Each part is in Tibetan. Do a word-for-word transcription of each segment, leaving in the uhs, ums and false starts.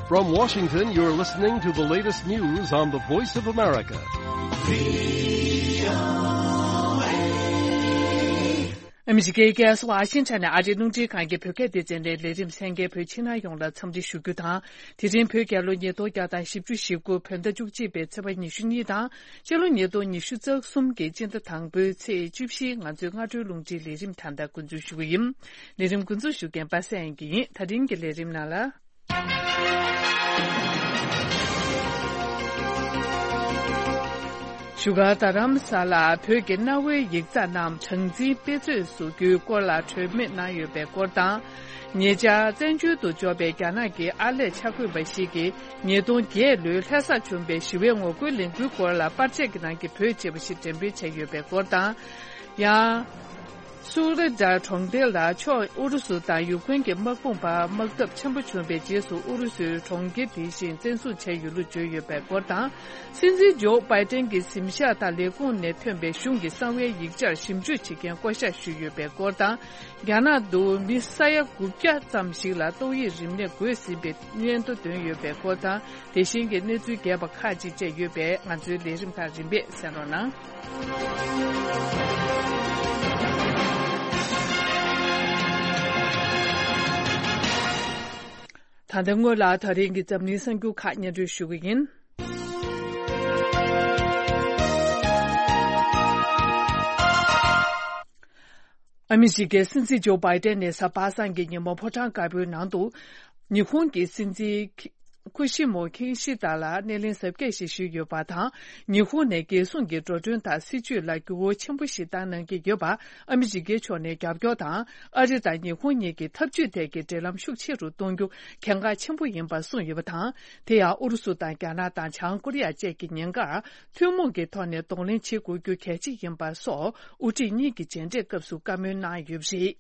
From Washington, you're listening to the latest news on the Voice of America. ཨ་མི་རི་ཀའི་རྒྱལ་ས་ཝ་ཤིང་ཊོན་ནས་ཨ་རིའི་རླུང་འཕྲིན་ཁང་གི་བོད་སྐད་སྡེ་ཚན་ནས་ལས་རིམ་གསན་མཁན་བོད་ཕྱི་ནང་ཡོངས་ལ་འཚམས་འདྲི་ཞུ་རྒྱུ་དང་། དེ་རིང་བོད་རྒྱལ་ལོ་ཉིས་སྟོང་བརྒྱ་དང་བཞི་བཅུ་ཞེ་དགུ་བོད་ཟླ་བཅུ་གཅིག་པའི་ཚེས་པ་ཉི་ཤུ་གཉིས་དང་། སྤྱི་ལོ་ཉིས་སྟོང་ཉི་ཤུ་རྩ་གསུམ་གྱི་སྤྱི་ཟླ་དང་པོའི་ཚེས་བཅུ་བཞིའི་ང་ཚོའི་སྔ་དྲོའི་རླུང་འཕྲིན་ལས་རིམ་ད་ལྟ་འགོ་འཛུགས་ཞུ་གི་ཡིན། ལས་རིམ་འགོ་འཛུགས་ཞུ་མཁན་པ་སངས་དབྱངས་སྐྱིད་ཡིན། ད་རིང་གི་ལས་རིམ་ནང་ལ། བཞུགས་སྒར་རྡ་རམ་ས་ལར་བོད་ཀྱི་གནའ་བོའི་ཡིག་ཚགས་རྣམས་གྲངས་འཛིན་དཔེ་མཛོད་བཟོ་རྒྱུའི་སྐོར་ལ་གྲོས་མོལ་གནང་ཡོད་པའི་སྐོར་དང་། ཉེ་ཆར་བཙན་བྱོལ་དུ་འབྱོར་བའི་རྒྱ་ནག་གི་ཨར་ལས་འཆར་འགོད་པ་ཞིག་གིས་ཉིས་སྟོང་བརྒྱད་ལོའི་ལྷ་སར་བྱུང་བའི་ཞི་བའི་ངོ་རྒོལ་ལས་འགུལ་སྐོར་ལ་པར་ཆས་ཀྱི་ནང་གི་བོད་ཅེས་པ་ཞིག་འགྲེམས་སྤེལ་བྱས་ཡོད་པའི་སྐོར་དང་། ཡང་། སུ་ལི་ཌར་གྲོང་རྡལ་ལ་ཕྱོགས་ཨུ་རུ་སུ་དང་ཡུ་ཁུན་གྱི་དམག་དཔུང་བར་དམག་འཐབ་ཆེན་པོ་བྱུང་བའི་རྗེས་སུ་ཨུ་རུ་སུའི་གྲོང་ཁྱེར་དེ་བཞིན་བཙན་བཟུང་བྱས་ཡོད་ལུགས་བརྗོད་ཡོད་པའི་སྐོར་དང་། སྲིད་འཛིན་ཇོ་བྷའི་ཏན་གྱི་གཟིམ་ཤག་དང་ལས་ཁུངས་ནས་ཐོན་པའི་གཞུང་གི་གསང་བའི་ཡིག་ཆར་ཞིབ་འཇུག་བྱེད་མཁན་བསྐོ་གཞག་ཞུས་ཡོད་པའི་སྐོར་དང་། རྒྱ་ནག་ཏུ་མི་ས་ཡ་དགུ་བརྒྱ་ཙམ་ཞིག་ལ་ཏོག་དབྱིབས་རིམས་ནད་འགོས་ཟིན་པའི་སྙན་ཐོ་བཏོན་ཡོད་པའི་སྐོར་དང་། དེ་བཞིན་གྱི་གནས་ཚུལ་རྒྱས་པ་ཁག་ཅིག་བཅས་ཡོད་པས། ང་ཚོའི་ལས་རིམ་ཁག་རིམ་པས་གསན་རོགས་གནང་། ད་ལྟ་སྔོན་ལ་ད་རིང་གི་འཛམ་གླིང་གསར་འགྱུར་ཁག་སྙན་སྒྲོན་ཞུ་གི་ཡིན། ཨ་མི་རི་ཀའི་སྲིད་འཛིན་ཇོ་བྷའི་ཏན་ནས་གཟའ་པ་སངས་ཀྱི་ཉིན་མོ་ཕོ་བྲང་དཀར་པོའི་ནང་དུ། ཉི་ཧོང་གི་སྲིད་འཛིན་ཁུ་ཤི་མོ་ཁི་ཤི་ད་ལ་སྣེ་ལེན་གཟབ་རྒྱས་ཤིག་ཞུས་ཡོད་པ་དང་། ཉི་ཧོང་ནས་རྒྱལ་སྲུང་གི་འགྲོ་གྲོན་དང་སྲིད་ཇུས་ལ་འགྱུར་བ་ཆེན་པོ་ཞིག་བཏང་གནང་གི་ཡོད་པ། ཨ་མི་རི་ཀའི་ཕྱོགས་ནས་རྒྱབ་སྐྱོར་དང་། ཨ་རི་དང་ཉི་ཧོང་གཉིས་ཀྱི་འཐབ་ཇུས་ཐད་ཀྱི་འབྲེལ་ལམ་ཤུགས་ཆེ་རུ་གཏོང་རྒྱུ་གལ་འགངས་ཆེན་པོ་ཡིན་པ་གསུངས་ཡོད་པ་དང་། དེ་ཡང་ཨུ་རུ་སུ་དང་རྒྱ་ནག་དང་བྱང་ཀོ་རི་ཡ་བཅས་ཀྱི་ཉེན་ཁར་ཐུན་མོང་གི་ཐོག་ནས་གདོང་ལེན་བྱེད་དགོས་རྒྱུ་གལ་ཆེ་ཡིན་པ་སོགས་དབུ་ཁྲིད་གཉིས་ཀྱི་མཇལ་འཕྲད་སྐབས་སུ་བཀའ་མོལ་གནང་ཡོད་པ་རེད།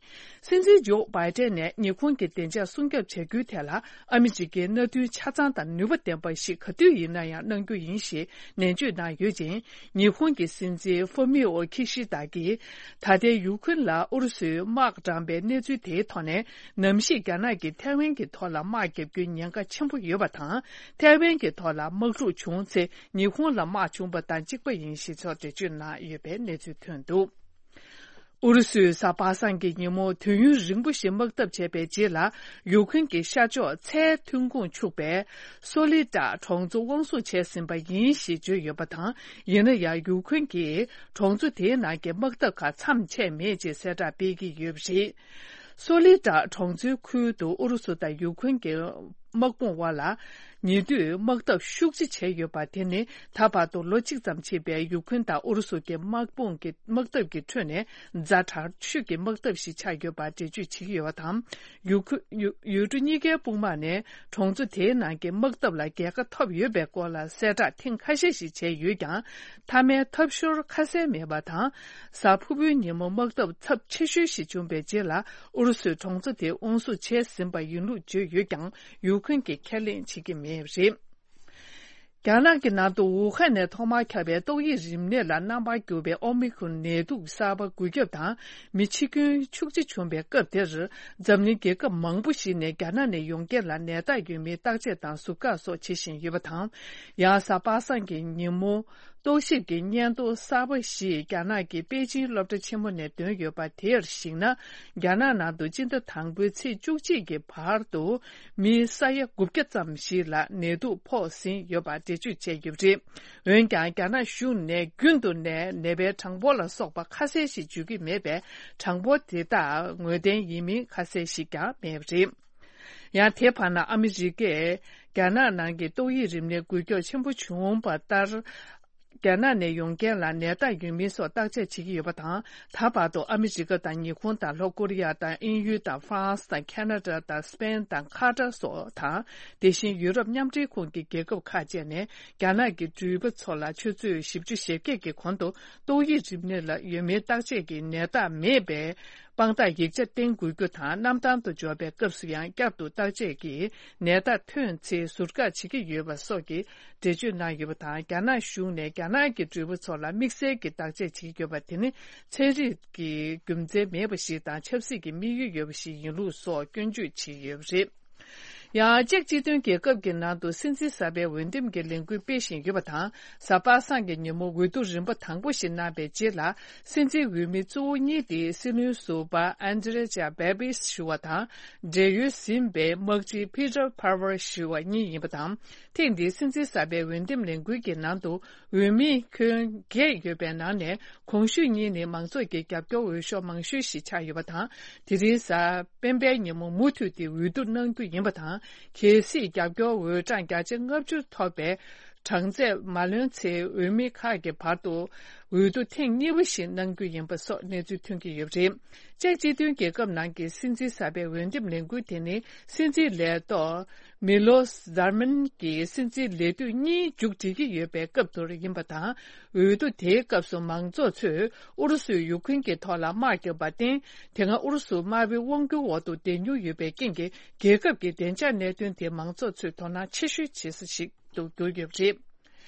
སྲིད་འཛིན་ཇོ་བྷའི་ཏན་ནས་ཉི་ཧོང་གི་བདེ་འཇགས་སྲུང་སྐྱོབ་བྱ་རྒྱུའི་ཐད་ལ་ཨ་མི་རི་ཀའི་མནའ་མཐུན་ཆ་ཚང་དང་ནུས་པ་ལྡན་པ་ཞིག་ག་དུས་ཡིན་ན་ཡང་གནང་རྒྱུ་ཡིན་ཞེས་ནན་བརྗོད་གནང་ཡོད་ཅིང་། ཉི་ཧོང་གི་སྲིད་འཛིན་ཧྥུ་མི་ཨོ་ཁི་ཤི་ད་གིས་ད་ལྟའི་ཡུ་ཁུན་ལ་ཨུ་རུ་སུས་དམག་དྲངས་པའི་གནས་ཚུལ་དེའི་ཐོག་ནས། ནམ་ཞིག་རྒྱ་ནག་གིས་ཐའེ་ཝན་གྱི་ཐོག་ལ་དམག་བརྒྱབ་རྒྱུའི་ཉེན་ཁ་ཆེན་པོ་ཡོད་པ་དང་། ཐའེ་ཝན་གྱི་ཐོག་ལ་དམག་འཁྲུག་བྱུང་ཚེ་ཉི་ཧོང་ལ་དམག་བྱུང་བ་དང་གཅིག་པ་ཡིན་ཞེས་སོགས་འགྲེལ་བརྗོད་གནང་ཡོད་པའི་གནས་ཚུལ་ཐོན་འདུག་ཨུ་རུ་སུས་གཟའ་པ་སངས་ཀྱི་ཉིན་མོ་དུས་ཡུན་རིང་པོ་ཞིག་དམག་འཐབ་བྱས་པའི་རྗེས་ལ། ཡུ་ཁུན་གྱི་ཤར་ཕྱོགས་མཚའི་ཐོན་ཁུངས་ཕྱུག་པའི་སོ་ལི་ཏྲ་གྲོང་ཚོ་དབང་བཟུང་བྱས་ཟིན་པ་ཡིན་ཞེས་བརྗོད་ཡོད་པ་དང་། ཡིན་ན་ཡང་ཡུ་ཁུན་གྱིས་གྲོང་ཚོ་དེའི་ནང་གི་དམག་འཐབ་ཁག་མཚམས་ཆད་མེད་ཅེས་གསལ་བསྒྲགས་སྤེལ་གྱི་ཡོད་པ་རེད། སོ་ལི་ཏྲ་གྲོང་ཚོའི་ཁུལ་དུ་ཨུ་རུ་སུ་དང་ཡུ་ཁུན་གྱི་དམག་དཔུང་དབར་ལ་ཉེ་དུས་དམག་འཐབ་ཤུགས་ཆེ་བྱས་ཡོད་པ། དེ་ནི་ད་བར་དུ་ལོ་གཅིག་ཙམ་ཕྱིན་པའི་ཡུ་ཁུན་དང་ཨུ་རུ་སུ་གྱི་དམག་དཔུང་གི་དམག་འཐབ་ཀྱི་ཁྲོད་ནས་ཛ་དྲག་ཤོས་ཀྱི་དམག་འཐབ་ཞིག་ཆགས་ཡོད་པ་འགྲེལ་བརྗོད་བྱེད་ཀྱི་ཡོད་པ་དང་། ཡུ་ཁུ་ཡུ་ཡུལ་གྲུ་གཉིས་ཀའི་དཔུང་དམག་ནས་གྲོང་ཚོ་དེའི་ནང་གི་དམག་འཐབ་ལ་རྒྱལ་ཁ་ཐོབ་ཡོད་པའི་སྐོར་ལ་གསལ་བསྒྲགས་ཐེངས་ཁ་ཤས་ཤིག་བྱས་ཡོད་ཀྱང་། མཐའ་མའི་ཐབས་ཤོར་ཁ་གསལ་མེད་པ་དང་། གཟའ་ཕུར་བུའི་ཉིན་མོ་དམག་འཐབ་ཚབས་ཆེ་ཤོས་ཤིག་བྱུང་བའི་རྗེས་ལ་ཨུ་རུ་སུས་གྲོང་ཚོ་དེ་དབང་བཟུང་བྱས་ཟིན་པ་ཡིན་ལུགས་བརྗོད་ཡོད་ཀྱང་། ཡུ་ཁུན་གྱིས་ཁས་ལེན་བྱེད་ཀྱི་མེད་པ་རེད། རྒྱ་ནག་གི་ནང་དུ་ཝུ་ཧན་ནས་ཐོག་མར་ཁྱབ་པའི་ཏོག་དབྱིབས་རིམས་ནད་ལ་རྣམ་པར་གྱུར་པའི་ཨོ་མི་ཁོན་ནད་དུག་གསར་པ་འགོས་ཁྱབ་དང་མི་འཆི་སྐྱོན་ཤུགས་ཆེ་བྱུང་བའི་སྐབས་དེར། འཛམ་གླིང་རྒྱལ་ཁབ་མང་པོ་ཞིག་ནས་རྒྱ་ནག་ནས་ཡོང་མཁན་ལ་ནད་རྟགས་ཡོད་མེད་བརྟག་དཔྱད་དང་ཟུར་བཀག་སོགས་བྱེད་བཞིན་ཡོད་པ་དང་། ཡང་གཟའ་པ་སངས་ཀྱི་ཉིན་མོ་རྟོག་ཞིབ་ཀྱི་སྙན་ཐོ་གསར་པ་ཞིག་རྒྱ་ནག་གི་པེ་ཅིང་སློབ་གྲྭ་ཆེན་མོ་ནས་བཏོན་ཡོད་པ་དེར་གཞིགས་ན། རྒྱ་ནག་ནང་དུ་སྤྱི་ཟླ་དང་པོའི་ཚེས་བཅུ་གཅིག་གི་བར་དུ། མི་ས་ཡ་དགུ་བརྒྱ་ཙམ་ཞིག་ལ་ནད་དུག་ཕོག་ཟིན་ཡོད་པ་འགྲེལ་བརྗོད་བྱས་ཡོད་པ་རེད། འོན་ཀྱང་རྒྱ་ནག་གཞུང་ནས་རྒྱུན་དུ་ནད་ནད་པའི་གྲངས་འབོར་ལ་སོགས་པ་ཁ་གསལ་ཞིག་བརྗོད་ཀྱི་མེད་པས། གྲངས་འབོར་དེ་དག་ངོས་ལྡན་ཡིན་མིན་ཁ་གསལ་ཞིག་ཀྱང་མེད་པ་རེད། ཡང་དེ་བར་ན་ཨ་མི་རི་ཀས་རྒྱ་ནག་ནང་གི་ཏོག་དབྱིབས་རིམས་ནད་འགོས་ཁྱབ་ཆེན་པོ་བྱུང་བ་ལྟར། རྒྱ་ནག་ནས་ཡོང་མཁན་ལ་ནད་རྟགས་ཡོད་མིན་སོགས་བརྟག་དཔྱད་བྱེད་ཀྱི་ཡོད་པ་དང་། ད་བར་དུ་ཨ་མི་རི་ཀ་དང་ཉི་ཧོང་དང་ལྷོ་ཀོ་རི་ཡ་དང་དབྱིན་ཡུལ་དང་ཧྥ་རན་སི་དང་ཁ་ན་ཌ་དང་སི་པེན་དང་ཁ་ཏར་སོགས་དང་། དེ་བཞིན་ཡུ་རོབ་མཉམ་འབྲེལ་ཁོངས་ཀྱི་རྒྱལ་ཁབ་ཁག་བཅས་ནས་རྒྱ་ནག་གི་འགྲུལ་པ་ཚོ་ལ་ཆུ་ཚོད་བཞི་བཅུ་ཞེ་བརྒྱད་ཀྱི་གོང་དུ་ཏོག་དབྱིབས་རིམས་ནད་ལ་ཡོད་མེད་བརྟག་དཔྱད་ཀྱི་ནད་རྟགས་མེད་པའི་དཔང་རྟགས་ཡིག་ཆ་བསྟན་དགོས་རྒྱུ་དང་། གནམ་ཐང་དུ་འབྱོར་བའི་སྐབས་སུ་ཡང་བསྐྱར་དུ་བརྟག་དཔྱད་ཀྱིས་ནད་རྟགས་ཐོན་ཚེ་ཟུར་བཀག་བྱེད་ཀྱི་ཡོད་པ་སོགས་ཀྱི་འགྲེལ་བརྗོད་གནང་ཡོད་པ་དང་། རྒྱ་ནག་གཞུང་ནས་རྒྱ་ནག་གི་འགྲུལ་པ་ཚོ་ལ་དམིགས་བསལ་གྱི་བརྟག་དཔྱད་བྱེད་ཀྱི་ཡོད་པ་དེ་ནི་ཚན་རིག་གི་རྒྱུ་མཚན་མེད་པ་ཞིག་དང་ཆབ་སྲིད་ཀྱི་དམིགས་ཡུལ་ཡོད་པ་ཞིག་ཡིན་ལུགས་སོགས་སྐྱོན་བརྗོད་བྱས་ཡོད་པ་རེད། ཡང་། ཅེཀ་སྤྱི་མཐུན་རྒྱལ་ཁབ་ཀྱི་ནང་དུ་སྲིད་འཛིན་གསར་པའི་འོས་འདེམས་ཀྱི་ལས་འགུལ་སྤེལ་བཞིན་ཡོད་པ་དང་། གཟའ་པ་སངས་ཀྱི་ཉིན་མོ་འོས་བསྡུ་རིམ་པ་དང་པོ་ཞིག་གནང་བའི་རྗེས་ལ། སྲིད་འཛིན་འོས་མི་གཙོ་བོ་གཉིས་དེ་སྲིད་བློན་ཟུར་པ་ཨན་ཏྲེ་ཇཱ་བེ་བིས་ཞུ་བ་དང་། བགྲེས་ཡོལ་ཟིན་པའི་དམག་སྤྱི་ཕི་ཏར་ཕ་ཝར་ཞུ་བ་གཉིས་ཡིན་པ་དང་། ཐེངས་འདིའི་སྲིད་འཛིན་གསར་པའི་འོས་འདེམས་ལས་འགུལ་གྱི་ནང་དུ། འོས་མི་ཁྱོན་བརྒྱད་ཡོད་པའི་ནང་ནས། གོང་ཞུས་གཉིས་ནི་མང་ཚོགས་ཀྱི་རྒྱབ་སྐྱོར་འོས་ཤོག་མང་ཤོས་ཤིག་ཆགས་ཡོད་པ་དང་། དེ་རིང་གཟའ་སྤེན་པའི་ཉིན་མོ་མུ་མཐུད་དེ་འོས་བསྡུ་གནང་རྒྱུ་ཡིན་པ་དང་། གལ་སྲིད་རྒྱབ་སྐྱོར་འོས་གྲངས་བརྒྱ་ཆ་ལྔ་བཅུ་ཐོབ་པའི་གྲངས་ཚད་མ་ལོན་ཚེ། འོས་མི་ཁག་གི་བར་དུ་འོས་བསྡུ་ཐེངས་གཉིས་པ་ཞིག་གནང་རྒྱུ་ཡིན་པ་སོགས་གནས་ཚུལ་ཐོན་གྱི་ཡོད་པ་རེད། ཅེཀ་སྤྱི་མཐུན་རྒྱལ་ཁབ་ནང་གི་སྲིད་འཛིན་གསར་པའི་འོས་འདེམས་ལས་འགུལ་དེ་ནི། སྲིད་འཛིན་ལས་ཐོག་མི་ལོ་ཟར་མན་གྱི་སྲིད་འཛིན་ལས་དུས་གཉིས་མཇུག་སྒྲིལ་གྱི་ཡོད་པའི་སྐབས་དེར་ཡིན་པ་དང་། འོས་བསྡུ་དེའི་སྐབས་སུ་མང་ཚོགས་ཚོས་ཨུ་རུ་སུས་ཡུ་ཁུན་གྱི་ཐོག་ལ་དམག་བརྒྱབ་པར་བརྟེན། དེ་སྔ་ཨུ་རུ་སུ་དམར་པོའི་དབང་སྒྱུར་འོག་ཏུ་བསྡད་མྱོང་ཡོད་པའི་རྐྱེན་གྱིས། རྒྱལ་ཁབ་ཀྱི་བདེ་འཇགས་གནད་དོན་དེ་མང་ཚོགས་ཚོས་དོ་སྣང་ཆེ་ཤོས་བྱེད་ས་ཞིག་ཏུ་གྱུར་ཡོད་པ་རེད།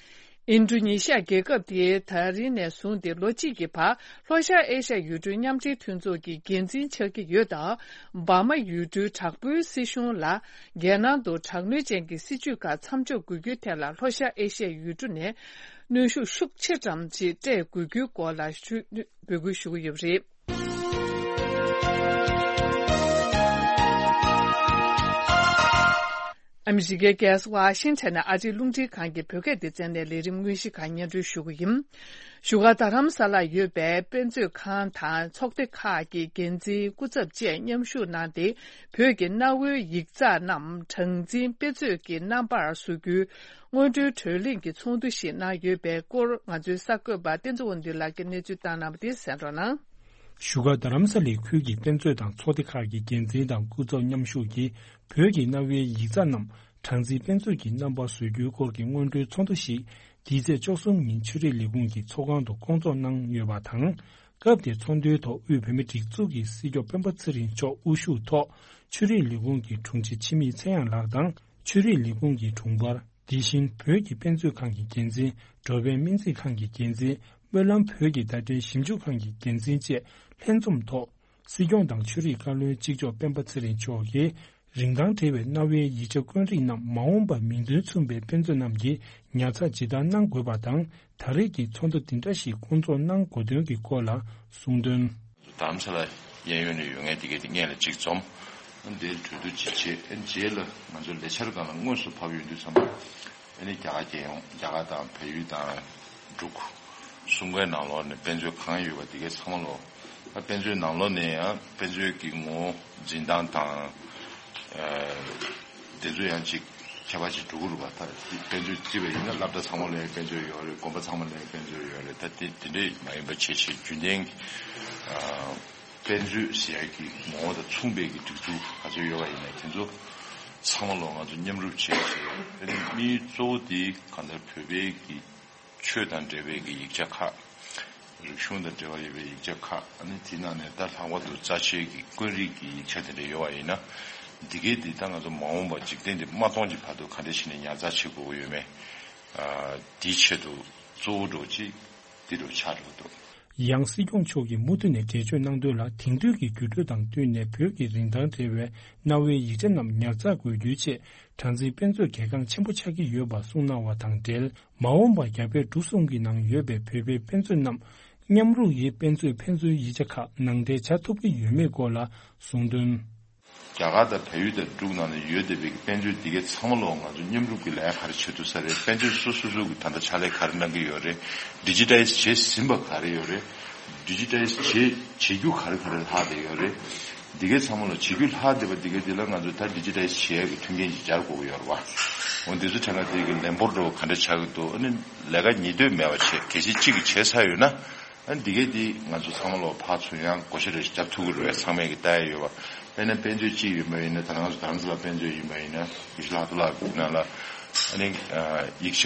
ཨིན་ཌོ་ནེ་ཤི་ཡ་རྒྱལ་ཁབ་དེས་ད་རིང་ནས་བཟུང་སྟེ་ལོ་གཅིག་གི་བར་ལྷོ་ཤར་ཨེ་ཤ་ཡ་ཡུལ་གྲུའི་མཉམ་འབྲེལ་མཐུན་ཚོགས་ཀྱི་འགན་འཛིན་ཆགས་ཀྱི་ཡོད་སྟབས། འབར་མ་ཡུལ་གྲུའི་དྲག་པོའི་སྲིད་གཞུང་ལ་རྒྱལ་ནང་དུ་དྲག་གནོན་ཅན་གྱི་སྲིད་བྱུས་ཁག་མཚམས་འཇོག་དགོས་རྒྱུའི་ཐད་ལ་ལྷོ་ཤར་ཨེ་ཤ་ཡ་ཡུལ་གྲུ་ནས་གནོན་ཤུགས་ཤུགས་ཆེ་ཙམ་ཞིག་སྤྲད་དགོས་རྒྱུའི་སྐོར་ལ་ཞུ་འབོད་སྐུལ་ཞུ་གི་ཡོད་པ་རེད། ཨ་མི་རི་ཀའི་རྒྱལ་ས་ཝ་ཤིང་ཊོན་ནས་ཨ་རིའི་རླུང་འཕྲིན་ཁང་གི་བོད་སྐད་སྡེ་ཚན་ནས་ལས་རིམ་དངོས་གཞི་ཁག་སྙན་སྒྲོན་ཞུ་གི་ཡིན། བཞུགས་སྒར་རྡ་རམ་ས་ལར་ཡོད་པའི་དཔེ་མཛོད་ཁང་དང་ཚོགས་སྡེ་ཁག་གི་འགན་འཛིན་སྐུ་ཚབ་བཅས་མཉམ་ཞུགས་གནང་སྟེ། བོད་ཀྱི་གནའ་བོའི་ཡིག་ཚགས་རྣམས་གྲངས་འཛིན་དཔེ་མཛོད་ཀྱི་རྣམ་པར་བཟོ་རྒྱུའི་སྔོན་འགྲོའི་གྲོས་གླེང་གི་ཚོགས་འདུ་ཞིག་གནང་ཡོད་པའི་སྐོར། ང་ཚོའི་གསར་འགོད་པ་བསྟན་འཛིན་དབང་འདུས་ལགས་ཀྱིས་གནས་ཚུལ་བཏང་གནང་བ་དེ་གསན་རོགས་གནང་། བཞུགས་སྒར་རྡ་རམ་ས་ལའི་ཁུལ་གྱི་དཔེ་མཛོད་དང་ཚོགས་སྡེ་ཁག་གི་འགན་འཛིན་དང་སྐུ་ཚབ་མཉམ་ཞུགས་ཀྱིས། བོད་ཀྱི་གནའ་བོའི་ཡིག་ཚགས་རྣམས་གྲངས་འཛིན་དཔེ་མཛོད་ཀྱི་རྣམ་པར་བཟོ་རྒྱུའི་སྐོར་གྱི་སྔོན་འགྲོའི་ཚོགས་འདུ་ཞིག་འདིའི་ཚེས་བཅུ་གསུམ་ཉིན་ཆོས་རིག་ལས་ཁུངས་ཀྱི་ཚོགས་ཁང་དུ་བསྐོང་ཚོགས་གནང་ཡོད་པ་དང་། སྐབས་དེའི་ཚོགས་འདུའི་ཐོག་དབུས་བོད་མིའི་སྒྲིག་འཛུགས་ཀྱི་སྲིད་སྐྱོང་སྤེན་པ་ཚེ་རིང་མཆོག་དབུ་བཞུགས་ཐོག་ཆོས་རིག་ལས་ཁུངས་ཀྱི་དྲུང་ཆེ་འཆི་མེད་ཚེ་དབྱངས་ལགས་དང་། ཆོས་རིག་ལས་ཁུངས་ཀྱི་དྲུང་འཕར། དེ་བཞིན་བོད་ཀྱི་དཔེ་མཛོད་ཁང་གི་འགན་འཛིན། འགྲོ་ཕན་སྨན་རྩིས་ཁང་གི་འགན་འཛིན། སྨོན་ལམ་བོད་ཀྱི་བརྡ་འཕྲིན་ཞིབ་འཇུག་ཁང་གི་འགན་འཛིན་བཅས་ལྷན་འཛོམས་ཐོག་སྲིད་སྐྱོང་དང་ཆོས་རིག་བཀའ་བློན་གཅིག་ལྕོགས་སྤེན་པ་ཚེ་རིང་མཆོག་གིས། རིན་ཐང་བྲལ་བའི་གནའ་བོའི་ཡིག་ཆ་དཀོན་རིགས་རྣམས་མ་འོངས་པར་མིང་དོན་མཚུངས་པའི་དཔེ་མཛོད་རྣམས་ཀྱིས་ཉར་ཚགས་ཇི་ལྟར་གནང་དགོས་པ་དང་། ད་རེས་ཀྱི་ཚོགས་འདུ་འདི་འདྲ་ཞིག་བསྐོང་ཚོགས་གནང་དགོས་དོན་གྱི་སྐོར་ལ་གསུངས་དོན། རྡ་རམ་ས་ལ་གཡས་གཡོན་ནས་ཡོད་མཁན་དེ་གའི་དེ་སྔོན་ལ་གཅིག་འཛོམས། འདིར་གྲོས་བསྡུར་ཅིག་བྱས། རྗེས་ལ་ང་ཚོ་ལས་འཆར་སྒང་ལ་དངོས་སུ་བབས་ཡོང་དུས་ཙམ་པ། ཨ་ནི་རྒྱ་གར་རྒྱལ་ཡོངས། རྒྱ་གར་དང་བལ་ཡུལ་དང་འབྲུག་གསུམ་ཀའི་ནང་ལོགས་ནས་དཔེ་མཛོད་གང་ཡོད་པ་དེ་གའི་ཚང་མ་ལོ། ཨ་དཔེ་མཛོད་ནང་ལོགས་ནས་ཡང་དཔེ་མཛོད་ཀྱི་ངོ་བོ་འཛིན་སྟངས་དང་། ཨ་དེ་ཚོ་ཡང་ཅིག་ཁྱད་པར་ཅིག་འགྲོ་གི་རེད་པ། ད་དཔེ་མཛོད་བརྩིས་པ་ཡིན་ན་སློབ་གྲྭ་ཚང་མ་ལ་ཡང་དཔེ་མཛོད་ཡོད་རེད། དགོན་པ་ཚང་མ་ལ་ཡང་དཔེ་མཛོད་ཡོད་རེད། ད་དེ་དེ་འདྲས་མ་ཡིན་པ་བྱས་བྱས་རྒྱུན་ལྡན་གྱི་ཨ་དཔེ་མཛོད་ཟེར་ཡག་གི་ངོ་བོ་དང་མཚུངས་པའི་གི་སྒྲིག་འཛུགས་ག་ཚོད་ཡོད་པ་ཡིན་ན་དེ་ཚོ་ཚང་མ་ལོ་ང་ཚོ་མཉམ་རུབ་བྱས་བྱས། ཨ་ནི་དམིགས་ཡུལ་གཙོ་བོ་དེ་གང་ལྟར་བོད་པའི་གི་ཆོས་དང་འབྲེལ་བའི་གི་ཡིག་ཆ་ཁག་རིག་གཞུང་དང་འབྲེལ་བ་ཡོད་པའི་ཡིག་ཆ་ཁག་ཨ་ནི་དེ་ནང་ནས་ད་ལྷག་པར་དུ་རྩ་ཆེའི་གི་དཀོན་རིགས་ཀྱི་ཡིག་ཆ་དེ་འདྲ་ཡོད་པ་ཡིན་ན། འདི་གའི་འདི་ད་ང་ཚོ་མ་འོངས་པ་འཇིག་རྟེན་འདི་མ་སྟོངས་ཀྱི་བར་དུ་ག་འདྲ་བྱས་ནས་ཉར་ཚགས་བྱེད་དགོས་ཀྱི་ཡོད་མེད། ཨ་དེའི་ཆེད་དུ་གཙོ་བོ་འདྲ་བོ་ཅིག་འདི་འདྲ་བོ་ཆགས་འགྲོ་གི་འདུག་ཡང་སྲིད་སྐྱོང་མཆོག་གིས་མུ་མཐུད་ནས་འགྲེལ་བརྗོད་གནང་དོན་ལ། དེང་དུས་ཀྱི་འགྱུར་འགྲོས་དང་བསྟུན་ནས་བོད་ཀྱི་རིན་ཐང་བྲལ་བའི་གནའ་བོའི་ཡིག་ཆ་རྣམས་ཉར་ཚགས་དགོས་རྒྱུའི་ཆེད་གྲངས་འཛིན་དཔེ་མཛོད་གལ་འགངས་ཆེན་པོ་ཆགས་ཀྱི་ཡོད་པ་གསུངས་གནང་བ་དང་འབྲེལ། མ་འོངས་པར་རྒྱ་བལ་འབྲུག་གསུམ་གྱི་ནང་ཡོད་པའི་བོད་པའི་དཔེ་མཛོད་རྣམས་མཉམ་རུབ་ཡིས་དཔེ་མཛོད་ཕན་ཚུན་ཡིག་ཆ་ཁག་ནང་འདྲེན་བྱ་ཐུབ་ཀྱི་ཡོད་མེད་སྐོར་ལ་གསུངས་དོན། རྒྱ་གར་དང་བལ་ཡུལ་དང་འབྲུག་ནང་ལ་ཡོད་བསྡད་པའི་དཔེ་མཛོད་འདི་གའི་ཚང་མ་ལོ་ང་ཚོ་མཉམ་རུབ་ཀྱི་ལས་ཀ་ག་རེ་བྱེད་ཐུབ་ས་རེད། དཔེ་མཛོད་སོ་སོ་སོ་གི་ད་ལྟ་ཕྱག་ལས་ག་རེ་གནང་གི་ཡོད་རེད། ཌི་ཇི་ཊའི་ཛི་བྱས་ཟིན་པ་ག་རེ་ཡོད་རེད། ཌི་ཇི་ཊའི་ཛི་བྱེད་བྱེད་རྒྱུ་ག་རེ་ག་རེ་ལྷག་བསྡད་ཡོད་རེད། འདི་གའི་ཚང་མ་ལོ་བྱེད་རྒྱུ་ལྷག་བསྡད་པ་འདི་གའི་འདི་ལ་ང་ཚོ་ད་ཌི་ཇི་ཊའི་ཛི་བྱེད་ཡག་གི་མཐུན་རྐྱེན་ཅིག་སྦྱར་དགོས་ཀྱི་ཡོད་རེད་བ། འོ་འདི་ཚོ་དྲན་ག་དེ་གི་ལན་འབོར་འདྲ་བོ་ག་འདྲ་ཆགས་ཀྱི་འདུག་ཨ་ནི་ལས་ཀ་ཉིས་ལྟོས་མེད་པ་བྱས། གལ་སྲིད་གཅིག་གིས་བྱས་ཚར་ཡོད་ན། ཨ་འདི་གས་འདི་ང་ཚོ་ཚང་མ་ལོ་ཕར་ཚུར་ཡང་བགོ་བཤའ་རེ་ཞིག་རྒྱབ་ཐུབ་ཀྱི་རེད་པས། ཚང་མས་ཀྱི་ལྟ་ཡ་ཡོད་པ། དཔེར་ན་དཔེ་མཛོད་གཅིག་ཡིན་པ་ཡིན་ན། ད་ང་ཚོ་རྡ་རམ་ས་ལ་དཔེ་མཛོད་ཡིན་པ་ཡིན་ན། ཡེ་ཤེས་ལྷག་རྡོར་ལགས་ཀྱི་ནང་ལ་ཨ་ནི་ཡིག་ཆ་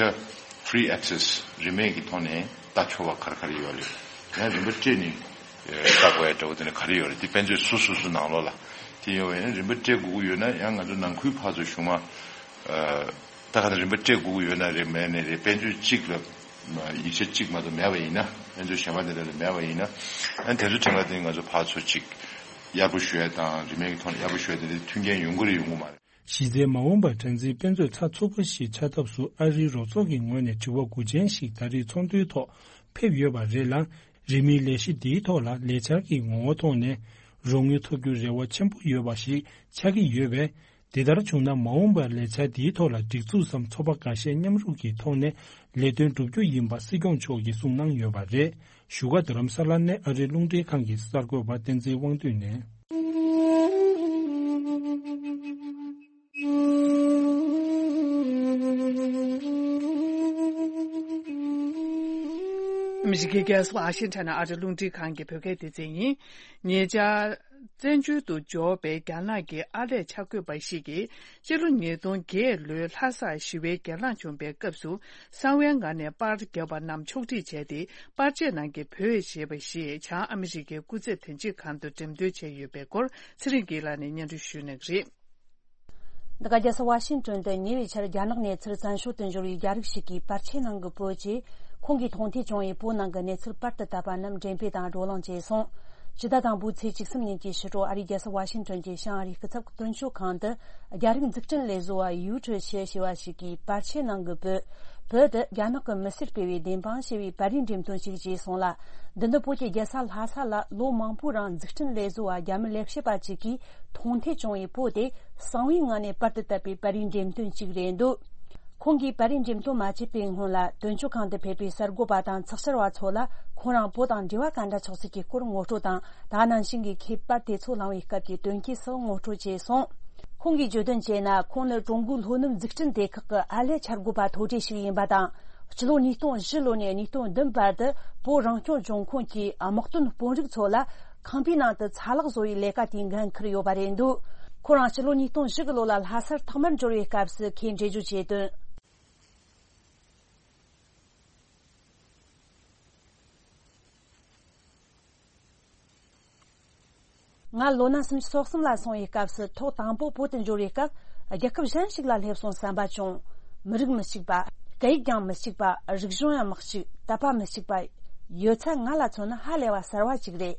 ཕི་རི་ཨེག་སེ་སི་རིན་མེད་ཀྱི་ཐོག་ནས་ལྟ་ཆོག་པ་ག་རེ་ག་རེ་ཡོད་རེད། ཡང་རིན་པ་སྤྲད་ནས་ལྟ་དགོས་ཡ་འདྲ་བོ་དེ་ནས་ག་རེ་ཡོད་རེད། དེ་དཔེ་མཛོད་སོ་སོ་སོ་ནང་ལོགས་ལ་དེ་ཡོད་པ་ཡིན་ན། རིན་པ་སྤྲད་དགོས་ཀྱི་ཡོད་ན་ཡང་ང་ཚོ་ནང་ཁུལ་ཕར་ཚུར་ཞུ་མ། ད་ག་ནང་རིན་པ་སྤྲད་དགོས་ཀྱི་ཡོད་ན་རེད། མེད་ན་རེད། དཔེ་མཛོད་གཅིག་ལ་ཡིག་ཆ་གཅིག་མ་གཏོགས་མེད་པ་ཡིན་ན། དཔེ་མཛོད་གཞན་པ་དེ་འདྲ་ལ་མེད་པ་ཡིན་ན། ཨ་དེ་ཚོ་དྲན་ག་དེ་ང་ཚོ་ཕར་ཚུར་གཅིག་གཡར་པོ་ཞུ་ཡ་དང་རིན་མེད་ཀྱི་ཐོག་ནས་གཡར་པོ་ཞུ་ཡ་དེ་འདྲའི་མཐུན་རྐྱེན་ཡོང་གི་རེད་ཡོང་གི་མ་རེད། གཞི་རྩའི་མ་འོངས་པར་གྲངས་འཛིན་དཔེ་མཛོད་ཚགས་ཚུད་པ་ཞིག་ཆགས་ཐབས་སུ་ཨ་རིའི་རོགས་ཚོགས་ཀྱི་ངོས་ནས་དྲི་བ་དགུ་ཅན་ཞིག་ད་རེས་ཚོགས་འདུའི་ཐོག་ཕེབས་ཡོད་པ་རེད་ལ། རིན་མེད་ལས་གཞི་འདིའི་ཐོག་ལ་ལས་འཆར་གྱི་ངོ་བོ་ཐོག་ནས་རོགས་དངུལ་ཐོབ་རྒྱུར་རེ་བ་ཆེན་པོ་ཡོད་པ་ཞིག་ཆགས་ཀྱི་ཡོད་པས། དེ་ལྟར་བྱུང་ན་མ་འོངས་པར་ལས་འཆར་འདིའི་ཐོག་ལ་སྒྲིག་འཛུགས་སམ་ཚོགས་པ་འགའ་ཤས་མཉམ་རུབ་ཀྱི་ཐོག་ནས་ལས་དོན་བསྒྲུབ་རྒྱུ་ཡིན་པ་སྲིད་སྐྱོང་མཆོག་གིས་གསུངས་གནང་ཡོད་པ་རེད། བཞུགས་སྒར་རྡ་རམ་ས་ལ་ནས་ཨ་རིའི་རླུང་འཕྲིན་ཁང་གི་གསར་འགོད་པ་བསྟན་འཛིན་དབང་འདུས་ནས། ཨ་མི་རི་ཀའི་རྒྱལ་ས་ཝ་ཤིང་ཊོན་ནས་ཨ་རིའི་རླུང་འཕྲིན་ཁང་གི་བོད་སྐད་སྡེ་ཚན་ཡིན། ཉེ་ཆར། བཙན་བྱོལ་དུ་འབྱོར་བའི་རྒྱ་ནག་གི་ཨར་ལས་འཆར་འགོད་པ་ཞིག་གིས། སྤྱི་ལོ་ཉིས་སྟོང་བརྒྱད་ལོའི་ལྷ་སར་ཞི་བའི་གྱེན་ལངས་བྱུང་བའི་སྐབས་སུ། གསང་བའི་ངང་ནས་པར་བརྒྱབ་པ་རྣམས་ཕྱོགས་སྒྲིག་བྱས་ཏེ། པར་ཆས་ནང་གི་བོད་ཞེས་པ་ཞིག་བྱང་ཨ་མི་རི་ཀའི་སྐུ་ཚབ་དོན་གཅོད་ཁང་དུ་འགྲེམས་སྟོན་བྱས་ཡོད་པའི་སྐོར་ཚེ་རིང་སྐྱིད་ལགས་ནས་སྙན་སྒྲོན་ཞུ་གནང་གི་རེད། འདི་ག་རྒྱལ་ས་ཝ་ཤིང་ཊོན་དུ་ཉེ་བའི་ཆར་རྒྱ་ནག་ནས་ཚུར་བཙན་བྱོལ་དུ་འབྱོར་བའི་རྒྱ་རིགས་ཤིག་གིས་པར་ཆས་ནང་གི་བོད་ཀྱི། ཁོང་གིས་མཐོང་ཐོས་བྱུང་བའི་བོད་ནང་གི་གནས་ཚུལ་པར་དུ་བཏབ་པ་རྣམས་འགྲེམས་སྤེལ་དང་བགྲོ་གླེང་བྱས་སོང་། སྤྱི་ཟླ་དང་པོའི་ཚེས་བཅུ་གསུམ་ཉིན་གྱི་ཕྱི་དྲོ་ཨ་རིའི་རྒྱལ་ས་ཝ་ཤིང་ཊོན་གྱི་བྱང་ཨ་རིའི་སྐུ་ཚབ་དོན་གཅོད་ཁང་དུ། རྒྱ་རིགས་འཛུགས་སྐྲུན་ལས་བཟོ་བ་ཡུའུ་ཁྲི་ཆེ་ཞེས་པ་ཞིག་གིས་པར་ཆས་ནང་གི་བོད། བོད་དེ་རྒྱ་ནག་གི་མི་སེར་སྤེལ་བའི་བདེན་དཔང་ཞེས་པའི་པར་རིས་འགྲེམས་སྟོན་ཞིག་བྱས་སོང་ལ། འདི་ནི་བོད་ཀྱི་རྒྱལ་ས་ལྷ་ས་ལ་ལོ་མང་པོའི་རིང་འཛུགས་སྐྲུན་ལས་བཟོ་བ་རྒྱ་མི་ལས་བྱེད་པ་ཅིག་གིས་མཐོང་ཐོས་བྱུང་བའི་བོད་དེ་གསང་བའི་ངང་ནས་པར་དུ་བཏབ་པའི་པར་རིས་འགྲེམས་སྟོན་ཞིག་རེད་འདུག་ཁོང་གིས་པར་རིས་འགྲེམས་སྟོན་མ་བྱས་པའི་སྔོན་ལ་དོན་གཅོད་ཁང་དུ་ཕེབས་པའི་གསར་འགོད་པ་དང་ཚགས་བཅར་བ་ཚོ་ལ་ཁོང་རང་བོད་དང་འབྲེལ་བ་ག་འདྲ་ཆགས་ཚུལ་གྱི་སྐོར་ངོ་སྤྲོད་དང་། ད་ནང་བཞིན་གྱི་ཁྱད་པར་དེ་ཚོ་གླེང་བའི་སྐབས་ཀྱི་དོན་རྐྱེན་སོགས་ངོ་སྤྲོད་བྱས་སོང་། ཁོང་གིས་བརྗོད་དོན་བྱས་ན། ཁོང་ནི་ཀྲུང་གོའི་ལྷོ་ནུབ་འཛུགས་སྐྲུན་སྡེ་ཁག་གི་ཨར་ལས་འཆར་འགོད་པ་མཐོ་གྲས་ཤིག་ཡིན་པ་དང་། སྤྱི་ལོ་ཉིས་སྟོང་བཞི་ལོ་ནས་ཉིས་སྟོང་བདུན་བར་དུ་བོད་རང་སྐྱོང་ལྗོངས་ཁོངས་ཀྱི་དམག་དོན་དཔོན་རིགས་ཚོ་ལ་ཁང་པའི་ནང་དུ་ཚ་ལག་བཟོ་བའི་ལས་ཀ་དེའི་འགན་འཁུར་ཡོད་པ་རེད་འདུག་ཁོ་རང་སྤྱི་ལོ་ཉིས་སྟོང་བཞི་གི་ལོ་ལ་ལྷ་སར་ཐོག་མར་འབྱོར་བའི་སྐབས་སུ་ཁོས་འགྲེལ་བརྗོད་བྱས་དོན། ང་ལོ་ན་སུམ་ཅུ་སོ་གསུམ་ལ་སོང་བའི་སྐབས་སུ། ཐོག་དང་པོ་བོད་དུ་འབྱོར་བའི་སྐབས། རྒྱལ་ཁབ་གཞན་ཞིག་ལ་སླེབས་སོང་བསམ་པ་བྱུང་། མི་རིགས་མི་གཅིག་པ། སྐད་ཡིག་ཀྱང་མི་གཅིག་པ། རིག་གཞུང་ཡང་མི་གཅིག་དད་པ་མི་གཅིག་པ། ཡོད་ཚད་ང་ལ་མཚོན་ན་ཧ་ལས་པ་གསར་བ་ཅིག་རེད།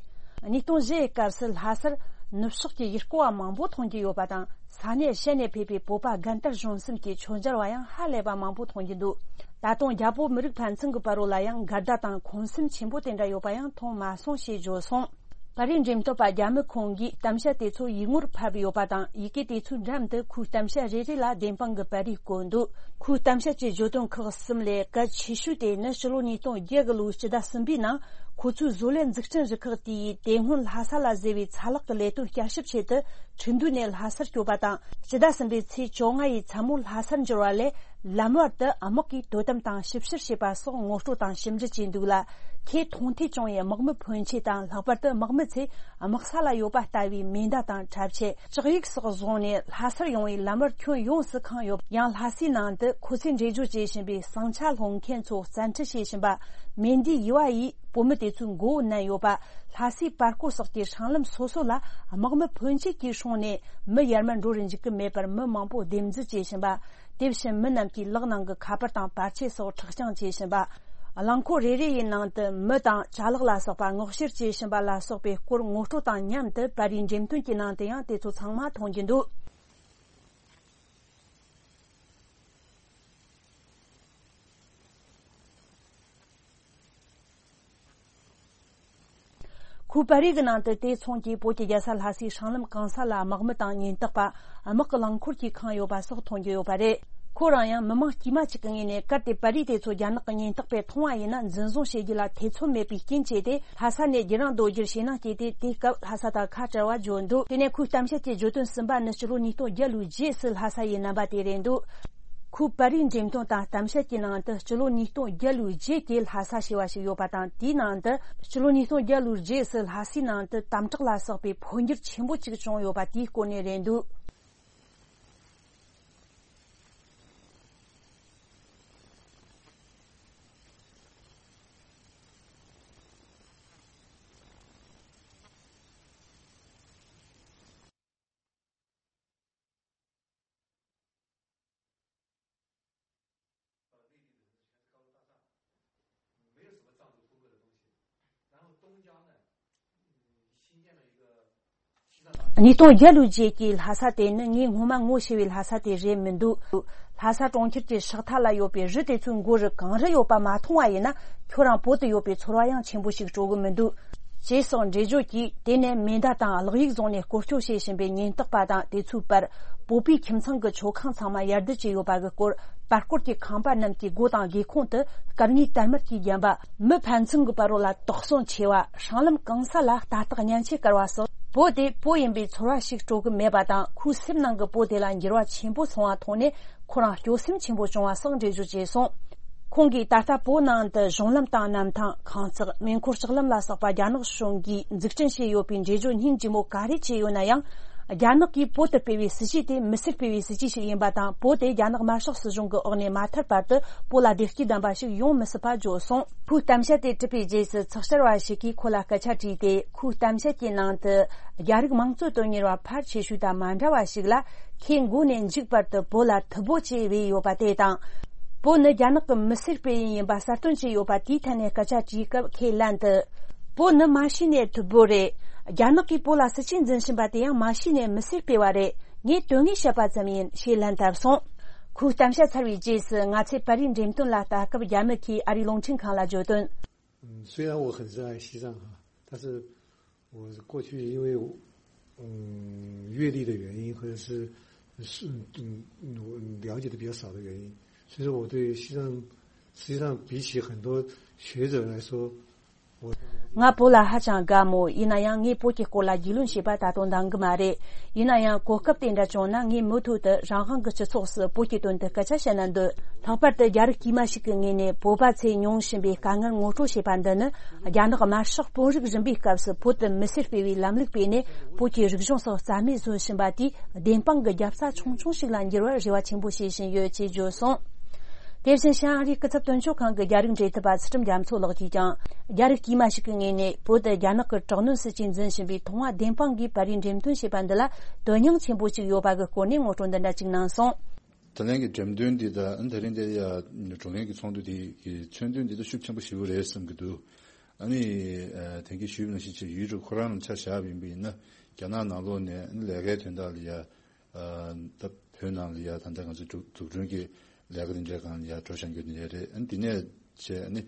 ཉིས་སྟོང་བཞི་ཡི་སྐབས་སུ་ལྷ་སར་ནུབ་ཕྱོགས་ཀྱི་ཡུལ་སྐོར་བ་མང་པོ་མཐོང་རྒྱུ་ཡོད་པ་དང་། ས་གནས་གཞན་ནས་ཕེབས་པའི་བོད་པ་རྒན་དར་གཞོན་གསུམ་གྱི་མཆོད་མཇལ་བ་ཡང་ཧ་ལས་པ་མང་པོ་མཐོང་རྒྱུ་འདུག་ད་དུང་རྒྱ་བོད་མི་རིགས་ཕན་ཚུན་གྱི་བར་རོ་ལ་ཡང་འགལ་ཟླ་དང་འཁོན་སེམས་ཆེན་པོ་དེ་འདྲ་ཡོད་པ་ཡང་མཐོང་མ་སོང་ཞེས་བརྗོད་སོང་། པར་རིས་འགྲེམས་སྟོན་པ་རྒྱ་མི་ཁོང་གིས་གཏམ་བཤད་དེ་ཚོ་ཡིག་ངོར་ཕབ་ཡོད་པ་དང་། ཡི་གེ་དེ་ཚོའི་འགྲམ་དུ་ཁོའི་གཏམ་བཤད་རེ་རེ་ལ་བདེན་དཔང་གི་པར་རིས་བཀོད་འདུག་ཁོའི་གཏམ་བཤད་ཀྱི་བརྗོད་དོན་ཁག་གསུམ་ལས་གལ་ཆེ་ཤོས་དེ་ནི་སྤྱི་ལོ་ཉིས་སྟོང་བརྒྱད་གི་ལོའི་སྤྱི་ཟླ་གསུམ་པའི་ནང་ཁོ་ཚོའི་བཟོ་ལས་འཛུགས་སྐྲུན་རུ་ཁག་དེ་ཡིས་དེ་སྔོན་ལྷ་ས་ལ་བཟོས་པའི་ཚ་ལག་གི་ལས་དོན་བསྐྱར་ཞིབ་ཆེད་དུ་ཁྲིན་ཏུའུ་ནས་ལྷ་སར་བསྐྱོད་པ་དང་། སྤྱི་ཟླ་གསུམ་པའི་ཚེས་བཅོ་ལྔ་ཡི་མཚན་མོ་ལྷ་སར་འབྱོར་བ་ལས། ལམ་བར་དུ་དམག་གིས་དོ་དམ་དང་ཞིབ་བཤེར་བྱས་པ་སོགས་ངོ་སྤྲོད་དང་ཞིབ་འབྲི་བྱས་འདུག་ལ། ཁོས་མཐོང་ཐོས་བྱུང་བའི་དམག་མི་ཕོན་ཆེ་དང་། ལྷག་པར་དུ་དམག་མི་ཚོས་དམག་ས་ལ་ཡོད་པ་ལྟ་བུའི་མེ་མདའ་དང་གྲྭ་ཆས། ལྕགས་ཡིག་སོགས་བཟུང་ནས་ལྷ་སར་ཡོང་བའི་ལམ་བར་ཁྱོན་ཡོངས་སུ་ཁེངས་ཡོད། ཡང་ལྷ་སའི་ནང་དུ་ཁོ་ཚོས་འགྲེལ་བརྗོད་བྱེད་བཞིན་པའི་ཟིང་ཆ་སློང་མཁན་ཚོ་བཙན་ཁྲིད་བྱེད་བཞིན་པ། མེ་མདའི་ཡུ་བ་ཡིས་བོད་མི་དེ་ཚོའི་མགོ་བོ་མནན་ཡོད་པ། ལྷ་སའི་པར་སྐོར་སོགས་ཀྱི་སྲང་ལམ་སོ་སོ་ལ་དམག་མི་ཕོན་ཆེ་གིས་སྲུང་ནས་མི་ཡར་མར་འགྲོ་རུ་འཇུག་གི་མེད་པར་མི་མང་པོ་སྡེབ་འཛུལ་བྱེད་བཞིན་པ། དེ་བཞིན་མི་རྣམས་ཀྱི་ལག་ནང་གི་ཁ་པར་དང་པར་ཆས་སོགས་ཁྲག་རྐྱང་བྱེད་བཞིན་པ། རླངས་འཁོར་རེ་རེ་ཡི་ནང་དུ་མི་དང་ཅ་ལག་ལ་སོགས་པ་སྔོག་བཤེར་བྱེད་བཞིན་པ་ལ་སོགས་པའི་སྐོར་ངོ་སྤྲོད་དང་མཉམ་དུ་པར་རིས་འགྲེམས་སྟོན་གྱི་ནང་དུ་ཡང་དེ་ཚོ་ཚང་མ་མཐོང་རྒྱུ་འདུག་ཁོའི་པར་རིས་ཀྱི་ནང་དུ་དེ་མཚུངས་ཀྱིས་བོད་ཀྱི་རྒྱལ་ས་ལྷ་སའི་སྲང་ལམ་གང་ས་ལ་དམག་མི་དང་ཉེན་རྟོག་པ། དམག་གི་རླངས་འཁོར་གྱིས་ཁེངས་ཡོད་པ་སོགས་མཐོང་རྒྱུ་ཡོད་པ་རེད། ཁོ་རང་ཡང་མི་མང་དཀྱུས་མ་གཅིག་གི་ངོས་ནས། གལ་ཏེ་པར་རིས་དེ་ཚོ་རྒྱ་ནག་གི་ཉེན་རྟོག་པས་མཐོང་བ་ཡིན་ན། འཛིན་བཟུང་བྱེད་རྒྱུ་ལ་ཐེ་ཚོམ་མེད་པའི་རྐྱེན་བྱས་ཏེ། ལྷ་ས་ནས་རྒྱུན་རིང་སྡོད་རྒྱུར་ཞེད་སྣང་སྐྱེས་ཏེ། དེའི་སྐབས་ལྷ་ས་དང་ཁ་བྲལ་བར་བརྗོད་འདུག་དེ་ནས་ཁོའི་གཏམ་བཤད་ཀྱི་བརྗོད་དོན་གསུམ་པ་ནི། སྤྱི་ལོ་ཉིས་སྟོང་བརྒྱད་ལོའི་རྗེས་སུ་ལྷ་ས་ཡི་རྣམ་པ་དེ་རེད་འདུག་ཁོའི་པར་རིས་འགྲེམས་སྟོན་དང་གཏམ་བཤད་ཀྱི་ནང་དུ། སྤྱི་ལོ་ཉིས་སྟོང་བརྒྱད་ལོའི་རྗེས་ཀྱི་ལྷ་ས་ཞེས་པ་ཞིག་ཡོད་པ་དང་། དེའི་ནང་དུ། སྤྱི་ལོ་ཉིས་སྟོང་བརྒྱད་ལོའི་རྗེས་སུ་ལྷ་སའི་ནང་དུ་དམ་དྲག་ལ་སོགས་པའི་འཕོ་འགྱུར་ཆེན་པོ་གཅིག་བྱུང་ཡོད་པ་དེའི་སྐོར་ནས་རེད་འདུག་ཉིས་སྟོང་བརྒྱད་ལོའི་རྗེས་ཀྱི་ལྷ་ས་དེ་ནི་ངས་སྔོན་མ་ངོ་ཤེས་པའི་ལྷ་ས་དེ་རེད་མི་འདུག་ལྷ་ས་གྲོང་ཁྱེར་གྱི་ཕྱག་མཐའ་ལ་ཡོད་པའི་རི་དེ་ཚོའི་མགོ་རུ་གངས་རི་ཡོད་པ་མ་མཐོང་བ་ཡིན་ན། ཁྱོད་རང་བོད་དུ་ཡོད་པའི་ཚོར་བ་ཡང་ཆེན་པོ་ཞིག་སྤྲོ་གི་མི་འདུག་ཅེས་སོགས་འགྲེལ་བརྗོད་ཀྱིས། དེ་ནས་མེ་མདའ་དང་གློག་ཡིག་བཟུང་ནས་སྐོར་སྐྱོད་བྱེད་བཞིན་པའི་ཉེན་རྟོག་པ་དང་དེ་ཚོའི་བར། བོད་པའི་ཁྱིམ་ཚང་གི་མཆོད་ཁང་ཚང་མ་ཡར་བསྡུ་བྱས་ཡོད་པ་གི་སྐོར། པར་སྐོར་གྱི་ཁང་པ་རྣམས་ཀྱི་སྒོ་དང་སྒེའུ་ཁུང་དུ་སྐར་ལྔའི་དར་དམར་གྱིས་བརྒྱན་པ། མི་ཕན་ཚུན་གྱི་བར་རོ་ལ་དོགས་ཟོན་ཆེ་བ། སྲང་ལམ་གང་ས་ལ་རྟ་ཐག་བརྙན་ཆས་བཀར་བ་སོགས། བོད་དེ་བོད་ཡིན་པའི་ཚོར་བ་ཞིག་སྤྲོ་གི་མེད་པ་དང་། ཁོའི་སེམས་ནང་གི་བོད་དེ་ལ་འགྱུར་བ་ཆེན་པོ་སོང་བ་མཐོང་ནས། ཁོ་རང་སྐྱོ་སེམས་ཆེན་པོ་བྱུང་བ་སོགས་འགྲེལ་བརྗོད་བྱས་སོང་། ཁོང་གིས་ད་ལྟ་བོད་ནང་དུ་གཞུང་ལམ་དང་གནམ་ཐང་། ཁང་བརྩེགས། མེ་འཁོར་ལྕགས་ལམ་ལ་སོགས་པ་རྒྱ་ནག་གཞུང་གིས་འཛུགས་སྐྲུན་བྱས་ཡོད་པའི་འགྲེལ་བརྗོད་སྙིང་རྗེ་མོ་ག་རེ་བྱས་ཡོད་ན་ཡང་། རྒྱ་ནག་གིས་བོད་དུ་སྤེལ་བའི་སྲིད་ཇུས་དེ་མི་སེར་སྤེལ་བའི་སྲིད་ཇུས་ཤིག་ཡིན་པ་དང་། བོད་དེ་རྒྱ་ནག་དམར་ཤོག་སྲིད་གཞུང་གི་འོག་ནས་མ་ཐར་བར་དུ་བོད་ལ་བདེ་སྐྱིད་ལྡན་པ་ཞིག་ཡོང་མི་སྲིད་པ་བརྗོད་སོང་། ཁོའི་གཏམ་བཤད་དེ་གྲུབ་པའི་རྗེས་སུ་ཚགས་བཅར་བ་ཞིག་གིས་ཁོ་ལ་སྐད་ཆ་དྲིས་ཏེ། ཁོའི་གཏམ་བཤད་ཀྱི་ནང་དུ། རྒྱ་རིགས་དམངས་གཙོ་དོན་གཉེར་བ་ཕལ་ཆེ་ཤོས་དང་མ་འདྲ་བ་ཞིག་ལ། ཁོས་མགོ་ནས་མཇུག་བར་དུ་བོད་ལ་མཐུ་བོ་ཅེས་བོས་ཡོད་པ་དེ་དང་། བོད་ནི་རྒྱ་ནག་གི་མི་སེར་སྤེལ་ཡུལ་ཡིན་པ་གསལ་སྟོན་བྱས་ཡོད་པ་དེའི་ཐད་ནས་སྐད་ཆ་དྲིས་སྐབས། ཁོས་ལན་དུ། བོད་ནི་མ་གཞི་ནས་མཐུ་བོ་རེད། རྒྱ་ནག་གིས་བོད་ལ་སྲིད་ཇུས་འཛིན་བཞིན་པ་དེ་ཡང་མ་གཞི་ནས་མི་སེར་སྤེལ་བ་རེད། ངས་དོན་དངོས་བཤད་པ་ཙམ་ཡིན་ཞེས་ལན་བཏབ་སོང་། ཁོའི་གཏམ་བཤད་ཚར་བའི་རྗེས་སུ་ང་ཚོས་པར་རིས་འགྲེམས་སྟོན་ལ་ལྟ་སྐབས། རྒྱ་མི་ཁོས་ཨ་རིའི་རླུང་འཕྲིན་ཁང་ལ་བརྗོད་དོན། 嗯，虽然我很热爱西藏哈，但是我过去因为嗯阅历的原因，或者是是嗯我了解的比较少的原因，所以说我对西藏实际上比起很多学者来说，我 ང་བོད་ལ་ཧ་ཅང་དགའ་མོད། ཡིན་ན་ཡང་ངས་བོད་ཀྱི་སྐོར་ལ་རྒྱུས་ལོན་བྱས་པ་ད་དུང་འདང་གི་མ་རེད། ཡིན་ན་ཡང་གོ་སྐབས་དེ་འདྲ་བྱུང་ན། ངས་མུ་མཐུད་དུ་རང་དབང་གི་སྤྱི་ཚོགས་སུ་བོད་ཀྱི་དོན་དུ་སྐད་ཆ་བཤད་ན་འདོད། ལྷག་པར་དུ་རྒྱ་རིགས་དཀྱུས་མ་ཞིག་གི་ངོས་ནས་བོད་པ་ཚོས་མྱོང་བཞིན་པའི་དཀའ་ངལ་ངོ་སྤྲོད་བྱས་པ་འདི་ནི། རྒྱ་ནག་དམར་ཤོག་དཔོན་རིགས་རིམ་པའི་སྐབས་སུ་བོད་དུ་མི་སེར་སྤེལ་བའི་ལམ་ལུགས་སྤེལ་ནས། བོད་ཀྱི་རིག་གཞུང་སོགས་རྩ་མེད་བཟོ་བཞིན་པ་དེས། བདེན་དཔང་གི་རྒྱབ་རྩ་ཆུང་ཆུང་ཞིག་ལ་འགྱུར་བར་རེ་བ་ཆེན་པོ་བྱེད་བཞིན་ཡོད་ཅེས་བརྗོད་སོང་། དེ་བཞིན་ཤང་ཨ་རིའི་སྐུ་ཚབ་དོན་གཅོད་ཁང་གི་རྒྱ་རིགས་འབྲེལ་མཐུད་པ་ཚུལ་ཁྲིམས་རྒྱ་མཚོ་ལགས་ཀྱིས་ཀྱང་། རྒྱ་རིགས་དཀྱུས་མ་ཞིག་གི་ངོས་ནས་བོད་དུ་རྒྱ་ནག་གི་དྲག་གནོན་སྲིད་ཇུས་འཛིན་བཞིན་པའི་ཐོག་མ་བདེན་དཔང་གིས་པར་རིས་འགྲེམས་སྟོན་བྱས་པ་འདི་ལ་དོན་སྙིང་ཆེན་པོ་ཞིག་ཡོད་པ་གི་སྐོར་ནས་ངོ་སྤྲོད་འདི་འདྲ་ཅིག་གནང་སོང་། ད་ལན་གྱི་འགྲེམས་སྟོན་འདི་དང་། ད་རིང་འདིར་ཡ་བགྲོ་གླེང་གི་ཚོགས་འདུ་འདི་གི་མཚོན་དོན་འདི་ད་ཤུགས་ཆེན་པོ་ཞེ་པོ་རེད་བསམ་གྱི་འདུག་ཨ་ནི་ཨ་དེང་གི་ཞུས་པ་ནང་བཞིན་བྱས་ཡུལ་གྲུ་ཁོ་རང་ལ་ཆ་བཞག་པ་ཡིན་པ་ཡིན་ན། རྒྱ་ནག་ནང་ལོགས་ནས་ཨ་ནི་ལས་ཀའི་དོན་དག་ལ་ཡ། ཨ་ད་བོད་ནང་ལ་ཡ་ད་ལྟ་ང་ཚོ་འཛུགས་འཛུགས་སྐྲུན་གྱི་ལས་ཀ་དེ་འདྲའི་སྒང་ལ་ཡ་འགྲོ་བཞིན་ཡོད་དེ་འདྲ་རེད། ཨ་ནི་དེ་ནས་བྱས་ཨ་ནི་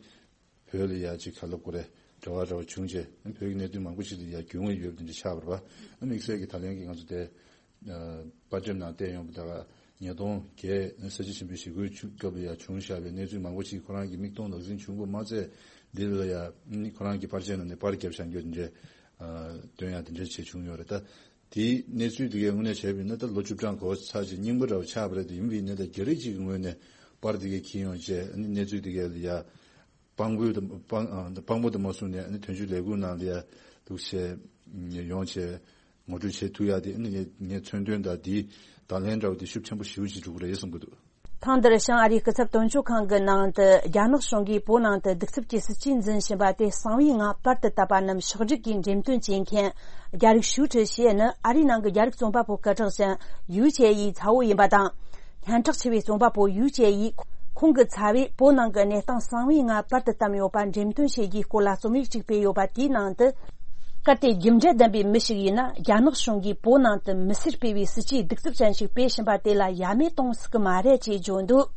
བོད་ལ་ཡ་ཅིག་ག་ལབ་དགོས་རེད། འབྲེལ་བ་འདྲ་བོ་བྱུང་རྗེས་ཨ་ནི་བོད་ཀྱི་གནད་དོན་མང་པོ་ཞིག་ལ་ཡ་རྒྱུས་མངའ་ཡོད་པ་དེ་འདྲ་ཆགས་པ་རེད་པ། ཨ་དམིགས་བསལ་གྱི་ད་ལན་གྱི་ང་ཚོ་དེ་ཨ་པར་འགྲེམས་ནང་བལྟས་ཡོང་བ་ད་ག་ཉིས་སྟོང་བརྒྱད་ཨ་ནི་ས་བྱི་ཞིང་པའི་ཞི་རྒོལ་བྱུང་སྐབས་ལ་ཡ་བྱུང་བཞག་པའི་གནས་ཚུལ་མང་པོ་ཞིག་ཁོ་རང་གི་མིག་མཐོང་ལག་ཟིན་བྱུང་དགོས་མ་ཚད། འདི་ལ་ཡ་ཨ་ནི་ཁོ་རང་གི་པར་ཆས་ནང་ནས་པར་བརྒྱབ་བཞག་རྒྱུ་དེ་འདྲ་ཨ་སྟོན་ཡ་དེ་འདྲ་བྱས་བྱུང་ཡོད་རེད་ད། དེའི་གནས་ཚུལ་དེ་གའི་དངོས་གནས་བྱས་པ་ཡིན་ན་ད་ལོ་བཅུ་གྲངས་འགོར་ཚར་རྗེས་རྙིང་པ་འདྲ་བོ་ཆགས་པ་རེད་དེ། ཡིན་པ་ཡིན་ནའི་ད་རྒྱ་རིགས་གཅིག་གི་ངོས་ནས་པར་དེ་གའི་འཁྱེར་ཡོང་བྱས་ཨ་ནི་གནས་ཚུལ་དེ་གའི་ལ་ཡ་དཔང་པོ་དང་དཔང་ཨ་དཔང་པོ་དང་མ་བཟུང་ནས་ཨ་ནི་དོན་གཅོད་ལས་ཁུངས་ནང་ལ་ཡ་འདུག་བྱས་ཡོང་བྱས་ངོ་སྤྲོད་བྱེད་ཐུབ་ཡ་དེ་ཨ་ནི་ངས་ངས་མཚོན་དོན་དང་དེའི་ད་ལན་འདྲ་བོ་དེ་ཤུགས་ཆེན་པོ་ཞེ་པོ་ཅིག་འགྲོ་གི་རེད་བསམ་གྱི་འདུག་ཐེངས་འདིར་ཤང་ཨ་རིའི་སྐུ་ཚབ་དོན་གཅོད་ཁང་གི་ནང་དུ་རྒྱ་ནག་གཞུང་གིས་བོད་ནང་དུ་གདུག་རྩུབ་ཀྱི་སྲིད་ཇུས་འཛིན་བཞིན་པ་དེ་གསང་བའི་ངང་པར་དུ་བཏབ་པ་རྣམས་ཕྱོགས་སྒྲིག་གིས་འགྲེམས་སྟོན་བྱེད་མཁན་རྒྱ་རིགས་ཞུ་ཁྲི་ཞེས་ནི་ཨ་རིའི་ནང་གི་རྒྱ་རིགས་རྩོམ་པ་པོ་སྐད་གྲགས་ཅན་ཡུའུ་ཅེ་ཡི་ཚ་བོ་ཡིན་པ་དང་། སྙན་གྲགས་ཆེ་བའི་རྩོམ་པ་པོ་ཡུའུ་ཅེ་ཡིས་ཁོང་གི་ཚ་བས་བོད་ནང་གི་གནས་སྟངས་གསང་བའི་ངང་པར་དུ་བཏབ་ཡོད་པ་འགྲེམས་སྟོན་བྱེད་རྒྱུའི་སྐོར་ལ་རྩོམ་ཡིག་ཅིག་སྤེལ་ཡོད་པ་དེའི་ནང་དུ། གལ་ཏེ་རྒྱུ་འབྲས་ལྡན་པའི་མི་ཞིག་ཡིན་ན། རྒྱ་ནག་གཞུང་གིས་བོད་ནང་དུ་མི་སེར་སྤེལ་བའི་སྲིད་ཇུས་གདུག་རྩུབ་ཅན་ཞིག་སྤེལ་བཞིན་པ་དེ་ལ་ཡ་མེད་གཏོང་སྲིད་ཀྱི་མ་རེད་ཅེས་བརྗོད་འདུག་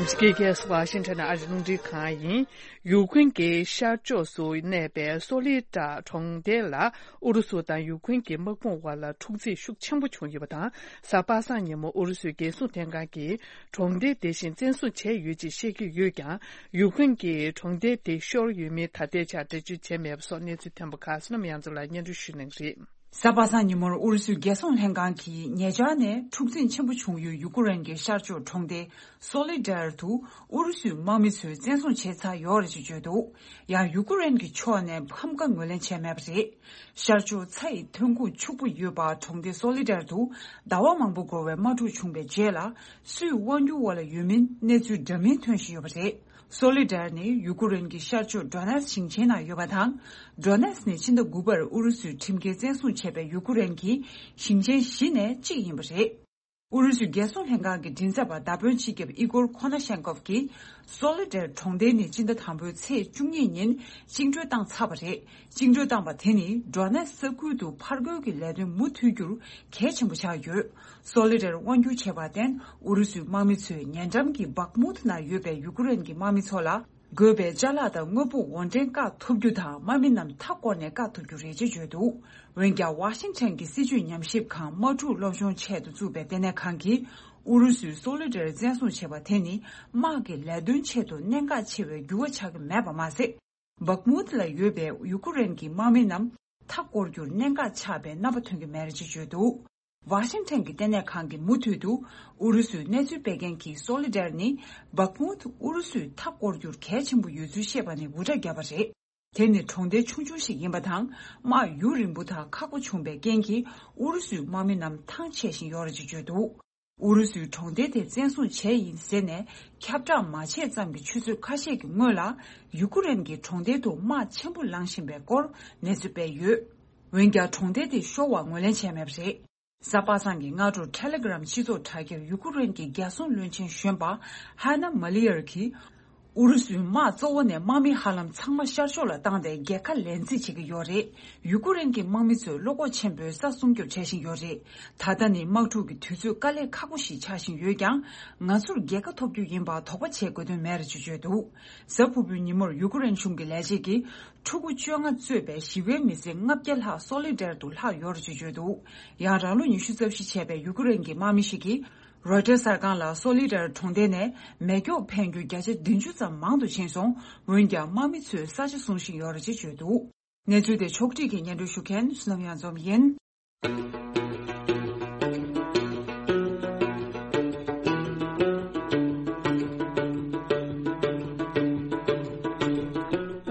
འདི་ག་ཨ་རིའི་རླུང་འཕྲིན་ཁང་ཡིན། ཡུ་ཀེན་གྱི་ཤར་ཕྱོགས་སུ་གནས་པའི་སོ་ལི་ཏྲ་གྲོང་རྡལ་ལ་ཨུ་རུ་སུ་དང་ཡུ་ཀེན་གྱི་དམག་དཔུང་དབར་ལ་འཁྲུག་འཛིང་ཤུགས་ཆེན་པོ་བྱུང་ཡོད་པ་དང་། གཟའ་པ་སངས་ཉིན་མོ་ཨུ་རུ་སུའི་རྒྱལ་སྲུང་ལྷན་ཁང་གིས་གྲོང་རྡལ་དེ་བཞིན་བཙན་བཟུང་བྱས་ཡོད་ཅེས་བཤད་ཀྱི་ཡོད་ཀྱང་། ཡུ་ཀེན་གྱིས་གྲོང་རྡལ་དེ་ཤོར་ཡོད་མིན་ད་ལྟའི་ཆར་འགྲེལ་བརྗོད་བྱས་མེད་པ་སོགས་གནས་ཚུལ་ཐོན་པ་ཁག་བསོད་ནམས་དབྱངས་འཛོམས་ལགས་སྙན་སྒྲོན་ཞུ་གནང་གི་རེད། གཟའ་པ་སངས་ཉིན་མོར་ཨུ་རུ་སུའི་རྒྱལ་སྲུང་ལྷན་ཁང་གིས་ཉེ་ཆར་ནས་འཁྲུག་འཛིང་ཆེན་པོ་བྱུང་ཡོད་ཡུ་ཀུ་རེན་གྱི་ཤར་ཕྱོགས་གྲོང་སྡེ་སོ་ལི་ཌར་དུ་ཨུ་རུ་སུའི་དམག་མི་ཚོས་བཙན་བཟུང་བྱས་ཚར་ཡོད་རེད་ཅེས་བརྗོད་འདུག་ཡང་ཡུ་ཀུ་རེན་གྱི་ཕྱོགས་ནས་ཕམ་ཁ་ངོས་ལེན་བྱས་མེད་པ་རེད། ཤར་ཕྱོགས་ཚྭ་ཡི་ཐོན་ཁུངས་ཕྱུག་པོ་ཡོད་པ་གྲོང་སྡེ་སོ་ལི་ཌར་དུ་ཟླ་བ་མང་པོ་འགོར་བའི་དམག་འཁྲུག་བྱུང་བའི་རྗེས་ལ། སུས་དབང་སྒྱུར་འོག་ལ་ཡོད་མིན་གནས་ཚུལ་འདྲ་མིན་ཐོན་བཞིན་ཡོད་པ་རེད། སོ་ལི་ཌར་ནི་ཡུ་ཀུ་རེན་གྱི་ཤར་ཕྱོགས་ཌོ་ནེ་སི་ཞིང་ཆེན་ནང་ཡོད་པ་དང་། ཌོ་ནེ་སི་ནི་ཕྱི་ཟླ་དགུ་པར་ཨུ་རུ་སུས་ཁྲིམས་འགལ་བཙན་བཟུང་བྱས་པའི་ཡུ་ཀུ་རེན་གྱི་ཞིང་ཆེན་བཞི་ནས་གཅིག་ཡིན་པ་རེད། ཨུ་རུ་སུའི་རྒྱལ་སྲུང་ལྷན་ཁང་གི་མགྲིན་ཚབ་པ་མདའ་དཔོན་སྤྱི་ཁྱབ་ཨི་གོར་ཁོ་ན་ཤན་ཀོབ་ཀྱིས། སོ་ལི་ཌེར་གྲོང་རྡལ་ནི་སྤྱི་ཟླ་དང་པོའི་ཚེས་བཅུ་གཉིས་ཉིན་བཅིངས་འགྲོལ་བཏང་ཚར་བ་རེད། བཅིངས་འགྲོལ་བཏང་པ་དེ་ནི་ཌོ་ནེ་ས་ཁུལ་དུ་ཕར་རྒོལ་གྱི་ལས་དོན་མུ་མཐུད་རྒྱུར་གལ་ཆེན་པོ་ཆགས་ཡོད། སོ་ལི་ཌེར་དབང་སྒྱུར་བྱས་པར་བརྟེན། ཨུ་རུ་སུའི་དམག་མི་ཚོས་ཉེ་འགྲམ་གྱི་བག་མུད་ན་ཡོད་པའི་ཡུ་ཀེ་རེན་གྱི་དམག་མི་ཚོ་ལ། དགོས་པའི་ཅ་ལག་དང་དངོས་པོ་འོར་འདྲེན་བཀག་ཐུབ་རྒྱུ་དང་། དམག་མི་རྣམས་མཐའ་བསྐོར་ནས་བཀག་ཐུབ་རྒྱུ་རེད་ཅེས་བརྗོད་འདུག་འོན་ཀྱང་། ཝ་ཤིང་ཊོན་གྱི་སྲིད་བྱུས་ཉམས་ཞིབ་ཁང་དམག་འཁྲུག་སློབ་སྦྱོང་ཆེད་དུ་བཙུགས་པའི་ལྟེ་གནས་ཁང་གིས། ཨུ་རུ་སུས་སོ་ལི་ཌེར་བཙན་བཟུང་བྱས་པ་དེ་ནི། དམག་གི་ལས་དོན་ཆེད་དུ་གནད་འགག་ཆེ་བའི་འགྱུར་བ་ཆགས་ཀྱི་མེད་པ་མ་ཟད། བག་མུད་ལ་ཡོད་པའི་ཡུ་ཀེ་རེན་གྱི་དམག་མི་རྣམས་མཐའ་བསྐོར་རྒྱུར་གནད་འགག་ཆགས་པའི་རྣམ་པ་ཐོན་གྱི་མེད་ཅེས་བརྗོད་འདུག་ཝ་ཤིང་ཊོན་གྱི་ལྟེ་གནས་ཁང་གིས་མུ་མཐུད་དུ། ཨུ་རུ་སུའི་གནས་ཚུལ་སྤེལ་མཁན་གྱིས། སོ་ལི་ཌེར་ནི་བག་མུད་ཨུ་རུ་སུས་མཐའ་བསྐོར་རྒྱུར་གལ་ཆེན་པོ་ཡོད་ཚུལ་བཤད་པ་ནི་འུར་སྒྲ་བརྒྱབ་པ་རེད། དེ་ནི་གྲོང་རྡལ་ཆུང་ཆུང་ཞིག་ཡིན་པ་དང་། དམག་ཡུན་རིང་པོ་དང་ཁག་པོ་བྱུང་བའི་རྐྱེན་གྱིས། ཨུ་རུ་སུའི་དམག་མི་རྣམས་ཐང་ཆད་བཞིན་ཡོད་རེད་ཅེས་བརྗོད་འདུག་ཨུ་རུ་སུའི་གྲོང་རྡལ་དེ་བཙན་བཟུང་བྱས་ཡིན་ཟེར་ནས་ཁྱབ་བསྒྲགས་མ་བྱས་ཙམ་གྱི་ཆུ་ཚོད་ཁ་ཤས་ཀྱི་སྔོན་ལ། ཡུ་ཀེ་རེན་གྱི་གྲོང་རྡལ་དུ་དམག་ཆེན་པོ་ལངས་བཞིན་པའི་སྐོར་གནས་ཚུལ་སྤེལ་ཡོད། འོན་ཀྱང་། གྲོང་རྡལ་དེ་ཤོར་བར་ངོས་ལེན་བྱས་མེད་པ་རེད། གཟའ་པ་སངས་ཀྱི་སྔ་དྲོར་ཊེ་ལེ་གྷི་རམ་སྤྱི་ཚོགས་དྲ་རྒྱར་ཡུ་ཀེ་རེན་གྱི་རྒྱལ་སྲུང་བློན་ཆེན་གཞོན་པ་ཧ་ན་མ་ལི་ཡར་གྱིས། ཨུ་རུ་སུའི་དམག་གཙོ་བོ་ནས་དམག་མི་ཧ་ལམ་ཚང་མ་ཤར་ཕྱོགས་ལ་བཏང་སྟེ་རྒྱལ་ཁ་ལེན་རྩིས་བྱེད་ཀྱི་ཡོད་རེད། ཡུ་ཀེ་རེན་གྱི་དམག་མི་ཚོས་བློ་ཁོག་ཆེན་པོས་ས་སྲུང་སྐྱོབ་བྱེད་བཞིན་ཡོད་རེད། ད་ལྟ་ནི་དམག་འཁྲུག་གི་དུས་ཚོད་དཀའ་ལས་ཁག་པོ་ཞིག་ཆགས་བཞིན་ཡོད་ཀྱང་། ང་ཚོར་རྒྱལ་ཁ་ཐོབ་རྒྱུ་ཡིན་པར་དོགས་པ་བྱེད་དགོས་དོན་མེད་རེད་ཅེས་བརྗོད་འདུག་གཟའ་ཕུར་བུའི་ཉིན་མོར་ཡུ་ཀེ་རེན་གཞུང་གི་ལས་བྱེད་ཀྱིས། ཕྲུ་གུ་བཅོ་ལྔ་གཙོས་པའི་ཞི་བའི་མི་སེར་ལྔ་བརྒྱ་ལྷག་སོ་ལི་ཌེར་དུ་ལྷག་ཡོད་རེད་ཅེས་བརྗོད་འདུག་ཡང་། རང་ལོ་ཉི་ཤུ་རྩ་བཞི་བྱས་པའི་ཡུ་ཀེ་རེན་གྱི་དམག་མི་ཞིག་གིས། རོའི་ཊར་གསར་ཁང་ལ། སོ་ལི་ཌེར་གྲོང་རྡལ་ནས་མེ་སྒྱོགས་འཕེན་རྒྱུ་བརྒྱ་ཆ་བདུན་ཅུ་ཙམ་མང་དུ་ཕྱིན་སོང་། འོན་ཀྱང་། དམག་མི་ཚོས་ས་ཆ་སྲུང་བཞིན་ཡོད་རེད་ཅེས་བརྗོད་འདུག་གནས་ཚུལ་དེ་ཕྱོགས་སྒྲིག་གིས་སྙན་སྒྲོན་ཞུ་མཁན་བསོད་ནམས་གཡང་འཛོམས་ཡིན།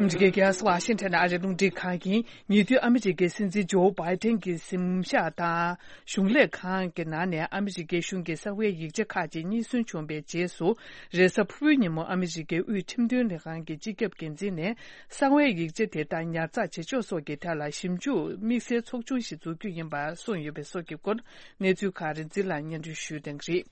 ཨ་མི་རི་ཀའི་རྒྱལ་ས་ཝ་ཤིང་ཊོན་ཨ་རིའི་རླུང་འཕྲིན་ཁང་ཡིན། ཉེ་དུས་ཨ་མི་རི་ཀའི་སྲིད་འཛིན་ཇོ་བྷའི་ཏན་གྱི་གཟིམ་ཤག་དང་། གཞུང་ལས་ཁང་གི་ནང་ནས་ཨ་མི་རི་ཀའི་གཞུང་གི་གསང་བའི་ཡིག་ཆ་ཁག་ཅིག་རྙེད་སོན་བྱུང་བའི་རྗེས་སུ། རེས་གཟའ་ཕུར་བུའི་ཉིན་མོ་ཨ་མི་རི་ཀའི་དབུས་ཁྲིམས་དོན་ལས་ཁང་གི་སྤྱི་ཁྱབ་འགན་འཛིན་ནས། གསང་བའི་ཡིག་ཆ་དེ་དག་ཉར་ཚགས་བྱེད་ཕྱོགས་སོགས་ཀྱི་ཐད་ལ་ཞིབ་འཇུག་དམིགས་བསལ་ཚོགས་ཆུང་ཞིག་འཛུགས་རྒྱུ་ཡིན་པ་གསུངས་ཡོད་པའི་སོགས་ཀྱི་སྐོར། གནས་ཚུལ་ཁག་རིག་འཛིན་ལགས་སྙན་སྒྲོན་ཞུ་གི་ཡོད་རེད།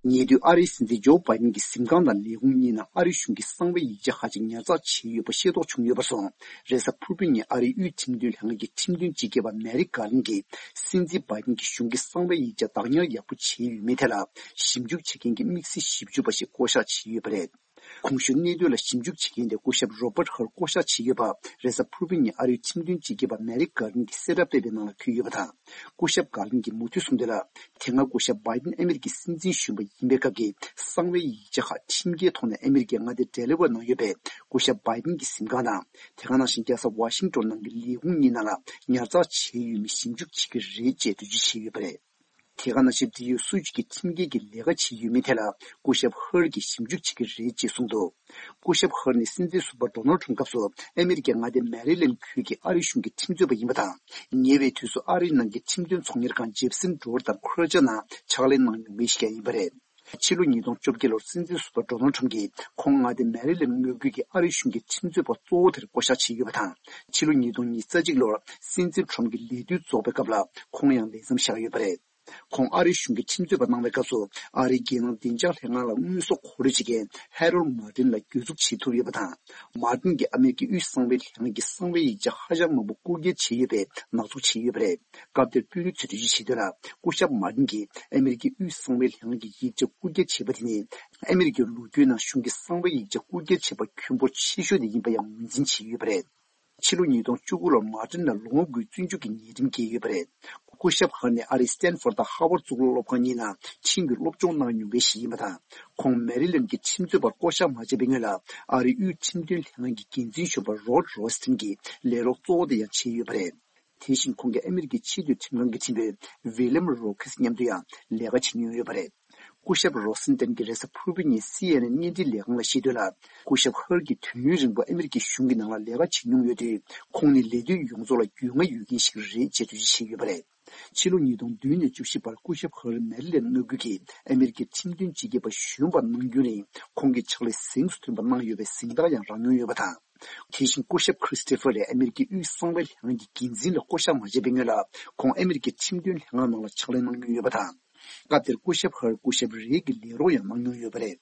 ཉེ་དུས་ཨ་རིའི་སྲིད་འཛིན་ཇོ་བྷའི་ཏན་གྱི་གཟིམ་ཁང་དང་ལས་ཁུངས་གཉིས་ནང་ཨ་རིའི་གཞུང་གི་གསང་བའི་ཡིག་ཆ་ཁག་ཅིག་ཉར་ཚགས་བྱས་ཡོད་པ་ཤེས་རྟོགས་བྱུང་ཡོད་པར་སོང་། རེས་གཟའ་ཕུར་བུའི་ཉིན་ཨ་རིའི་དབུས་ཁྲིམས་དོན་ལྷན་ཁང་གི་ཁྲིམས་དོན་སྤྱི་ཁྱབ་པ་མེ་རི་ཀར་ལིན་གྱིས། སྲིད་འཛིན་བྷའི་ཏན་གྱི་གཞུང་གི་གསང་བའི་ཡིག་ཆ་བདག་ཉར་ཡག་པོ་བྱས་ཡོད་མེད་ཐད་ལ་ཞིབ་འཇུག་བྱེད་མཁན་གྱི་དམིགས་བསལ་ཞིབ་འཇུག་པ་ཞིག་བསྐོ་གཞག་བྱས་ཡོད་པ་རེད། གོང་ཞུས་གནད་དོན་ལ་ཞིབ་འཇུག་བྱེད་མཁན་དེ་སྐུ་ཞབས་རོ་བྷར་ཧར་བསྐོ་གཞག་བྱས་ཡོད་པ། རེས་གཟའ་ཕུར་བུའི་ཉིན་ཨ་རིའི་ཁྲིམས་དོན་སྤྱི་ཁྱབ་པ་མེ་རི་ཀར་ལིན་གྱིས་གསལ་བསྒྲགས་སྤེལ་བའི་ནང་ལ་འཁོད་ཡོད་པ་དང་། སྐུ་ཞབས་ཀར་ལིན་གྱིས་མུ་མཐུད་གསུངས་དོན་ལ། དེ་སྔ་སྐུ་ཞབས་བྷའི་ཏན་ཨ་མི་རི་ཀའི་སྲིད་འཛིན་གཞོན་པ་ཡིན་པའི་སྐབས་ཀྱི་གསང་བའི་ཡིག་ཆ་ཁག་ཁྲིམས་འགལ་ཐོག་ནས་ཨ་མི་རི་ཀའི་མངའ་སྡེ་ཌེ་ལི་ཝེར་ནང་ཡོད་པའི་སྐུ་ཞབས་བྷའི་ཏན་གྱི་གཟིམ་ཁང་དང་། དེ་ག་ནང་བཞིན་རྒྱལ་ས་ཝ་ཤིང་ཊོན་ནང་གི་ལས་ཁུངས་གཉིས་ནང་ལ་ཉར་ཚགས་བྱས་ཡོད་མེད་ཞིབ་འཇུག་བྱེད་ཀྱི་རེད་ཅེས་འགྲེལ་བརྗོད་བྱས་ཡོད་པ་རེད། དེ་ག་ནང་བཞིན་འབྲེལ་ཡོད་སུ་ཞིག་གིས་ཁྲིམས་འགལ་གྱི་ལས་ཀ་བྱས་ཡོད་མེད་ཐད་ལ་སྐུ་ཞབས་ཧར་གྱིས་ཞིབ་འཇུག་བྱེད་ཀྱི་རེད་ཅེས་གསུངས་འདུག་སྐུ་ཞབས་ཧར་ནི་སྲིད་འཛིན་ཟུར་པ་ཌོ་ནལ་ཁྲམ་སྐབས་སུ་ཨ་མི་རི་ཀའི་མངའ་སྡེ་མེ་རི་ལེན་ཁུལ་གྱི་ཨ་རི་གཞུང་གི་ཁྲིམས་རྩོད་པ་ཡིན་པ་དང་། ཉེ་བའི་དུས་སུ་ཨ་རིའི་ནང་གི་ཁྲིམས་དོན་ཚོང་གཉེར་ཁང་ཇེབ་སན་ཌོར་དང་ཁུ་ར་ཅ་ནང་ཕྱག་ལས་གནང་མྱོང་མཁན་ཞིག་ཀྱང་ཡིན་པ་རེད། ཕྱི་ལོ་ཉིས་སྟོང་བཅོ་བརྒྱད་ལོར་སྲིད་འཛིན་ཟུར་པ་ཌོ་ནལ་ཁྲམ་གྱིས་ཁོང་མངའ་སྡེ་མེ་རི་ལེན་མངའ་ཁུལ་གྱི་ཨ་རི་གཞུང་གི་ཁྲིམས་རྩོད་པ་གཙོ་བོ་དེར་བསྐོ་གཞག་བྱས་ཡོད་པ་དང་། ཕྱི་ལོ་ཉིས་སྟོང་ཉེར་གཅིག་ལོར་སྲིད་འཛིན་ཁྲམ་གྱི་ལས་དུས་རྫོགས་པའི་སྐབས་ལ་ཁོང་ཡང་ལས་མཚམས་བཞག་ཡོད་པ་རེད། ཁོང་ཨ་རིའི་གཞུང་གི་ཁྲིམས་རྩོད་པ་གནང་བའི་སྐབས་སུ་ཨ་རིའི་རྒྱལ་ནང་བདེ་འཇགས་ལྷན་ཁང་ལ་དངོས་ཟོག་མཁོ་སྤྲོད་བྱེད་མཁན་ཧེ་རོལ་མར་ཏིན་ལ་གྱོད་འཛུགས་བྱེད་ཐུབ་ཡོད་པ་དང་། མར་ཏིན་གྱིས་ཨ་མེ་རི་ཀའི་དབུས་གསང་བའི་ལྷན་ཁང་གི་གསང་བའི་ཡིག་ཆ་ཧ་ཅང་མང་པོ་རྐུ་འཁྱེར་བྱས་ཡོད་པའི་ནག་འཛུགས་བྱས་ཡོད་པ་རེད། སྐབས་དེར་དཔོན་རིགས་ཚོས་འགྲེལ་བརྗོད་བྱས་དོན་ལ། སྐུ་ཞབས་མར་ཏིན་གྱིས་ཨ་མེ་རི་ཀའི་དབུས་གསང་བའི་ལྷན་ཁང་གི་ཡིག་ཆ་རྐུ་འཁྱེར་བྱས་པ་དེ་ནི། ཨ་མེ་རི་ཀའི་ལོ་རྒྱུས་ནང་གཞུང་གི་གསང་བའི་ཡིག་ཆ་རྐུ་འཁྱེར་བྱས་པ་ཁྱོན་འབོར་ཆེ་ཤོས་དེ་ཡིན་པ་ཡང་ངོས་འཛིན་བྱས་ཡོད་པ་རེད། ཕྱི་ལོ་ཉིས་སྟོང་བཅུ་དགུ་ལོར་མར་ཏིན་ལ་ལོ་ངོ་དགུའི་བཙོན་འཇུག་གི་ཉེས་ཁྲིམས་བཀལ་ཡོད་པ་རེད། སྐུ་ཞབས་ཧར་ནི་ཨ་རིའི་སི་ཏན་ཧྥོར་དང་ཧ་ཝར་གཙུག་ལག་སློབ་ཁང་གཉིས་ནང་ཁྲིམས་ཀྱི་སློབ་སྦྱོང་གནང་མྱོང་མཁན་ཞིག་ཡིན་པ་དང་། ཁོང་མེ་རི་ལེན་གྱི་ཁྲིམས་རྩོད་པར་བསྐོ་གཞག་མ་བྱས་པའི་སྔོན་ལ་ཨ་རིའི་དབུས་ཁྲིམས་དོན་ལྷན་ཁང་གི་འགན་འཛིན་གཞོན་པ་རོཌ་རོ་སི་ཏིན་གྱི་ལས་རོགས་གཙོ་བོ་དེ་ཡང་བྱས་ཡོད་པ་རེད། དེ་བཞིན་ཁོང་གིས་ཨ་མེ་རི་ཀའི་ཆེས་མཐོའི་ཁྲིམས་ཁང་གི་ཁྲིམས་དཔོན་ཝི་ལེམ་རོ་ཁེས་མཉམ་དུ་ཡང་ལས་ཀ་བྱེད་མྱོང་ཡོད་པ་རེད། སྐུ་ཞབས་རོ་སན་ཏན་གྱིས་རེས་གཟའ་ཕུར་བུའི་ཉིན་སི་ཨེན་ཨེན་བརྙན་འཕྲིན་ལས་ཁང་ལ་བཤད་དོན་ལ། སྐུ་ཞབས་ཧར་གྱིས་དུས་ཡུན་རིང་པོ་ཨ་མེ་རི་ཀའི་གཞུང་གི་ནང་ལ་ལས་ཀ་བྱེད་མྱོང་ཡོད་དུས། ཁོང་ནི་ལས་དོན་ཡོངས་རྫོགས་ལ་རྒྱུས་མངའ་ཡོད་མཁན་ཞིག་རེད་ཅེས་འགྲེལ་བརྗོད་བྱས་ཡོད་པ་རེད། ཕྱི་ལོ་ཉིས་སྟོང་བདུན་ནས་བཅུ་བཞི་བར་སྐུ་ཞབས་ཧར་མེ་རི་ལེན་མངའ་ཁུལ་གྱི་ཨ་མེ་རི་ཀའི་ཁྲིམས་དོན་སྤྱི་ཁྱབ་པ་གཞོན་པ་གནང་རྒྱུན་རིང་ཁོང་གིས་ཕྱག་ལས་གཟེངས་སུ་ཐོན་པ་གནང་ཡོད་པའི་གཟེངས་རྟགས་ཡང་རག་མྱོང་ཡོད་པ་དང་། དེ་བཞིན་སྐུ་ཞབས་ཁྲི་སི་ཏི་ཕར་ལས་ཨ་མེ་རི་ཀའི་དབུས་གསང་བའི་ལྷན་ཁང་གི་འགན་འཛིན་ལ་བསྐོ་གཞག་མ་བྱས་པའི་སྔོན་ལ་ཁོང་ཨ་མེ་རི་ཀའི་ཁྲིམས་དོན་ལྷན་ཁང་ནང་ལ་ཕྱག་ལས་གནང་མྱོང་ཡོད་པ་དང་། སྐབས་དེར་སྐུ་ཞབས་ཧར་སྐུ་ཞབས་རེ་གི་ལས་རོགས་ཡང་གནང་མྱོང་ཡོད་པ་རེད།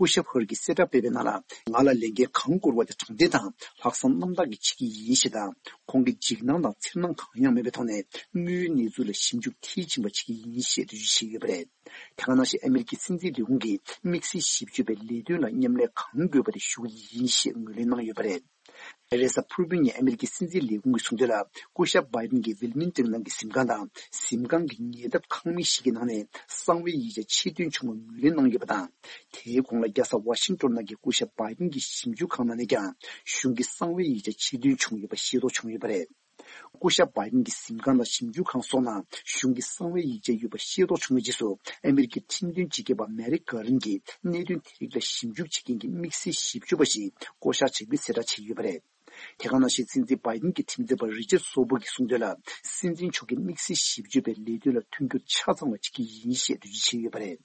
སྐུ་ཞབས་ཧར་གྱིས་གསལ་བསྒྲགས་སྤེལ་བའི་ནང་ལ། ང་ལ་ལས་འགན་གང་བསྐུར་བ་དེ་དྲང་བདེན་དང་ལྷག་བསམ་རྣམ་དག་གིས་བྱེད་ཀྱི་ཡིན་ཞེས་དང་། ཁོང་གིས་འཇིགས་སྣང་དང་འཚེར་སྣང་གང་ཡང་མེད་པའི་ཐོག་ནས་དངོས་ཡོད་གནས་ཚུལ་ལ་ཞིབ་འཇུག་མཐིལ་ཕྱིན་པ་བྱེད་ཀྱི་ཡིན་ཞེས་འགྲེལ་བརྗོད་བྱས་ཡོད་པ་རེད། དེ་ག་ནང་བཞིན་ཨ་མེ་རི་ཀའི་སྲིད་འཛིན་ལས་ཁུངས་ཀྱིས་དམིགས་བསལ་ཞིབ་དཔྱོད་པའི་ལས་དོན་ལ་མཉམ་ལས་གང་དགོས་པ་དེ་ཞུ་གི་ཡིན་ཞེས་ངོས་ལེན་གནང་ཡོད་པ་རེད། རེས་གཟའ་ཕུར་བུ་ཉིན་ཨ་མེ་རི་ཀའི་སྲིད་འཛིན་ལས་ཁུངས་ཀྱིས་གསུངས་དོན་ལ། སྐུ་ཞབས་བྷའི་ཏིན་གྱིས་ཝིལ་མིང་ཏོན་ནང་གི་གཟིམ་ཁང་དང་གཟིམ་ཁང་གི་ཉེ་འདབས་ཁང་མིག་ཞིག་གི་ནང་ནས་གསང་བའི་ཡིག་ཆ་ཕྱིར་འདོན་བྱུང་བ་ངོས་ལེན་གནང་ཡོད་པ་དང་། དེའི་གོང་ལ་རྒྱལ་ས་ཝ་ཤིང་ཏོན་ནང་གི་སྐུ་ཞབས་བྷའི་ཏིན་གྱི་ཞིབ་འཇུག་ཁང་ནང་ནས་ཀྱང་གཞུང་གི་གསང་བའི་ཡིག་ཆ་ཕྱིར་འདོན་བྱུང་ཡོད་པ་ཤེས་རྟོགས་བྱུང་ཡོད་པ་རེད། སྐུ་ཞབས་བྷའི་ཏིན་གྱི་གཟིམ་ཁང་དང་ཞིབ་འཇུག་ཁང་སོགས་ནང་གཞུང་གི་གསང་བའི་ཡིག་ཆ་ཡོད་པ་ཤེས་རྟོགས་བྱུང་བའི་རྗེས་སུ། ཨ་མེ་རི་ཀའི་ཁྲིམས་དོན་སྤྱི་ཁྱབ་པ་མེ་རིག་གྷར་ཌན་གྱིས་གནད་དོན་དེ་རིགས་ལ་ཞིབ་འཇུག་བྱེད་མཁན་གྱི་དམིགས་བསལ་ཞིབ་དཔྱོད་པ་ཞིག་བསྐོ་གཞག་བྱ་རྒྱུའི་གསལ་བསྒྲགས་བྱས་ཡོད་པ་རེད། དེ་ག་ནང་བཞིན་སྲིད་འཛིན་བྷའི་ཏིན་གྱི་ཁྲིམས་རྩོད་པ་རི་ཅར་སོ་བུར་གྱིས་གསུངས་དོན་ལ། སྲིད་འཛིན་མཆོག་གིས་དམིགས་བསལ་ཞིབ་དཔྱོད་པའི་ལས་དོན་ལ་མཐུན་འགྱུར་ཆ་ཚང་བ་བྱེད་ཀྱི་ཡིན་ཞེས་འགྲེལ་བརྗོད་བྱས་ཡོད་པ་རེད།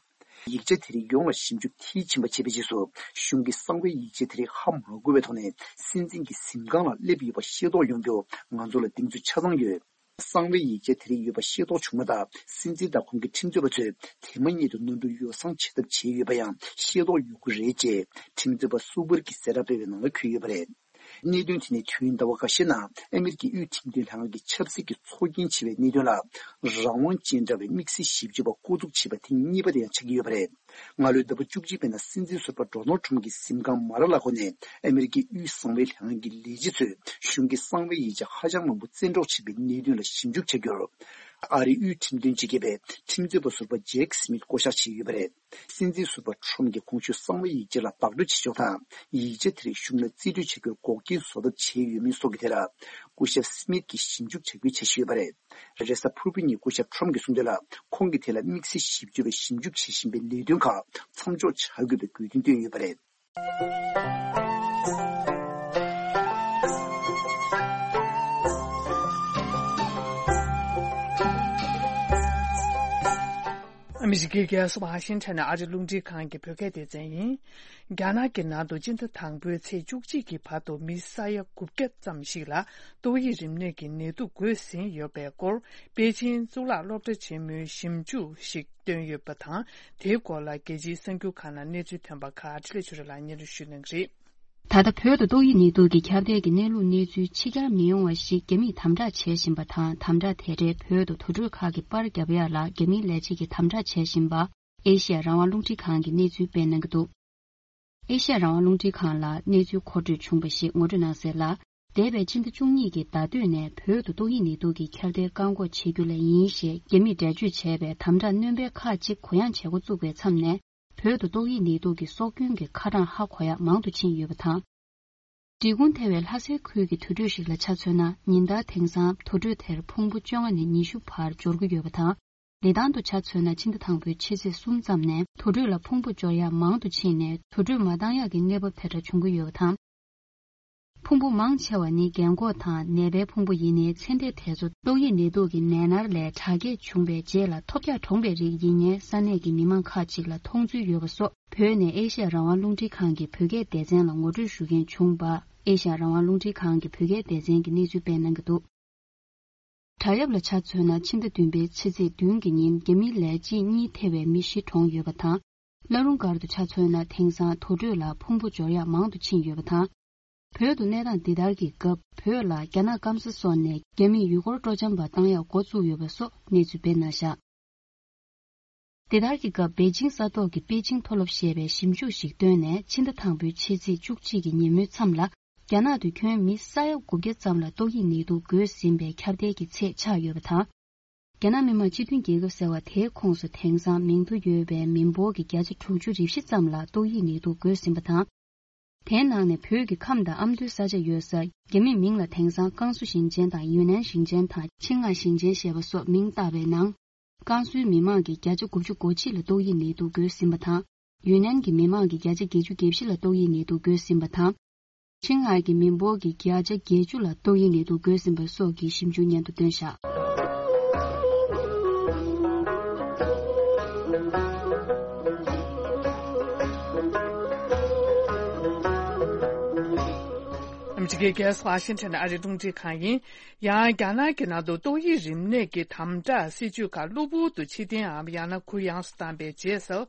ཡིག་ཆ་དེ་རིགས་ཡོངས་ལ་ཞིབ་འཇུག་མཐིལ་ཕྱིན་པ་བྱས་པའི་རྗེས་སུ། གཞུང་གི་གསང་བའི་ཡིག་ཆ་དེ་རིགས་ཧ་མ་གོ་བའི་ཐོག་ནས་སྲིད་འཛིན་གྱི་གཟིམ་ཁང་ལ་སླེབས་ཡོད་པ་ཤེས་རྟོགས་ཡོང་རྒྱུ་ང་ཚོ་ལ་གདེང་ཚོད་ཆ་ཚང་ཡོད། གསང་བའི་ཡིག་ཆ་དེ་རིགས་ཡོད་པ་ཤེས་རྟོགས་བྱུང་མ་ཐག་སྲིད་འཛིན་དང་ཁོང་གི་ཁྲིམས་རྩོད་པ་ཚོས་དེ་མ་ཉིད་དུ་ནོར་འཁྲུལ་ཡོ་བསྲང་བྱེད་ཐབས་བྱས་ཡོད་པ་ཡང་ཤེས་རྟོགས་ཡོང་གི་རེད་ཅེས་ཁྲིམས་རྩོད་པ་སུ་བུར་གྱིས་གསལ་བསྒྲགས་སྤེལ་བའི་ནང་ལ་འཁོད་ཡོད་པ་རེད། གནད་དོན་དེ་ནི་དུས་ཡུན་ཟླ་བ་འགའ་ཤས་ནང་ཨ་མེ་རི་ཀའི་དབུས་ཁྲིམས་དོན་ལྷན་ཁང་གི་ཆབ་སྲིད་ཀྱི་ཚོགས་རྒྱན་ཆེ་བའི་གནད་དོན་ལ་རང་དབང་ཅན་འདྲ་བའི་དམིགས་བསལ་ཞིབ་དཔྱོད་པ་བསྐོ་འཛུགས་བྱས་པ་ཐེངས་གཉིས་པ་དེ་ཡང་ཆགས་ཀྱི་ཡོད་པ་རེད། སྔ་ལོའི་ཟླ་བ་བཅུ་གཅིག་པའི་ནང་སྲིད་འཛིན་ཟུར་པ་ཌོ་ནལ་ཊམ་གྱི་གཟིམ་ཁང་མ་ར་ལ་གོ་ནས་ཨ་མེ་རི་ཀའི་དབུས་གསང་བའི་ལྷན་ཁང་གི་ལས་བྱེད་ཚོས་གཞུང་གི་གསང་བའི་ཡིག་ཆ་ཧ་ཅང་མང་པོ་བཙན་འཕྲོག་བྱས་པའི་གནད་དོན་ལ་ཞིབ་འཇུག་བྱ་རྒྱུར། ཨ་རིའི་དབུས་ཁྲིམས་དོན་སྤྱི་ཁྱབ་པས་ཁྲིམས་རྩོད་པ་ཟུར་པ་ཇེག་སི་མིད་བསྐོ་གཞག་བྱས་ཡོད་པ་རེད། སྲིད་འཛིན་ཟུར་པ་ཊམ་གྱིས་གོང་ཞུས་གསང་བའི་ཡིག་ཆ་ལ་བདག་སྤྲོད་བྱེད་ཕྱོགས་དང་། ཡིག་ཆ་དེ་རིགས་གཞུང་ལ་རྩིས་སྤྲོད་བྱ་རྒྱུར་འགོག་རྐྱེན་བཟོ་ཐབས་བྱས་ཡོད་མིན་སོགས་ཀྱི་ཐད་ལ། སྐུ་ཞབས་སི་མིད་ཀྱིས་ཞིབ་འཇུག་བྱ་རྒྱུའི་འཆར་གཞི་ཡོད་པ་རེད། རེས་གཟའ་ཕུར་བུ་ཉིན་སྐུ་ཞབས་ཊམ་གྱིས་གསུངས་དོན་ལ། ཁོང་གིས་དེ་ལ་དམིགས་བསལ་ཞིབ་དཔྱོད་པས་ཞིབ་འཇུག་བྱེད་བཞིན་པའི་ལས་དོན་ཁག་མཚམས་འཇོག་བྱ་དགོས་པའི་དགོས་འདུན་བཏོན་ཡོད་པ་རེད། ཨ་མི་རི་ཀའི་རྒྱལ་ས་ཝ་ཤིང་ཊོན་ནས་ཨ་རི་རླུང་འཕྲིན་ཁང་གི་བོད་སྐད་སྡེ་ཚན་ཡིན། རྒྱ་ནག་གི་ནང་དུ་སྤྱི་ཟླ་དང་པོའི་ཚེས་བཅུ་གཅིག་གི་བར་དུ་མི་ས་ཡ་དགུ་བརྒྱ་ཙམ་ཞིག་ལ་ཏོག་དབྱིབས་རིམས་ནད་ཀྱི་ནད་དུག་འགོས་ཟིན་ཡོད་པའི་སྐོར་པེ་ཅིན་གཙུག་ལག་སློབ་གྲྭ་ཆེན་མོའི་ཞིབ་འཇུག་ཞིག་བཏོན་ཡོད་པ་དང་། དེའི་སྐོར་ལ་རྒྱལ་སྤྱིའི་གསར་འགྱུར་ཁག་ནང་གནས་ཚུལ་ཐོན་པ་ཁག་འཕྲིན་ལས་ཆོས་སྒྲོན་ལགས་སྙན་སྒྲོན་ཞུ་གནང་གི་རེད། ད་ལྟ་བོད་དུ་ཏོག་དབྱིབས་ནད་དུག་གི་ཁྱབ་གདལ་གྱི་གནས་ལུགས་གནས་ཚུལ་ཕྱི་གྱར་མི་ཡོང་བ་ཞིག་རྒྱ་མིས་དམ་དྲག་བྱེད་བཞིན་པ་དང་། དམ་དྲག་དེ་འདྲའི་བོད་དུ་དུར་ཁྲོད་ཁག་གི་པར་བརྒྱབ་ཡག་ལ་རྒྱ་མིའི་ལས་བྱེད་ཀྱིས་དམ་དྲག་བྱེད་བཞིན་པ་ཨེ་ཤེ་ཡ་རང་དབང་རླུང་འཕྲིན་ཁང་གིས་གནས་ཚུལ་སྤེལ་གནང་གི་འདུག་ཨེ་ཤེ་ཡ་རང་དབང་རླུང་འཕྲིན་ཁང་ལ་གནས་ཚུལ་མཁོ་སྤྲོད་བྱུང་བ་ཞིག་ངོ་སྤྲོད་གནང་གསལ་ལ། འདས་པའི་སྤྱི་ཟླ་བཅུ་གཉིས་ཀྱི་ཟླ་སྟོད་ནས་བོད་དུ་ཏོག་དབྱིབས་ནད་དུག་གི་ཁྱབ་གདལ་བཀག་འགོག་བྱེད་རྒྱུ་ལས་ཡིན་ཞེས་རྒྱ་མིས་འགྲེལ་བརྗོད་བྱས་པའི་དམ་དྲག་སྣོན་པ་ཁག་ཅིག་གུ་ཡངས་བྱེད་འགོ་བཙུགས་པའི་མཚམས་ནས། བོད་དུ་ཏོག་དབྱིབས་ནད་དུག་གི་སྲོག་སྐྱོན་གྱི་ཁ་གྲངས་ཧ་གོ་ཡག་མང་དུ་ཕྱིན་ཡོད་པ་དང་། འབྲི་གུང་ཐེ་བའི་ལྷ་སའི་ཁུལ་གྱི་དུར་ཁྲོད་ཞིག་ལ་ཆ་མཚོན་ན། ཉིན་ལྟར་དེང་སང་དུར་ཁྲོད་དེར་ཕུང་པོ་བཅོ་ལྔ་ནས་ཉི་ཤུ་བར་འབྱོར་གྱི་ཡོད་པ་དང་། ལི་ཐང་དུ་ཆ་མཚོན་ན། ཕྱི་ཟླ་དང་པོའི་ཕྱི་ཚེས་གསུམ་ཙམ་ནས་དུར་ཁྲོད་ལ་ཕུང་པོ་འབྱོར་ཡག་མང་དུ་ཕྱིན་ནས། དུར་ཁྲོད་མ་བཏང་ཡག་གི་གནས་བབ་དེ་འདྲ་བྱུང་གི་ཡོད་པ་དང་། ཕུང་པོ་མང་ཆེ་བ་ནི་རྒན་འཁོགས་དང་ནད་པའི་ཕུང་པོ་ཡིན་ནའི། ཚེ་འདས་དེ་ཚོ་ཏོག་དབྱིབས་ནད་དུག་གི་ནད་མནར་ལས་དྲག་སྐྱེད་བྱུང་བའི་རྗེས་ལ་ཐོལ་རྒྱག་གྲོངས་པའི་རིགས་ཡིན་ངེས་ས་གནས་ཀྱི་མི་མང་ཁག་ཅིག་ལ་མཐོང་ཚུལ་ཡོད་པ་སོགས། བོད་ནས་ཨེ་ཤེ་ཡ་རང་དབང་རླུང་འཕྲིན་ཁང་གི་བོད་སྐད་སྡེ་ཚན་ལ་ངོ་སྤྲོད་ཞུ་མཁན་བྱུང་བ། ཨེ་ཤེ་ཡ་རང་དབང་རླུང་འཕྲིན་ཁང་གི་བོད་སྐད་སྡེ་ཚན་གྱིས་གནས་ཚུལ་སྤེལ་གནང་གི་འདུག་དྲ་ཡབ་ལ་ཆ་མཚོན་ན། ཕྱི་ཟླ་བདུན་པའི་ཕྱི་ཚེས་བདུན་གྱི་ཉིན་རྒྱ་མིའི་ལས་བྱེད་གཉིས་ཐེ་བའི་མི་བཞི་གྲོངས་ཡོད་པ་དང་། བླ་རུང་སྒར་དུ་ཆ་མཚོན་ན། དེང་སང་དུར་ཁྲོད་ལ་ཕུང་པོ་འབྱོར་ཡག་མང་དུ་ཕྱིན་ཡོད་པ་དང་། བོད་དུ་གནས་སྟངས་འདི་ལྟར་གྱི་སྐབས། བོད་ལ་རྒྱ་ནག་སྐམ་ས་སོགས་ནས་རྒྱ་མིས་ཡུལ་སྐོར་སྤྲོ་འཆམ་པ་བཏང་ཡག་འགོ་བཙུགས་ཡོད་པ་སོགས་གནས་ཚུལ་སྤེལ་གནང་བཞག་དེ་ལྟར་གྱི་སྐབས། པེ་ཅིང་ས་ཐོག་གི་པེ་ཅིང་མཐོ་སློབ་ཞེས་པས་ཞིབ་འཇུག་ཞིག་བཏོན་ནས། ཕྱི་ཟླ་དང་པོའི་ཕྱི་ཚེས་བཅུ་གཅིག་གི་ཉིན་མོའི་མཚམས་ལ། རྒྱ་ནག་ཏུ་ཁྱོན་མི་ས་ཡ་དགུ་བརྒྱ་ཙམ་ལ་ཏོག་དབྱིབས་ནད་དུག་འགོས་ཟིན་པའི་ཁྱབ་གདལ་གྱི་ཚད་ཆགས་ཡོད་པ་དང་། རྒྱ་ནག་མི་དམངས་སྤྱི་མཐུན་རྒྱལ་ཁབ་ཟེར་བ་དེའི་ཁོངས་སུ་དེང་སང་མིང་ཐོ་ཡོད་པའི་མི་འབོར་གྱི་བརྒྱ་ཆ་དྲུག་ཅུ་རེ་བཞི་ཙམ་ལ་ཏོག་དབྱིབས་ནད་དུག་འགོས་ཟིན་པ་དང་། དེའི་ནང་ནས་བོད་ཀྱི་ཁམས་དང་ཨ་མདོའི་ས་ཆ་ཡོད་ས། རྒྱ་མིས་མིང་ལ་དེང་སང་ཀང་སུའུ་ཞིང་ཆེན་དང་ཡུན་ནན་ཞིང་ཆེན་དང་ཆིང་ཧའེ་ཞིང་ཆེན་ཞེས་པ་སོགས་མིང་བཏགས་པའི་ནང་། ཀང་སུའུའི་མི་མང་གི་བརྒྱ་ཆ་དགུ་བཅུ་གོ་གཅིག་ལ་ཏོག་དབྱིབས་ནད་དུག་འགོས་ཟིན་པ་དང་། ཡུན་ནན་གྱི་མི་མང་གི་བརྒྱ་ཆ་བརྒྱད་ཅུ་གྱ་བཞི་ལ་ཏོག་དབྱིབས་ནད་དུག་འགོས་ཟིན་པ་དང་། ཆིང་ཧའེ་གི་མི་འབོར་གྱི་བརྒྱ་ཆ་བརྒྱད་ཅུ་ལ་ཏོག་དབྱིབས་ནད་དུག་འགོས་ཟིན་པ་སོགས་ཀྱི་ཞིབ་འཇུག་སྙན་ཐོ་བཏོན་བཞག་ཨ་མི་རི་ཀའི་རྒྱལ་ས་ཝ་ཤིང་ཊོན་ཨ་རིའི་རླུང་འཕྲིན་ཁང་ཡིན། ཡང་རྒྱ་ནག་གི་ནང་དུ་ཏོག་དབྱིབས་རིམས་ནད་ཀྱི་དམ་དྲག་སྲིད་ཇུས་ཁག་གློ་བུར་དུ་ཕྱིར་འཐེན་འམ་ཡང་ན་གུ་ཡངས་སུ་བཏང་པའི་རྗེས་སུ།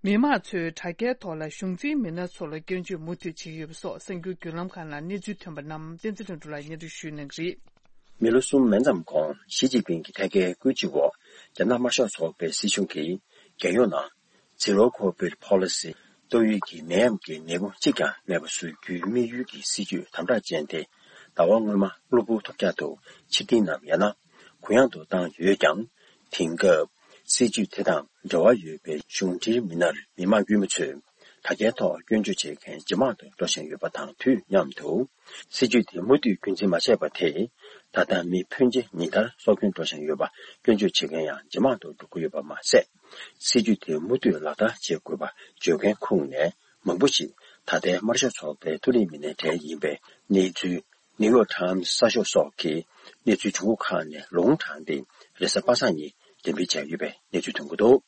མི་མང་ཚོས་དྲ་རྒྱའི་ཐོག་ལ་གཞུང་འཛིན་མི་སྣ་ཚོ་ལ་སྐྱོན་བརྗོད་མུ་མཐུད་བྱེད་ཀྱི་ཡོད་པ་སོགས་གསར་འགྱུར་བརྒྱུད་ལམ་ཁག་ནང་གནས་ཚུལ་ཐོན་པ་རྣམས་བསྟན་འཛིན་ལྷུན་གྲུབ་ལགས་སྙན་སྒྲོན་ཞུ་གནང་གི་རེད། མི་ལོ་གསུམ་མན་ཙམ་གོང་ཞི་ཅིན་ཕིང་གི་ཐད་ཀའི་སྐུལ་ལྕག་འོག་རྒྱ་ནག་དམར་ཤོག་ཚོགས་པའི་སྲིད་གཞུང་གིས་རྒྱལ་ཡོངས་ནང་Zero Covid Policy། ཏོག་དབྱིབས་ཀྱི་ནད་ཡམས་ཀྱི་ནད་འབུ་གཅིག་ཀྱང་མེད་པ་བཟོ་རྒྱུའི་དམིགས་ཡུལ་གྱི་སྲིད་ཇུས་དམ་དྲག་ཅན་དེ་ཟླ་བ་སྔོན་མ་གློ་བུར་ཐོལ་རྒྱག་ཏུ་ཕྱིར་འཐེན་ནམ་ཡང་ན་གུ་ཡངས་ཏུ་བཏང་ཡོད་ཀྱང་། དེང་སྐབས་སྲིད་ཇུས་དེ་དང་འབྲེལ་བ་ཡོད་པའི་གཞུང་འབྲེལ་མི་སྣར་མི་མང་དཀྱུས་མ་ཚོས་དྲ་རྒྱའི་ཐོག་སྐྱོན་བརྗོད་བྱེད་མཁན་ཇེ་མང་དུ་འགྲོ་བཞིན་ཡོད་པ་དང་དུས་མཉམ་དུ། སྲིད་ཇུས་དེ་མུ་མཐུད་རྒྱུན་འཛིན་མ་བྱས་པ་དེས་ད་ལྟ་མི་ཕོན་ཆེ་ཉིན་ལྟར་སྲོག་སྐྱོན་འགྲོ་བཞིན་ཡོད་པ་སྐྱོན་བརྗོད་བྱེད་མཁན་ཡང་ཇེ་མང་དུ་འགྲོ་གི་ཡོད་པ་མ་ཟད། སྲིད་ཇུས་དེ་མུ་མཐུད་ལག་བསྟར་བྱེད་དགོས་པ་བརྗོད་མཁན་ཁོངས་ནས་མང་པོ་ཞིག་ད་ལྟའི་དམར་ཤོག་ཚོགས་པའི་མཐོ་རིམ་མི་སྣའི་གྲས་ཡིན་པའི་གནས་ཚུལ་ནིའུ་ཡོག་ཊའིམ་གསར་ཤོག་སོགས་ཀྱིས་གནས་ཚུལ་བྱུང་ཁུངས་ཁག་ནས་ལུང་དྲངས་ཏེ་རེས་གཟའ་པ་སངས་ཉིན་འགྲེམས་སྤེལ་བྱས་ཡོད་པའི་གནས་ཚུལ་ཐོན་གྱི་འདུག་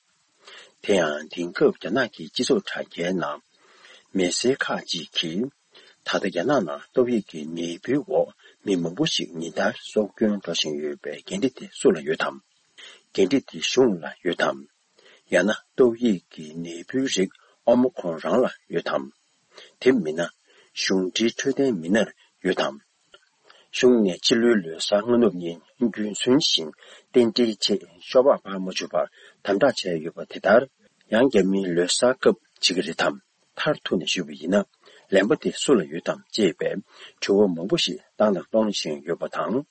དེ་ཡང་དེང་སྐབས་རྒྱ་ནག་གི་སྤྱི་ཚོགས་དྲ་རྒྱའི་ནང་མི་སེར་ཁག་ཅིག་གིས། ད་ལྟ་རྒྱ་ནག་ནང་ཏོག་དབྱིབས་ཀྱི་ནད་འབུའི་འོག་མི་མང་པོ་ཞིག་ཉིན་ལྟར་སྲོག་སྐྱོན་འགྲོ་བཞིན་ཡོད་པའི་འགན་འཁྲི་དེ་སུ་ལ་ཡོད་དམ། འགན་འཁྲི་དེ་གཞུང་ལ་ཡོད་དམ། ཡང་ན་ཏོག་དབྱིབས་ཀྱི་ནད་འབུའི་རིགས་ཨོ་མི་ཁོང་རང་ལ་ཡོད་དམ། དེ་མིན་ན་གཞུང་འབྲེལ་འཕྲོད་བསྟེན་མི་སྣར་ཡོད་དམ། གཞུང་ནས་ཕྱི་ལོའི་ལོ་གསར་སྔ་ནུབ་ཉིན་རྒྱུན་སྲོལ་བཞིན་རྟེན་འབྲེལ་ཆེད་ཤོ་སྦག་ཕར་མ་བཅུག་པར་དམ་དྲག་བྱས་ཡོད་པ་དེ་ལྟར། ཡང་རྒྱ་མིའི་ལོ་གསར་སྐབས་བྱེད་ཀྱི་རེད་དམ། མཐར་ཐུག་ནས་ཞུས་པ་ཡིན་ན། ལན་པ་དེ་སུ་ལ་ཡོད་དམ་ཅེས་པའི་དྲི་བ་མང་པོ་ཞིག་བཏང་དང་གཏོང་བཞིན་ཡོད་པ་དང་།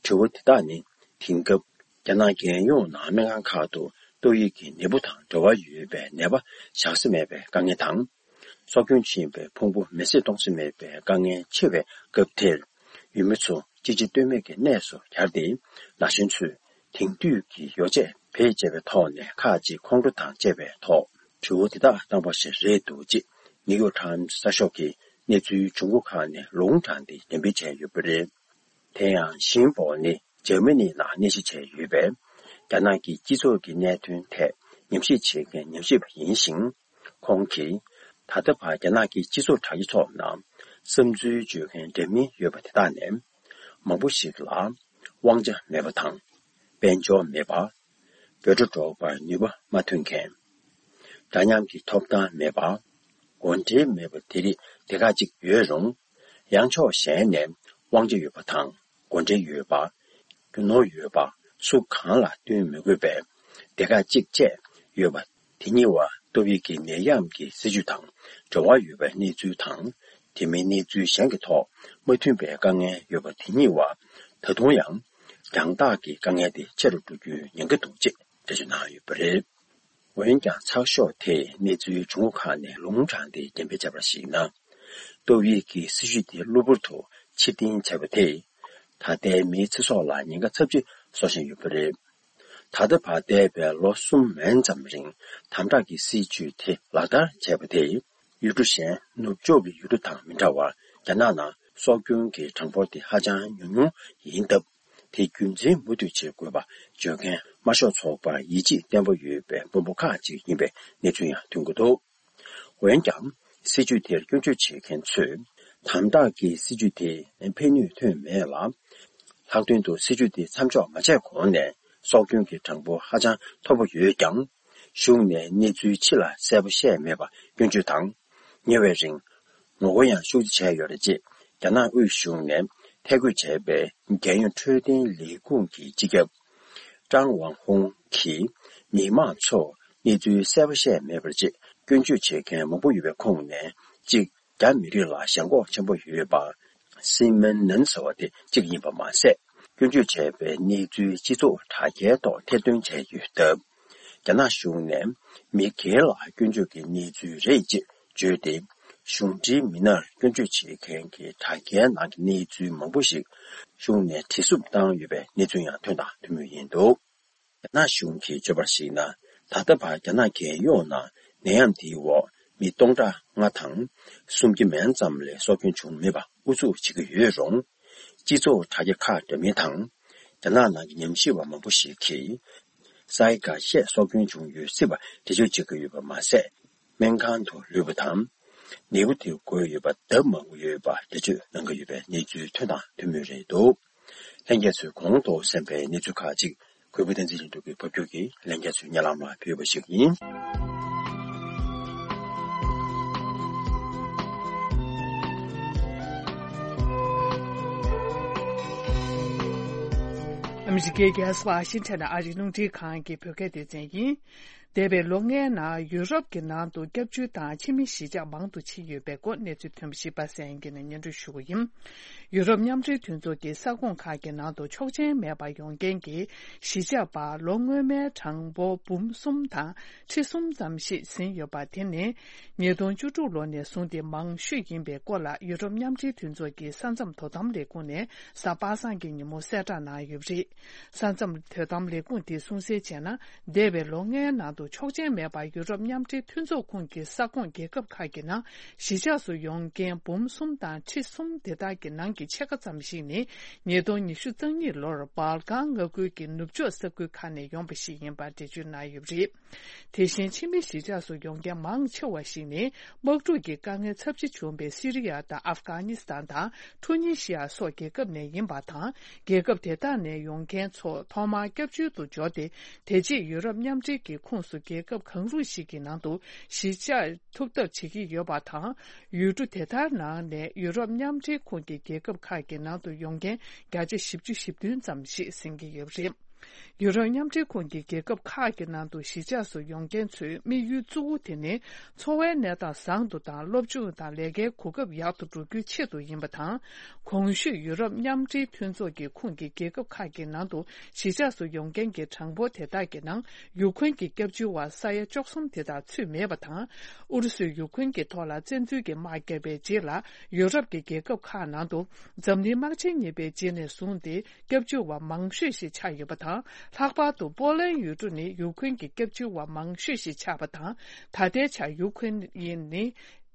དྲི་བ་དེ་དག་ནི་དེང་སྐབས་རྒྱ་ནག་རྒྱལ་ཡོངས་ནང་སྨན་ཁང་ཁག་ཏུ་ཏོག་དབྱིབས་ཀྱི་ནད་འབུ་དང་འབྲེལ་བ་ཡོད་པའི་ནད་པ་བཞག་ས་མེད་པའི་དཀའ་ངལ་དང་། སྲོག་སྐྱོན་ཕྱིན་པའི་ཕུང་པོ་མེ་བསྲེགས་གཏོང་ས་མེད་པའི་དཀའ་ངལ་ཆེ་བའི་སྐབས་དེར། ཡུལ་མི་ཚོ་གཅིག་རྗེས་ལྟོས་མེད་ཀྱི་གནས་སུ་གྱར་ཏེ། ན་གཞོན་ཚོས་དེང་དུས་ཀྱི་ཡོ་བྱད་བེད་སྤྱད་པའི་ཐོག་ནས་ཁག་ཅིག་ཁོང་ཁྲོ་དང་བཅས་པའི་ཐོག་དྲི་བ་དེ་དག་བཏང་པ་ཞིག་རེད་འདུག་ཅེས་ནིའུ་ཡོག་ཊའིམ་གསར་ཤོག་གིས་གནས་ཚུལ་བྱུང་ཁུངས་ཁག་ནས་ལུང་དྲངས་ཏེ་འགྲེམས་སྤེལ་བྱས་ཡོད་པ་རེད། དེ་ཡང་ཞིན་པོ་ནི་འཇར་མ་ནི་ནང་གནས་གཞི་བྱས་ཡོད་པས། རྒྱ་ནག་གི་སྤྱི་ཚོགས་ཀྱི་གནད་དོན་ཐད་ཉམས་ཞིབ་བྱེད་མཁན་ཉམས་ཞིབ་པ་ཡིན་ཞིང་། ཁོང་གིས་ད་ལྟ་བར་རྒྱ་ནག་གི་སྤྱི་ཚོགས་དྲ་རྒྱ་ཐོག་ནང་བསམ་ཚུལ་བརྗོད་མཁན་འདྲ་མིན་ཡོད་པ་དེ་དག་ནས། མང་པོ་ཞིག་ལ་དབང་ཆ་མེད་པ་དང་། དཔལ་འབྱོར་མེད་པ། འབོད་སྒྲ་སྒྲོག་པར་ནུས་པ་མ་ཐོན་མཁན། འདྲ་མཉམ་གྱི་ཐོབ་ཐང་མེད་པ། གོ་འབྲེལ་མེད་པ་དེ་རིགས་སྡེ་ཁག་ཅིག་ཡོད་རུང་། ཡང་ཕྱོགས་གཞན་ནས་དབང་ཆ་ཡོད་པ་དང་གོ་འབྲེལ་ཡོད་པ། རྒྱུ་ནོར་ཡོད་པ། སུ་གང་ལ་བསྟུན་མི་དགོས་པའི་སྡེ་ཁག་ཅིག་བཅས་ཡོད་པ། དེ་གཉིས་བར་ཏོག་དབྱིབས་ཀྱི་ནད་ཡམས་ཀྱི་སྲིད་ཇུས་དང་འབྲེལ་བ་ཡོད་པའི་གནས་ཚུལ་དང་། དེ་མིན་གནས་ཚུལ་གཞན་གྱི་ཐོག་མ་མཐུན་པའི་དཀའ་ངལ་ཡོད་པ་དེ་གཉིས་བར་ད་དུང་ཡང་རྒྱང་ཐག་གི་དཀའ་ངལ་དེ་ཆེ་རུ་འགྲོ་རྒྱུའི་ཉེན་ཁ་འདུག་ཅེས་འགྲེལ་བརྗོད་གནང་ཡོད་པ་རེད། འོན་ཀྱང་ཚགས་ཤོག་དེས་གནས་ཚུལ་བྱུང་ཁུངས་ཁག་ནས་ལུང་དྲངས་ཏེ་འགྲེམས་སྤེལ་བྱས་པར་གཞིགས་ན། ཏོག་དབྱིབས་ཀྱི་སྲིད་ཇུས་དེ་གློ་བུར་དུ་ཕྱིར་འཐེན་བྱས་པ་དེས། ད་ལྟའི་མིའི་ཚེ་སྲོག་ལ་ཉེན་ཁ་ཚབས་ཆེ་བཟོ་བཞིན་ཡོད་པ་རེད། ད་ལྟ་བར་འདས་པའི་ལོ་གསུམ་མན་ཙམ་རིང་དམ་དྲག་གི་སྲིད་ཇུས་དེ་ལག་བསྟར་བྱས་པ་དེས། ཡུལ་གྲུ་གཞན་ནུབ་ཕྱོགས་ཀྱི་ཡུལ་གྲུ་དང་མི་འདྲ་བར་རྒྱ་ནག་ནང་སྲོག་སྐྱོན་གྱི་གྲངས་འབོར་དེ་ཧ་ཅང་ཉུང་ཉུང་ཡིན་སྟབས། དེ་རྒྱུན་འཛིན་མུ་མཐུད་བྱེད་དགོས་པ་བརྗོད་མཁན་དམར་ཤོག་ཚོགས་པར་ཡིད་ཆེས་བརྟན་པོ་ཡོད་པའི་དཔོན་པོ་ཁག་ཅིག་ཡིན་པའི་གནས་ཚུལ་ཡང་ཐོན་གྱི་འདུག་འོན་ཀྱང་། སྲིད་ཇུས་དེར་སྐྱོན་བརྗོད་བྱེད་མཁན་ཚོས། དམ་དྲག་གི་སྲིད་ཇུས་དེ་ཕན་ནུས་ཐོན་མེད་ལ། ལྷག་དོན་དུ་སྲིད་ཇུས་དེ་མཚམས་འཇོག་མ་བྱས་གོང་ནས་སྲོག་སྐྱོན་གྱི་གྲངས་འབོར་ཧ་ཅང་མཐོ་པོ་ཡོད་ཀྱང་། གཞུང་ནས་གནས་ཚུལ་ཕྱི་ལ་གསལ་པོ་བཤད་མེད་པ་སྐྱོན་བརྗོད་དང་། ཉེ་བའི་རིང་། ངོ་རྒོལ་ཡང་ཤུགས་ཆེ་བྱས་ཡོད་རེད་ཅེས་རྒྱ་ནག་དབུས་གཞུང་ནས་ཐད་བསྐོས་བྱས་པའི་རྒྱལ་ཡོངས་འཕྲོད་བསྟེན་ལས་ཁུངས་ཀྱི་སྤྱི་ཁྱབ་ཀྲང་ཝང་ཧུང་གིས་མི་མང་ཚོར་གནས་ཚུལ་གསལ་པོ་བཤད་མེད་པར་ཅེས་སྐྱོན་བརྗོད་བྱེད་མཁན་མང་པོ་ཡོད་པའི་ཁོངས་ནས་གཅིག་རྒྱ་མི་རིགས་ལ་ཞེན་ཁོག་ཆེན་པོ་ཡོད་པ། སི་མན་ནན་ཟེར་བ་དེ་གཅིག་ཡིན་པ་མ་ཟད། སྐྱོན་བརྗོད་བྱས་པའི་གནས་ཚུལ་སྤྱི་ཚོགས་དྲ་རྒྱའི་ཐོག་ཐེར་འདོན་བྱས་ཡོད་སྟབས། རྒྱ་ནག་གཞུང་ནས་མི་སྒེར་ལ་སྐྱོན་བརྗོད་ཀྱི་གནས་ཚུལ་རེད་ཅེས་བརྗོད་དེ། གཞུང་འབྲེལ་མི་སྣར་སྐྱོན་བརྗོད་བྱེད་མཁན་གྱི་དྲ་རྒྱའི་ནང་གི་གནས་ཚུལ་མང་པོ་ཞིག་གཞུང་ནས་བྲིས་བསུབ་བཏང་ཡོད་པའི་གནས་ཚུལ་ཡང་ཐོན་དང་ཐོན་མུས་ཡིན་འདུག་རྒྱ་ནག་གཞུང་གིས་བརྗོད་པར་གཞིགས་ན། ད་ལྟ་བར་རྒྱ་ནག་རྒྱལ་ཡོངས་ནང་ནད་ཡམས་འདིའི་འོག་མི་སྟོང་ཕྲག་ལྔ་དང་སུམ་བརྒྱ་མན་ཙམ་ལས་སྲོག་སྐྱོན་བྱུང་མེད་པ་ཨུ་ཚུགས་བྱེད་ཀྱི་ཡོད་རུང་། སྤྱི་ཚོགས་དྲ་རྒྱ་ཁག་འདྲ་མིན་དང་། རྒྱ་ནག་ནང་གི་ཉམས་ཞིབ་པ་མང་པོ་ཞིག་གིས། སའི་འགའ་ཤས་སྲོག་སྐྱོན་བྱུང་ཡོད་སྲིད་པ་འགྲེལ་བརྗོད་བྱེད་ཀྱི་ཡོད་པ་མ་ཟད། སྨན་ཁང་དུ་ལུས་པ་དང་ ནད་འབུ་དེ་འགོས་ཡོད་པ་ལྡབ་མང་པོ་ཡོད་པ་འགྲེལ་བརྗོད་གནང་གི་ཡོད་པའི་གནས་ཚུལ་ཐོན་དང་ཐོན་མུས་རེད་འདུག་ལྷན་རྒྱས་ཚོས་གོང་དུ་གསན་པའི་གནས་ཚུལ་ཁག་ཅིག་གུས་པ་བསྟན་འཛིན་ལྷུན་གྲུབ་ཀྱིས་ཕབ་སྒྱུར་གྱིས་ལྷན་རྒྱས་ཚོའི་སྙན་ལམ་ལ་ཕུལ་བ་ཞིག་ཡིན། ཨ་མི་རི་ཀའི་རྒྱལ་ས་ཝ་ཤིང་ཊོན་ཨ་རིའི་རླུང་འཕྲིན་ཁང་གི་བོད་སྐད་སྡེ་ཚན་ཡིན། འདས་པའི་ལོ་ལྔའི་ནང་ཡུ་རོབ་ཀྱི་ནང་དུ་སྐྱབས་བཅོལ་དང་ཕྱི་མི་གཞིས་ཆགས་མང་དུ་ཕྱིན་ཡོད་པའི་སྐོར་གནས་ཚུལ་ཐོན་པ་ཞིག་པ་སངས་སྐྱིད་ནས་སྙན་སྒྲོན་ཞུ་གི་ཡིན། ཡུ་རོབ་མཉམ་འབྲེལ་མཐུན་ཚོགས་ཀྱི་ས་ཁོངས་ཁག་གི་ནང་དུ་ཆོག་མཆན་མེད་པར་ཡོང་མཁན་གྱི་གཞིས་ཆགས་པ་ལོ་སྔོན་མའི་གྲངས་འབོར་འབུམ་གསུམ་དང་ཁྲི་གསུམ་ཙམ་ཞིག་ཟིན་ཡོད་པ་དེ་ནི་ཉིས་སྟོང་བཅུ་དྲུག་ལོ་ནས་བཟུང་སྟེ་མང་ཤོས་ཡིན་པའི་སྐོར་ལ་ཡུ་རོབ་མཉམ་འབྲེལ་མཐུན་ཚོགས་ཀྱི་ས་མཚམས་དོ་དམ་ལས་ཁུངས་ནས་གཟའ་པ་སངས་ཀྱི་ཉིན་མོ་གསལ་བསྒྲགས་གནང་ཡོད་པ་རེད། ས་མཚམས་དོ་དམ་ལས་ཁུངས་དེས་གསུངས་གསལ་བྱས་ན། འདས་པའི་ལོ་ལྔའི་ནང་དུ་ཆོག་མཆན་མེད་པར་ཡུ་རོབ་མཉམ་འབྲེལ་མཐུན་ཚོགས་ཁོངས་ཀྱི་ས་ཁོངས་རྒྱལ་ཁབ་ཁག་གི་ནང་གཞིས་ཆགས་སུ་ཡོང་མཁན་འབུམ་གསུམ་དང་ཁྲི་གསུམ་དེ་དག་གི་ནང་གི་ཕྱེད་ཀ་ཙམ་ཞིག་ནི་ཉིས་སྟོང་ཉི་ཤུ་རྩ་གཉིས་ལོར་བལ་ཀན་མངའ་ཁུལ་གྱི་ནུབ་ཕྱོགས་ས་ཁུལ་ཁག་ནས་ཡོང་པ་ཞིག་ཡིན་པར་འགྲེལ་བརྗོད་གནང་ཡོད་པ་རེད། དེ་བཞིན་ཕྱི་མི་གཞིས་ཆགས་སུ་ཡོང་མཁན་མང་ཆེ་བ་ཞིག་ནི་དམག་འཁྲུག་གི་དཀའ་ངལ་ཚབས་ཆེ་བྱུང་བའི་སི་རི་ཡ་དང་ཨབ་གྷ་ནི་སི་ཐན་དང་ཊུ་ནི་ཤི་ཡ་སོགས་རྒྱལ་ཁབ་ནས་ཡིན་པ་དང་། རྒྱལ་ཁབ་དེ་དག་ནས་ཡོང་མཁན་ཚོ་ཐོག་མར་སྐྱབས་བཅོལ་དུ་འབྱོར་ཏེ། དེ་རྗེས་ཡུ་རོབ་མཉམ་འབྲེལ་གྱི་ཁོངས་སུ་རྒྱལ་ཁབ་གང་རུང་ཞིག་གི་ནང་དུ་གཞིས་ཆགས་ཐུབ་ཐབས་བྱེད་ཀྱི་ཡོད་པ་དང་། ཡུལ་གྲུ་དེ་དག་ནང་ནས་ཡུ་རོབ་མཉམ་འབྲེལ་ཁོངས་ཀྱི་རྒྱལ་ཁབ་ཁག་གི་ནང་དུ་ཡོང་མཁན་བརྒྱ་ཆ་བཞི་བཅུ་ཞེ་བདུན་ཙམ་ཞིག་ཟིན་གྱི་ཡོད་པ་རེད། ཡུ་རོབ་མཉམ་འབྲེལ་ཁོངས་ཀྱི་རྒྱལ་ཁབ་ཁག་གི་ནང་དུ་གཞིས་ཆགས་སུ་ཡོང་མཁན་ཚོའི་དམིགས་ཡུལ་གཙོ་བོ་དེ་ནི་འཚོ་བའི་གནས་སྟངས་བཟང་དུ་དང་སློབ་སྦྱོང་དང་ལས་ཀའི་གོ་སྐབས་ཡག་ཏུ་འགྲོ་རྒྱུའི་ཆེད་དུ་ཡིན་པ་དང་། གོང་ཞུས་ཡུ་རོབ་མཉམ་འབྲེལ་མཐུན་ཚོགས་ཀྱི་ཁོངས་ཀྱི་རྒྱལ་ཁབ་ཁག་གི་ནང་དུ་གཞིས་ཆགས་སུ་ཡོང་མཁན་གྱི་གྲངས་འབོར་དེ་དག་གི་ནང་ཡུ་ཁུན་གྱི་སྐྱབས་བཅོལ་བ་ས་ཡ་བཅུ་གསུམ་དེ་དག་ཚུད་མེད་པ་དང་། ཨུ་རུ་སུས་ཡུ་ཁུན་གྱི་ཐོག་ལ་བཙན་འཛུལ་གྱི་དམག་བརྒྱབ་པའི་རྗེས་ལ་ཡུ་རོབ་ཀྱི་རྒྱལ་ཁབ་ཁག་ནང་དུ་འཛམ་གླིང་དམག་ཆེན་གཉིས་པའི་རྗེས་ནས་བཟུང་སྟེ། སྐྱབས་བཅོལ་བ་མང་ཤོས་ཤིག་ཆགས་ཡོད་པ་དང་། ལྷག་པར་དུ་པོ་ལན་ཡུལ་གྲུ་ནི་ཡུ་ཁུན་གྱི་སྐྱབས་བཅོལ་བ་མང་ཤོས་ཤིག་ཆགས་པ་དང་། ད་ལྟའི་ཆར་ཡུ་ཁུན་ནི་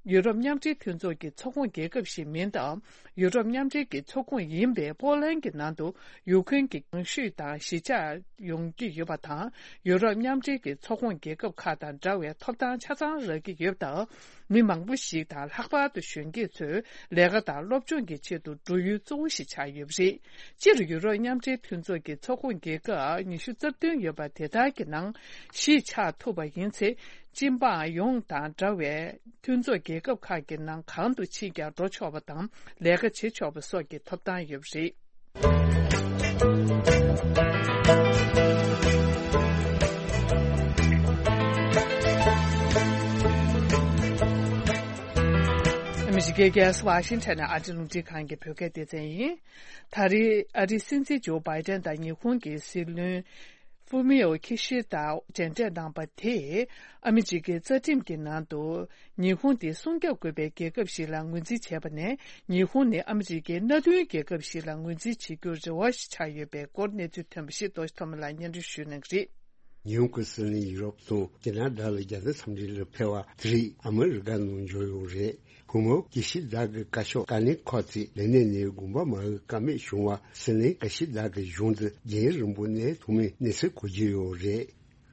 ཡུ་རོབ་མཉམ་འབྲེལ་མཐུན་ཚོགས་ཀྱི་ཚོགས་ཁོངས་རྒྱལ་ཁབ་ཞིག་མིན་སྟབས། ཡུ་རོབ་མཉམ་འབྲེལ་གྱི་ཚོགས་ཁོངས་ཡིན་པའི་པོ་ལན་གྱི་ནང་དུ་ཡུ་ཁུན་གྱི་གྱང་ཤུད་དང་གཞིས་ཆགས་ཡོང་གི་ཡོད་པ་དང་། ཡུ་རོབ་མཉམ་འབྲེལ་གྱི་ཚོགས་ཁོངས་རྒྱལ་ཁབ་ཁག་དང་འདྲ་བའི་ཐོབ་ཐང་ཆ་ཚང་རག་གི་ཡོད་སྟབས། མི་མང་པོ་ཞིག་དང་ལྷག་པར་དུ་གཞོན་སྐྱེས་ཚོས་ལས་ཀ་དང་སློབ་སྦྱོང་གི་ཆེད་དུ་འགྲོ་ཡུལ་གཙོ་བོ་ཞིག་ཆགས་ཡོད་པ་རེད། སྤྱིར་ཡུ་རོབ་མཉམ་འབྲེལ་མཐུན་ཚོགས་ཀྱི་ཚོགས་ཁོངས་རྒྱལ་ཁབ་ཉི་ཤུ་རྩ་བདུན་ཡོད་པ་དེ་དག་གི་ནང་གཞིས་ཆགས་ཐུབ་པ་ཡིན་ཚེ། སྤྱི་འབངས་ཡོངས་དང་འདྲ་བའི་མཐུན་ཚོགས་རྒྱལ་ཁབ་ཁག་གི་ནང་གང་དུ་ཕྱིན་ཀྱང་འགྲོ་ཆོག་པ་དང་ལས་ཀ་བྱེད་ཆོག་པ་སོགས་ཀྱི་ཐོབ་ཐང་ཡོད་པ་རེད། ཨ་མི་རི་ཀའི་རྒྱལ་ས་ཝ་ཤིང་ཊོན་ནས་ཨ་རིའི་རླུང་འཕྲིན་ཁང་གི་བོད་སྐད་སྡེ་ཚན་ཡིན། ད་རེས་ཨ་རིའི་སྲིད་འཛིན་ཇོ་བྷའི་ཏན་དང་ཉི་ཧོང་གི་སྲིད་བློན་ཧྥུ་མི་ཡོ་ཁི་ཤི་ད་མཇལ་འཕྲད་གནང་པ་དེས་ཨ་མི་རི་ཀའི་རྩ་ཁྲིམས་ཀྱི་ནང་དུ། ཉི་ཧོང་དེ་སྲུང་སྐྱོབ་དགོས་པའི་རྒྱལ་ཁབ་ཞིག་ལ་ངོས་འཛིན་བྱས་པ་ནས། ཉི་ཧོང་ནི་ཨ་མི་རི་ཀའི་མནའ་མཐུན་རྒྱལ་ཁབ་ཞིག་ལ་ངོས་འཛིན་བྱེད་རྒྱུར་རེ་བ་ཞིག་ཆགས་ཡོད་པའི་སྐོར་གནས་ཚུལ་ཐོན་པ་ཞིག་རྡོ་རྗེ་ཐོགས་མེད་ལགས་སྙན་སྒྲོན་ཞུ་གནང་གི་རེད། ཉི་ཧོང་གི་སྲིད་བློན་ཡུ་རོབ་དང་ཁེ་ན་ཌ་ལ་རྒྱལ་ས་འཚམས་འདྲི་ལ་ཕེབས་པ་དེ་རིང་ཨ་མི་རི་ཀ་ནང་འབྱོར་ཡོད་རེད། སྐུ་ངོ་ཀི་ཤི་ད་གི་བཀའ་ཤོག་བཀའ་བློན་ཁག་ཅིག་ལས་གནས་ནས་དགོངས་པ་མ་འོས་ཀ་མེད་བྱུང་བ། སྲིད་བློན་ཀི་ཤི་ད་གི་གཞུང་དུ་རྒྱུན་རིང་པོ་གནས་ཐུབ་མིན་གནས་ཚུལ་གོ་རྒྱུ་ཡོད་རེད།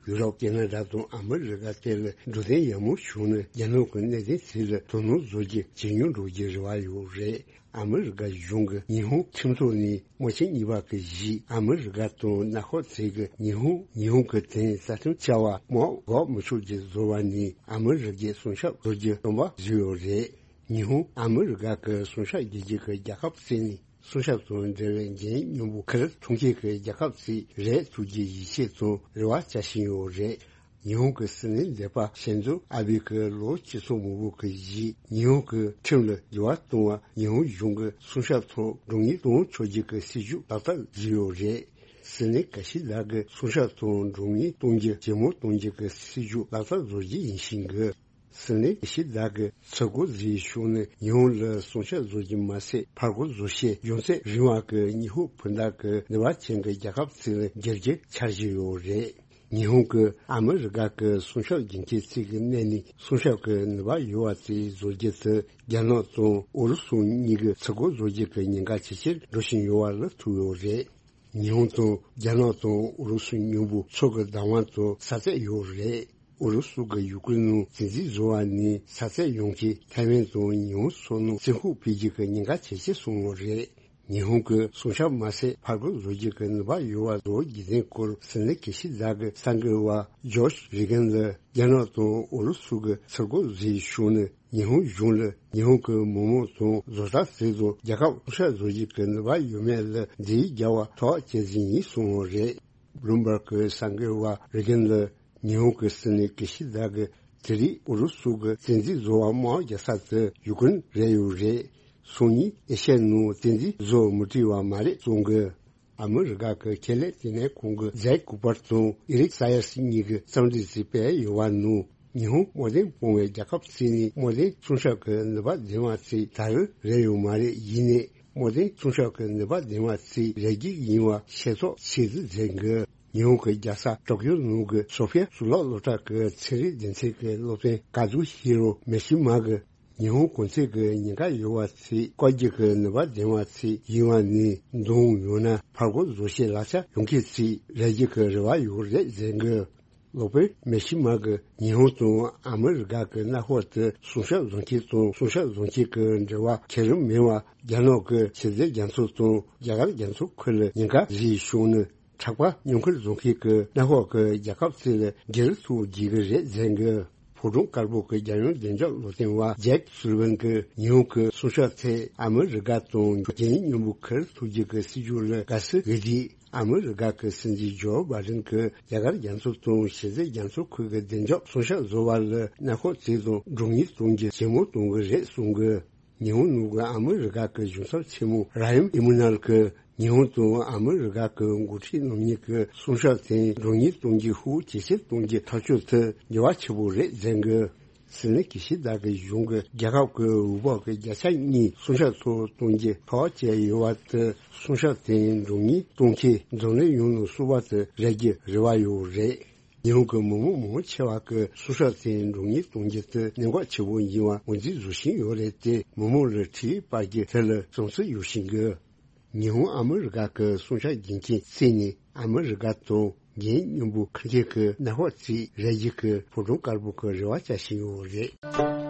ཡུ་རོབ་ཁེ་ན་ཌ་དང་ཨ་མི་རི་ཀ་དེ་ལ་འགྲོ་དོན་ཡག་མོ་བྱུང་ན། རྒྱ་ནག་གི་གནད་དོན་དེ་ལ་དོ་སྣང་བཟོ་རྒྱུ་ཇེ་ཉུང་འགྲོ་རྒྱུའི་རེ་བ་ཡོད་རེད། ཨ་མི་རི་ཀ་གཞུང་གིས་ཉི་ཧོང་ཁྲིམས་ཐོག་ནས་དམག་ཆེན་གཉིས་པ་གི་གཞི་ཨ་མི་རི་ཀ་དང་མནའ་ཁོག་བཙུགས་ཀྱི་ཉི་ཧོང་ཉི་ཧོང་གི་དོན་རྩ་ཁྲིམས་བཅའ་བ་མར་འགོག་མི་ཆོག་རྒྱུ་བཟོ་བ་ནི་ཨ་མི་རི་ཀས་སྲུང་སྐྱོབ་བཟོ་རྒྱུ་སྟོན་པ་བཟོས་ཡོད་རེད། ཉི་ཧོང་ཨ་མི་རི་ཀ་གི་སྲུང་སྐྱོབ་རྒྱུད་གཅིག་གི་རྒྱལ་ཁབ་བརྩིས་ནས། སྲུང་སྐྱོབ་དང་འབྲེལ་བའི་འགན་སྙིང་པོ་ཁུར་ཐུབ་མཁན་གྱི་རྒྱལ་ཁབ་ཅིག་རེད་ཐུབ་རྒྱུའི་ཡིད་ཆེས་དང་རེ་བ་བྱ་བཞིན་ཡོད་རེད། ཉི་ཧོང་གི་སྲིད་བློན་འདས་པ་ཤིན་ཛོ་ཨ་བྷེ་གིས་ལོ་གཅིག་སོ་མང་པོ་གི་རྗེས་ཉི་ཧོང་གི་ཁྲིམས་ལ་འགྱུར་བ་གཏོང་བ། ཉི་ཧོང་གཞུང་གིས་སྲུང་སྐྱོབ་ཐོག་འགྲོ་ངེས་གཏོང་ཆོག་རྒྱུ་གི་སྲིད་ཇུས་ལག་བསྟར་བཟོས་ཡོད་རེད། སྲིད་བློན་ཀི་ཤི་ད་གིས་སྲུང་སྐྱོབ་ཐོག་འགྲོ་ངེས་གཏོང་རྒྱུ་ཇེ་མང་གཏོང་རྒྱུ་གི་སྲིད་ཇུས་ལག་བསྟར་བཟོ་རྒྱུ་ཡིན་བཞིན་གི། སྲིད་བློན་ཀི་ཤི་ད་གིས་ཚུར་རྒོལ་བཟོས་བྱུང་ན་ཉི་ཧོང་ལ་སྲུང་སྐྱོབ་བཟོ་རྒྱུ་མ་ཟད། ཕར་རྒོལ་བཟོ་ཤེས། རྒྱུ་མཚན་རིང་བ་གི་ཉི་ཧོང་བུ་འདེགས་ཀྱི་ནུས་པ་ཅན་གྱི་རྒྱལ་ཁབ་ཅིག་ལ་འགྱུར་རྒྱུའི་འཆར་གཞི་ཡོད་རེད། ཉི་ཧོང་གིས་ཨ་མི་རི་ཀ་གི་སྲུང་སྐྱོབ་རྒྱུན་ཆད་ཅིག་གི་གནས་ནས་སྲུང་སྐྱོབ་ཀྱི་ནུས་པ་ཡོད་པ་ཅིག་བཟོ་རྒྱུ་དེ་རྒྱ་ནག་དང་ཨུ་རུ་སུ་གཉིས་ཀྱི་ཚུར་རྒོལ་བཟོ་རྒྱུ་གི་ཉེན་ཁ་ཇེ་ཆེར་འགྲོ་བཞིན་ཡོད་པ་ལ་ཐུག་ཡོད་རེད། ཉི་ཧོང་དང་རྒྱ་ནག་དང་ཨུ་རུ་སུ་གཉིས་པོ་མཚོ་གི་བདག་དབང་དང་ས་ཚད་ཡོད་རེད། ཨུ་རུ་སུ་གི་ཡུ་ཀེ་རེན་ནང་བཙན་འཛུལ་བཟོ་བ་ནི་ས་ཚད་ཡོངས་ཀྱི་ཐའེ་ཝན་དང་ཉི་ཧོང་སོགས་ནང་བཙན་ཤུགས་སྤེལ་རྒྱུ་གི་ཉེན་ཁ་ཇེ་ཆེ་སོང་བ་རེད། ཉི་ཧོང་གི་སྲུང་སྐྱོབ་མ་ཟད་ཕར་རྒོལ་བཟོ་རྒྱུ་གི་ནུས་པ་ཡོད་པ་བཟོ་རྒྱུ་དེའི་སྐོར་སྲིད་བློན་དགེ་བཤེས་ལགས་ཀྱི་གསར་འགོད་པ་ཇོརྗ་རེ་གན་ལ། རྒྱ་ནག་དང་ཨུ་རུ་སུ་གི་ཚུར་རྒོལ་བཟོས་བྱུང་ནས་ཉི་ཧོང་གཞུང་ལ་ཉི་ཧོང་གི་མི་མང་དང་བཟོ་ལྟ་ཟེར་དང་རྒྱལ་ཁབ་སྲུང་སྐྱོབ་བཟོ་རྒྱུ་གི་ནུས་པ་ཡོད་མེད་ལ་འདི་རྒྱལ་བ་ཐོག་བཅད་ཟིན་ཡིན་གསུངས་པ་རེད། བླུམ་བར་གྱི་གསར་འགོད་པ་རེ་གན་ལ་ཉི་ཧོང་གི་སྲིད་བློན་དགེ་བཤེས་ལགས་ཀྱིས་དེ་རིང་ཨུ་རུ་སུ་གི་བཙན་འཛུལ་བཟོ་བ་དམག་རྒྱག་ས་དེ་ཡུ་ཀེ་རེན་རེད་ཡོད་རེད། སང་ཉིན་ཨེ་ཤ་ཡའི་ནང་བཙན་འཛུལ་བཟོ་མི་བྲིས་པ་མ་རེད་གསུང་གི། ཨ་མི་རི་ཀ་གི་ཁེ་ལས་ལྟེ་གནས་ཁང་གི་ཛེག་ཀུ་པར་དང་ཨེ་རིག་ས་ཡར་སི་གཉིས་ཀྱིས་རྩོམ་སྒྲིག་ཅིག་སྤེལ་ཡོད་པ་ནང་། ཉི་ཧོང་དམག་དོན་སྤོང་བའི་རྒྱལ་ཁབ་ཅིག་ནས་དམག་དོན་སྲུང་སྐྱོབ་ཀྱི་ནུས་པ་ལྡན་པ་ཅིག་ད་རུང་རེད་ཡོད་མ་རེད། ཡིན་ནའི་དམག་དོན་སྲུང་སྐྱོབ་ཀྱི་ནུས་པ་ལྡན་པ་ཅིག་རེད་རྒྱུ་ཡིན་པ་ཤེས་རྟོགས་བྱས་འདུག་ཟེར་གི། ཉི་ཧོང་གི་རྒྱལ་ས་ཏོག་ཀྱོ་ནང་གི་སོ་ཕི་ཡ་གཙུག་ལག་སློབ་གྲྭ་གི་ཚན་རིག་སྡེ་ཚན་གྱི་སློབ་སྟོན་ཀ་ཛུ་ཧི་རོ་མེ་ཤི་མ་གིས། ཉི་ཧོང་གོང་ཚད་ཀྱི་ཉེན་ཁ་ཡོད་པ་ཅིག་བཀག་རྒྱུ་གི་ནུས་པ་ལྡན་པ་ཅིག་ཡིན་པ་ནི་འདང་ཡོད་ན་ཕར་རྒོལ་བཟོ་བྱེད་ལག་ཆ་ཡོང་མཁན་ཅིག་རེད་རྒྱུ་གི་རེ་བ་ཡོད་རེད་ཟེར་གི། སློབ་དཔོན་མེ་ཤི་མ་གིས་ཉི་ཧོང་དང་ཨ་མི་རི་ཀ་གི་མནའ་འཁོར་དེ་སྲུང་སྐྱོབ་བཟོ་མཁན་དང་སྲུང་སྐྱོབ་བཟོ་མཁན་གྱི་འབྲེལ་བ་ཁེ་རིམ་མེད་པ་རྒྱ་ནག་གི་ཕྱི་སྲིད་རྒྱ་མཚོ་དང་རྒྱ་གར་རྒྱ་མཚོ་ཁུལ་ལ་ཉེན་ཁ་བཟོས་བྱུང་ན། དྲག་པ་མྱུར་འཁོར་བཟོ་མཁན་གྱི་མནའ་འཁོར་གྱི་རྒྱལ་ཁབ་ཅིག་ལ་སྒེར་ཐུག་རྒྱུ་གི་རེད་ཟེར་གི། ཕོ་བྲང་དཀར་པོ་གི་རྒྱལ་ཡོངས་བདེ་འཇགས་སློབ་སྟོན་པ་ཇེཀ་སུ་ལི་ཝན་གྱིས་ཉི་ཧོང་གི་སྲུང་སྐྱོབ་ཐད་ཨ་མི་རི་ཀ་དང་འགན་མཉམ་པོ་འཁུར་ཐུབ་རྒྱུ་གི་སྲིད་ཇུས་ལ་དགའ་བསུ་ཡོད་དུས། ཨ་མི་རི་ཀ་གི་སྲིད་འཛིན་ཇོ་བྷའི་ཌེན་གྱིས་རྒྱ་གར་རྒྱ་མཚོ་དང་ཕྱི་སྲིད་རྒྱ་མཚོ་ཁུལ་གྱི་བདེ་འཇགས་སྲུང་སྐྱོབ་བཟོ་བ་ལ་མནའ་འཁོར་ཅིག་དང་གྲོང་ཉིད་གཏོང་རྒྱུ་ཇེ་མང་གཏོང་གི་རེད་གསུང་གི། ཉི་ཧོང་ནང་གི་ཨ་མི་རི་ཀ་གི་གཞུང་ཚབ་ཆེན་མོ་ར་ཡམ་ཨི་མུ་ནལ་གྱིས་ཉི་ཧོང་དང་ཨ་མི་རི་ཀ་གི་འགོ་ཁྲིད་རྣམ་གཉིས་ཀྱི་སྲུང་སྐྱོབ་དེ་མགྱོགས་མྱུར་གཏོང་རྒྱུ་ཤུགས་ཇེ་ཆེར་གཏོང་རྒྱུ་ཐག་གཅོད་དེ་འགྱུར་བ་ཆེ་པོ་རེད་ཟེར་གི། སྲིད་བློན་ཀི་ཤི་ད་གི་གཞུང་གིས་རྒྱལ་ཁབ་ཀྱི་འོས་འབབ་ཀྱི་བརྒྱ་ཆ་གཉིས་སྲུང་སྐྱོབ་ཐོག་གཏོང་རྒྱུ་ཐག་བཅད་ཡོད་པ་དེ་སྲུང་སྐྱོབ་དེ་མགྱོགས་མྱུར་གཏོང་ཆེད་འཛམ་གླིང་ཡོངས་ལ་བསུ་བ་དེ་རག་རྒྱུ་རེ་བ་ཡོད་རེད། ཉི་ཧོང་གི་མི་མང་མང་ཆེ་བ་གིས་སྲུང་སྐྱོབ་དེ་མགྱོགས་མྱུར་གཏོང་རྒྱུ་དེ་གནད་འགག་ཆེ་བོ་ཡིན་པ་ངོས་འཛིན་བཟོ་བཞིན་ཡོད་རེད་དེ། མི་མང་ལ་འཕྲིན་ཡིག་སྤར་རྒྱུ་དེ་ལ་བསམ་ཚུལ་ཡོད་བཞིན་གི། ཉི་ཧོང་ཨ་མི་རི་ཀ་གི་སྲུང་སྐྱོབ་འགན་འཁྱེར་ཅིག་ནི་ཨ་མི་རི་ཀ་དང་འགན་མཉམ་པོ་འཁུར་མཁན་གྱི་མནའ་འཁོར་ཅིག་རེད་རྒྱུ་གི་ཕོ་བྲང་དཀར་པོ་གི་རེ་བ་བྱ་བཞིན་ཡོད་རེད།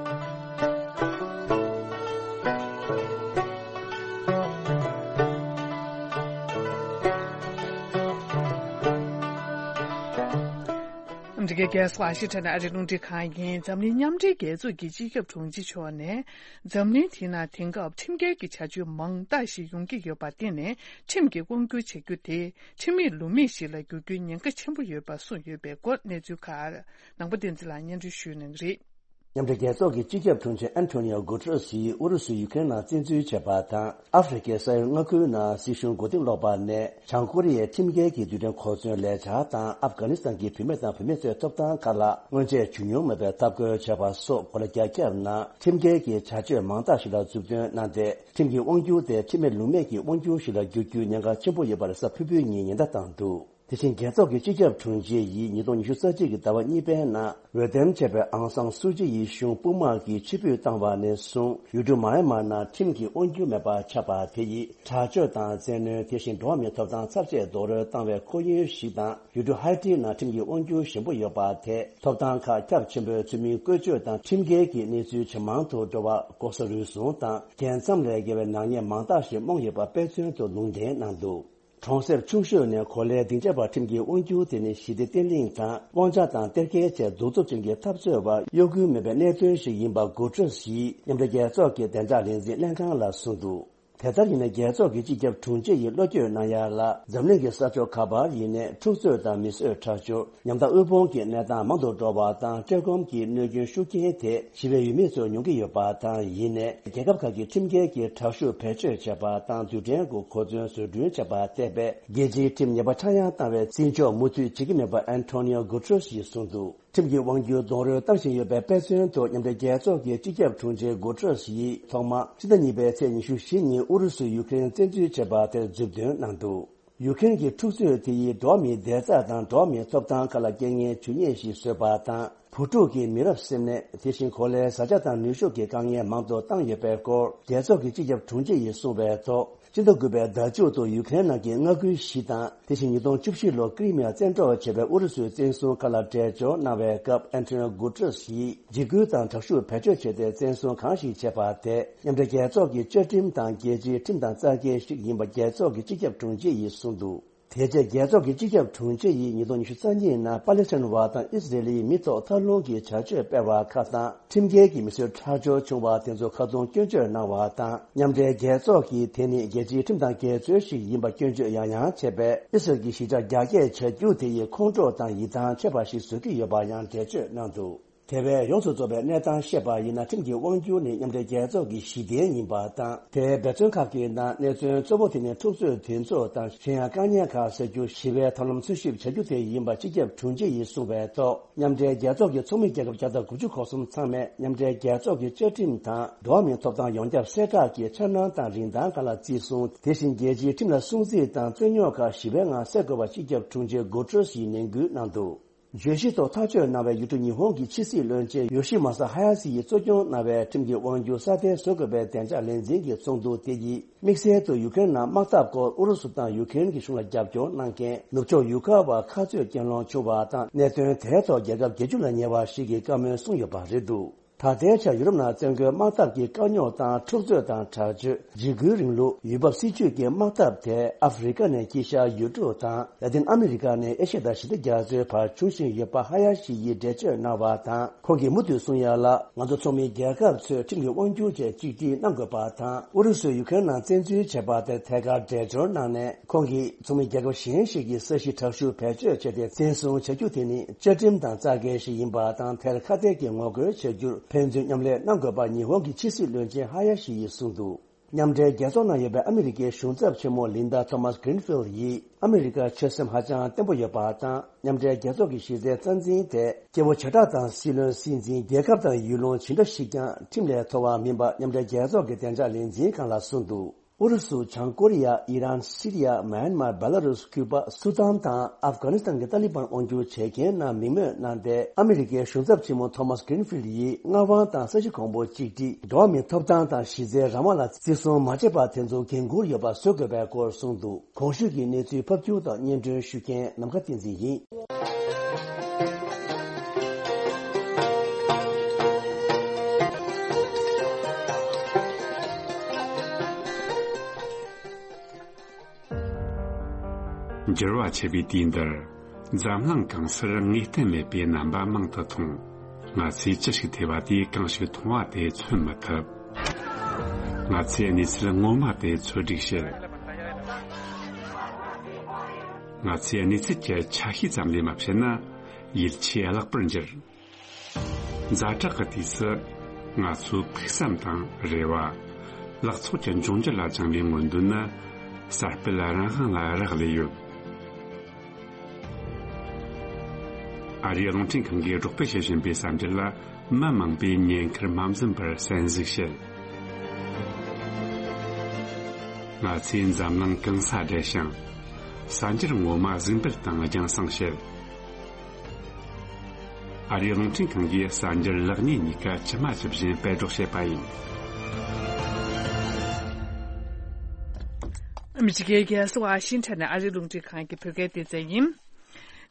འདི་གའི་རྒྱལ་ས་ཝ་ཤིང་ཊོན་ཨ་རིའི་རླུང་འཕྲིན་ཁང་ཡིན། འཛམ་གླིང་མཉམ་འབྲེལ་རྒྱལ་ཚོགས་ཀྱི་སྤྱི་ཁྱབ་དྲུང་ཆེ་མཆོག་ནས། འཛམ་གླིང་དེ་ན་དེང་སྐབས་ཁྲིམས་འགལ་གྱི་བྱ་སྤྱོད་མང་དག་ཞིག་ཡོང་གི་ཡོད་པར་བརྟེན་ནས། ཁྲིམས་ཀྱིས་དབང་བསྒྱུར་བྱ་རྒྱུ་དེ་ཁྲིམས་མེད་ལུགས་མེད་ཞིག་ལ་འགྱུར་རྒྱུའི་ཉེན་ཁ་ཆེན་པོ་ཡོད་པ་གསུངས་ཡོད་པའི་སྐོར། གནས་ཚུལ་ཁག་ནང་པ་བསྟན་འཛིན་ལགས་སྙན་སྒྲོན་ཞུ་གནང་གི་རེད། མཉམ་འབྲེལ་རྒྱལ་ཚོགས་ཀྱི་སྤྱི་ཁྱབ་དྲུང་ཆེ་ཨན་ཐོ་ནི་ཨོ་གུ་ཏྲེ་སི་ཡིས་ཨུ་རུ་སུས་ཡུ་ཁེ་རེན་ནང་བཙན་འཛུལ་བྱས་པ་དང་། ཨ་ཧྥེ་རི་ཁའི་ས་ཡ་ལྔ་ཁུལ་ནང་སྲིད་གཞུང་མགོ་རྟིང་སློག་པ་ནས། བྱང་ཀོ་རི་ཡའི་ཁྲིམས་འགལ་གྱི་རྡུལ་ཕྲན་གོ་མཚོན་ལས་འཆར་དང་། ཨབ་གྷ་ནི་སི་ཐན་གྱི་བུད་མེད་དང་བུད་མེད་ཚོའི་ཐོབ་ཐང་ཁག་ལ་སྔོན་ཆད་བྱུང་མྱོང་མེད་པའི་འཐབ་རྒོལ་བྱས་པ་སོགས་གོ་ལ་རྒྱ་ཁྱབ་ནང་ཁྲིམས་འགལ་གྱི་བྱ་སྤྱོད་མང་དག་ཞིག་ལ་མཛུབ་སྟོན་གནང་སྟེ། ཁྲིམས་ཀྱི་དབང་སྒྱུར་དེ་ཁྲིམས་མེད་ལུགས་མེད་ཀྱི་དབང་སྒྱུར་ཞིག་ལ་འགྱུར་རྒྱུའི་ཉེན་ཁ་ཆེན་པོ་ཡོད་པ་རེད། གཟའ་ཕུར་བུའི་ཉིན་ཉེན་བརྡ་བཏང་འདུག་དེ་བཞིན་རྒྱལ་ཚོགས་ཀྱི་སྤྱི་ཁྱབ་དྲུང་ཆེ་ཡིས་ཉིས་སྟོང་ཉི་ཤུ་རྩ་གཅིག་གི་ཟླ་བ་གཉིས་པའི་ནང་འོས་འདེམས་བྱས་པའི་ཨང་སང་སུའུ་ཅི་ཡི་གཞུང་དཔུང་དམག་གིས་ཕྱིར་འབུད་བཏང་བ་ནས་བཟུང་། ཡུལ་གྲུ་མཱ་ཨན་མཱ་ནང་ཁྲིམས་ཀྱི་དབང་སྒྱུར་མེད་པ་ཆགས་པ་དེ་ཡིས་དྲག་སྤྱོད་དང་བཙན་གནོན། དེ་བཞིན་འགྲོ་བ་མིའི་ཐོབ་ཐང་ཚབས་ཆེ་རྡོག་རོལ་བཏང་བའི་ཁོར་ཡུག་ཞིག་དང་། ཡུལ་གྲུ་ཧའི་ཏི་ནང་ཁྲིམས་ཀྱི་དབང་སྒྱུར་ཞན་པོ་ཡོད་པ་དེས་ཐོབ་ཐང་ཁག་རྒྱ་ཆེན་པོའི་ཚུལ་མིན་བཀོལ་སྤྱོད་དང་ཁྲིམས་འགལ་གྱི་གནས་ཚུལ་ཇེ་མང་དུ་འགྲོ་བར་ལྐོག་ཟ་རུལ་སུངས་དང་རྒྱལ་མཚམས་ལས་བརྒལ་བའི་ནག་ཉེས་མང་དག་ཞིག་རྨོངས་ཡོད་པ་དཔེ་མཚོན་དུ་ལུང་འདྲེན་གནང་འདུག་གྲོང་གསེབ་ཆུང་ཤོས་ནས་གོ་ལའི་སྡིངས་ཆ་བར་ཁྲིམས་ཀྱི་དབང་སྒྱུར་དེ་ནི་ཞི་བདེ་བརྟན་ལྷིང་དང་དབང་ཆ་དང་གཏེར་ཁའི་ཆེད་གདུག་རྩུབ་ཅན་གྱི་འཐབ་རྩོད་པར་གཡོ་འགུལ་མེད་པའི་གནད་དོན་ཞིག་ཡིན་པ་གུ་ཏྲེས་ཡིས་མཉམ་འབྲེལ་རྒྱལ་ཚོགས་ཀྱི་བདེ་འཇགས་ལས་འཛིན་ལྷན་ཁང་ལ་གསུངས་འདུག་དེ་ལྟར་ཡིན་ན། རྒྱལ་ཚོགས་ཀྱི་སྤྱི་ཁྱབ་དྲུང་ཆེ་ཡིས་བློ་འགྱོད་གནང་ཡ་ལ། འཛམ་གླིང་གི་ས་ཕྱོགས་ག་པར་ཡིན་ནའི་འཁྲུག་རྩོད་དང་མི་གསོད་ཁྲག་སྦྱོར། ཉམ་ཐག་དབུལ་ཕོངས་ཀྱི་གནས་སྟངས་མང་དུ་འགྲོ་བ་དང་། བཀྲེས་སྐོམ་གྱི་གནོད་སྐྱོན་ཤུགས་རྐྱེན་དེ་ཞི་བའི་ཡུལ་མི་ཚོས་མྱོང་གི་ཡོད་པ་དང་། ཡིན་ནའི་རྒྱལ་ཁབ་ཁག་གིས་ཁྲིམས་འགལ་གྱི་དྲག་ཤུགས་བེད་སྤྱོད་བྱས་པ་དང་། རྡུལ་ཕྲན་གྱི་གོ་མཚོན་བཟོ་སྐྲུན་བྱས་པ་བལྟས་པས། རྒྱལ་སྤྱིའི་ཁྲིམས་ཉེས་པ་ཆག་ཡང་བཏང་བའི་བརྩི་འཇོག་མུ་མཐུད་བྱེད་ཀྱི་མེད་པ་ཨན་ཐོ་ནི་ཨོ་གུ་ཏྲེས་ཡིས་གསུངས་འདུག་ཁྲིམས་ཀྱི་དབང་སྒྱུར་རྡོག་རོལ་བཏང་བཞིན་ཡོད་པའི་དཔེ་མཚོན་དུ། མཉམ་འབྲེལ་རྒྱལ་ཚོགས་ཀྱི་སྤྱི་ཁྱབ་དྲུང་ཆེ་གུ་ཏྲེས་ཡིས་ཐོག་མར་ཕྱི་ཟླ་གཉིས་པའི་ཚེས་ཉི་ཤུ་བཞི་ཉིན་ཨུ་རུ་སུས་ཡུ་ཁེ་རེན་བཙན་འཛུལ་བྱས་པ་དེར་མཛུབ་སྟོན་གནང་འདུག་ཡུ་ཁེ་རེན་གྱི་འཁྲུག་རྩོད་དེ་ཡིས་འགྲོ་བ་མིའི་བདེ་རྩ་དང་འགྲོ་བ་མིའི་ཐོབ་ཐང་ཁག་ལ་རྐྱེན་ངན་ཇུས་ཉེས་ཤིག་བཟོས་པ་དང་། བུ་ཕྲུག་གི་མི་རབས་སེམས་ནད། དེ་བཞིན་གོ་ལའི་བཟའ་བཅའ་དང་ནུས་ཤུགས་ཀྱི་དཀའ་ངལ་མང་དུ་བཏང་ཡོད་པའི་སྐོར། རྒྱལ་ཚོགས་ཀྱི་སྤྱི་ཁྱབ་དྲུང་ཆེ་ཡིས་གསུངས་པའི་ཐོག་སྤྱི་ཟླ་དགུ་པའི་ཟླ་མཇུག་ཏུ་ཡུ་ཀེ་རེན་ནང་གི་མངའ་ཁུལ་བཞི་དང་། དེ་བཞིན་ཉིས་སྟོང་བཅུ་བཞི་ལོར་ཀི་རི་མི་ཡ་བཙན་འཕྲོག་བྱས་པའི་ཨུ་རུ་སུའི་བཙན་བཟུང་ཁག་ལ་འགྲེལ་བརྗོད་གནང་བའི་སྐབས། ཨན་ཏོ་ནིའོ་གུ་ཏྲེས་ཡིས་འཇིགས་སྐུལ་དང་དྲག་ཤུགས་བེད་སྤྱོད་བྱས་ཏེ། བཙན་བཟུང་གང་ཞིག་བྱས་པ་དེ་མཉམ་འབྲེལ་རྒྱལ་ཚོགས་ཀྱི་བཅའ་ཁྲིམས་དང་རྒྱལ་སྤྱིའི་ཁྲིམས་དང་རྩ་འགལ་ཞིག་ཡིན་པ་རྒྱལ་ཚོགས་ཀྱི་སྤྱི་ཁྱབ་དྲུང་ཆེ་ཡིས་གསུངས་འདུག་དེ་རྗེས་རྒྱལ་ཚོགས་ཀྱི་སྤྱི་ཁྱབ་དྲུང་ཆེ་ཡིས་ཉིས་སྟོང་ཉི་ཤུ་རྩ་གཉིས་ནང་པ་ལེ་སི་ཐན་བ་དང་ཨི་སི་རེལ་ཡི་མི་ཐོག་མཐའ་ལྷུང་གི་བྱ་སྤྱོད་སྤེལ་བ་ཁག་དང་། ཁྲིམས་འགལ་གྱི་མི་གསོད་ཁྲག་སྦྱོར་བྱུང་བ་དེ་ཚོ་ཁ་རྡུང་སྐྱོན་བརྗོད་གནང་བ་དང་། མཉམ་འབྲེལ་རྒྱལ་ཚོགས་ཀྱིས་དེ་ནི་རྒྱལ་སྤྱིའི་ཁྲིམས་དང་འགལ་འཛོལ་ཞིག་ཡིན་པ་སྐྱོན་བརྗོད་ཡང་ཡང་བྱས་པས། ཨི་སི་རེལ་གྱི་གཞིས་ཆགས་རྒྱ་སྐྱེད་བྱ་རྒྱུ་དེ་ཡི་ཁོང་ཁྲོ་དང་ཡིད་ཐང་ཆད་པ་ཞིག་བཟོ་གི་ཡོད་པ་ཡང་འགྲེལ་བརྗོད་གནང་འདུག་དེ་བས་ཡོངས་སུ་རྫོགས་པའི་གནས་སྟངས་བཤད་པ་ཡིན་ན། ཁྲིམས་ཀྱི་དབང་སྒྱུར་ནི་མཉམ་འབྲེལ་རྒྱལ་ཚོགས་ཀྱི་གཞི་རྟེན་ཡིན་པ་དང་། དེའི་འབད་བརྩོན་ཁག་གི་ནང་གནད་དོན་གཙོ་བོ་དེ་ནི་འཁྲུག་རྩོད་དེ་ཚོ་དང་། གཞན་ཡང་དཀའ་ངལ་ཁག་སེལ་རྒྱུ། ཞི་བའི་ཐབས་ལམ་འཚོལ་ཞིབ་བྱ་རྒྱུ་དེ་ཡིན་པ་སྤྱི་ཁྱབ་དྲུང་ཆེ་ཡིས་གསུངས་པའི་ཐོག་མཉམ་འབྲེལ་རྒྱལ་ཚོགས་ཀྱི་ཚོགས་མི་རྒྱལ་ཁབ་བརྒྱ་དང་དགུ་བཅུ་གོ་གསུམ་ཚང་མས་མཉམ་འབྲེལ་རྒྱལ་ཚོགས་ཀྱི་བཅའ་ཁྲིམས་དང་། འགྲོ་བ་མིའི་ཐོབ་ཐང་ཡོངས་ཁྱབ་གསལ་བསྒྲགས་ཀྱི་འཆར་སྣང་དང་རིན་ཐང་སྒང་ལ་བརྩི་སྲུང་། དེ་བཞིན་རྒྱལ་སྤྱིའི་ཁྲིམས་ལ་སྲུང་བརྩི་དང་རྩོད་རྙོག་ཁག་ཞི་བའི་ངང་སེལ་དགོས་པ་སྤྱི་ཁྱབ་དྲུང་ཆེ་གུ་ཏྲེས་ཡིས་ནན་སྐུལ་གནང་འདུག་བརྗོད་གཞི་ཐོག་ཐག་གཅོད་གནང་བའི་ཡུལ་གྲུ་ཉི་ཧོང་གི་ཕྱི་སྲིད་བློན་ཆེན་ཡོ་ཤི་མ་ས་ཧ་ཡ་ཤི་ཡིས་གཙོ་སྐྱོང་གནང་བའི་ཁྲིམས་ཀྱི་དབང་སྒྱུར་སྲ་བརྟན་བཟོ་དགོས་པའི་བདེ་འཇགས་ལས་འཛིན་གྱི་ཚོགས་འདུ་དེ་ཡིས་དམིགས་བསལ་དུ་ཡུ་ཀེ་རེན་ནང་དམག་འཐབ་སྐོར་ཨུ་རུ་སུ་དང་ཡུ་ཀེ་རེན་གྱི་གཞུང་ལ་རྒྱབ་སྐྱོར་གནང་མཁན་ནུབ་ཕྱོགས་ཡུལ་ཁག་བར་ཁ་རྩོད་རྐྱེན་སློང་བྱུང་བ་དང་། གནད་དོན་དེའི་ཐོག་རྒྱལ་ཁབ་བརྒྱད་ཅུ་ལ་ཉེ་བ་ཞིག་གིས་བཀའ་མོལ་གསུངས་ཡོད་པ་རེད་འདུག་ད་ལྟའི་ཆར་ཡུ་རོབ་ནང་བཙན་རྒོལ་དམག་འཐབ་ཀྱི་དཀའ་རྙོག་དང་། འཁྲུག་རྩོད་དང་དྲག་སྤྱོད། འཇིགས་སྐུལ་རིང་ལུགས་ཡུལ་བབ་སྲིད་ཇུས་ཀྱི་དམག་འཐབ་དེ་ཨ་ཧྥེ་རི་ཁ་ནས་དཀྱིལ་ཤར་ཡུལ་གྲུ་དང་། ལ་ཏིན་ཨ་མི་རི་ཀ་ནས་ཨེ་ཤི་ཡ་དང་ཞི་བདེ་རྒྱ་མཚོའི་བར་འབྱུང་བཞིན་ཡོད་པ་ཧ་ཡ་ཤི་ཡིས་འགྲེལ་བརྗོད་གནང་བ་དང་། ཁོང་གིས་མུ་མཐུད་གསུང་ཡ་ལ། ང་ཚོ་ཚོགས་མི་རྒྱལ་ཁབ་ཚོས་ཁྲིམས་ཀྱི་དབང་སྒྱུར་བཅས་གཅིག་སྒྲིལ་གནང་དགོས་པ་དང་། ཨུ་རུ་སུས་ཡུ་ཀེ་རེན་ནང་བཙན་འཛུལ་བྱས་པ་དེར་ཐད་ཀར་འགྲེལ་བརྗོད་གནང་ནས། ཁོང་གིས་ཚོགས་མི་རྒྱལ་ཁབ་གཞན་ཞིག་གིས་ས་གཞི་དྲག་ཤུགས་བེད་སྤྱོད་བྱས་ཏེ་བཙན་བཟུང་བྱ་རྒྱུ་དེ་ནི་བཅའ་ཁྲིམས་དང་རྩ་འགལ་ཞིག་ཡིན་པ་དང་། དེར་ཁ་གཏད་ཀྱིས་ངོ་རྒོལ་བྱ་རྒྱུར་ཕན་ཚུན་མཉམ་ལས་གནང་དགོས་པ་ཉི་ཧོང་གི་ཕྱི་སྲིད་བློན་ཆེན་ཧ་ཡ་ཤི་ཡིས་གསུངས་འདུག་མཉམ་འབྲེལ་རྒྱལ་ཚོགས་ནང་ཡོད་པའི་ཨ་མི་རི་ཀའི་གཞུང་ཚབ་ཆེན་མོ་ལིན་ཌ་ཐོ་མཱས་གྷི་རིན་ཕིལ་ཡིས། ཨ་མི་རི་ཀར་ཆོད་སེམས་ཧ་ཅང་བརྟན་པོ་ཡོད་པ་དང་། མཉམ་འབྲེལ་རྒྱལ་ཚོགས་ཀྱི་གཞི་རྩའི་རྩ་འཛིན་དེ་སྐྱེ་བོ་བྱེ་བྲག་དང་སྲིད་བློན་སྲིད་འཛིན། རྒྱལ་ཁབ་དང་ཡུལ་ལུང་ཇི་འདྲ་ཞིག་ཀྱང་ཁྲིམས་ལས་མཐོ་བ་མིན་པ་མཉམ་འབྲེལ་རྒྱལ་ཚོགས་ཀྱི་བདེ་འཇགས་ལས་འཛིན་ཁང་ལ་གསུངས་འདུག་ཨུ་རུ་སུ། བྱང་ཀོ་རི་ཡ། ཨི་རན། སི་རི་ཡ། མཱན་མར། བེ་ལ་རུས། ཁུ་པ། སུ་དཱན་དང་ཨབ་གྷ་ནི་སི་ཐན་གྱི་ཏཱ་ལི་བན་དབང་སྒྱུར་བྱེད་མཁན་རྣམས་མིང་སྨོས་གནང་སྟེ། ཨ་མི་རི་ཀའི་གཞུང་ཚབ་ཆེན་མོ་ཐོ་མཱས་གྷི་རིན་ཕིལ་ཡིས་མངའ་དབང་དང་ས་གཞི་གོང་བུ་གཅིག་སྒྲིལ། འགྲོ་བ་མིའི་ཐོབ་ཐང་དང་གཞི་རྩའི་རང་དབང་ལ་བརྩི་སྲུང་མ་བྱས་པར་དེ་ཚོ་འགན་འཁུར་ཡོད་པ་བཟོ་དགོས་པའི་སྐོར་གསུངས་འདུག་གོང་ཞུས་ཀྱི་གནས་ཚུལ་ཕབ་སྒྱུར་དང་སྙན་སྒྲོན་ཞུ་མཁན་ནམ་མཁའ་བསྟན་འཛིན་ཡིན། འགྱུར་བ་ཆེ་བའི་དུས་འདིར། འཛམ་གླིང་གང་སར་ངེས་གཏན་མེད་པའི་རྣམ་པ་མང་དུ་མཐོང་། ང་ཚོས་ཅི་ཞིག་ཐོས་པ་དེས་གང་ཞིག་མཐོང་བ་དེ་མཚོན་མི་ཐུབ། ང་ཚོས་གནས་ཚུལ་ངོ་མ་དེ་འཚོལ་སྒྲིག་བྱེད། ང་ཚོས་གནས་ཚུལ་གྱི་ཆ་ཤས་ཙམ་ལས་མ་བཤད་ན། ཡིད་ཆེས་བརླག་པར་འགྱུར། ཛ་དྲག་གི་དུས་སུ། ང་ཚོའི་ཕུགས་བསམ་དང་རེ་བ། ལག་ཚོགས་ཀྱི་འབྱུང་འགྱུར་ལ་བཅངས་པའི་མངོན་འདོད་ནི། གསར་སྤེལ་རང་དབང་ལ་རག་ལས་ཡོད། ཨ་རིའི་རླུང་འཕྲིན་ཁང་གིས་སྒྲོག་སྤེལ་བྱེད་བཞིན་པའི་གསར་འགྱུར་ལ། མི་མང་པོས་ཉེན་ཁར་མ་འཛེམས་པར་གསན་གཟིགས་བྱེད། ང་ཚོས་འཛམ་གླིང་གང་སར་བསྡད་ཞིང་། གསར་འགྱུར་ངོ་མ་གཟིགས་འབུལ་དང་རྒྱང་སྲིང་བྱེད། ཨ་རིའི་རླུང་འཕྲིན་ཁང་གིས་གསར་འགྱུར་ལེགས་ཉེས་གཉིས་ཀ་ཇི་མ་ཇི་བཞིན་སྤེལ་སྒྲོག་བྱེད་པ་ཡིན། ཨ་མི་རི་ཀའི་རྒྱལ་ས་ཝ་ཤིང་ཊོན་ནས་ཨ་རིའི་རླུང་འཕྲིན་ཁང་གི་བོད་སྐད་སྡེ་ཚན་ཡིན།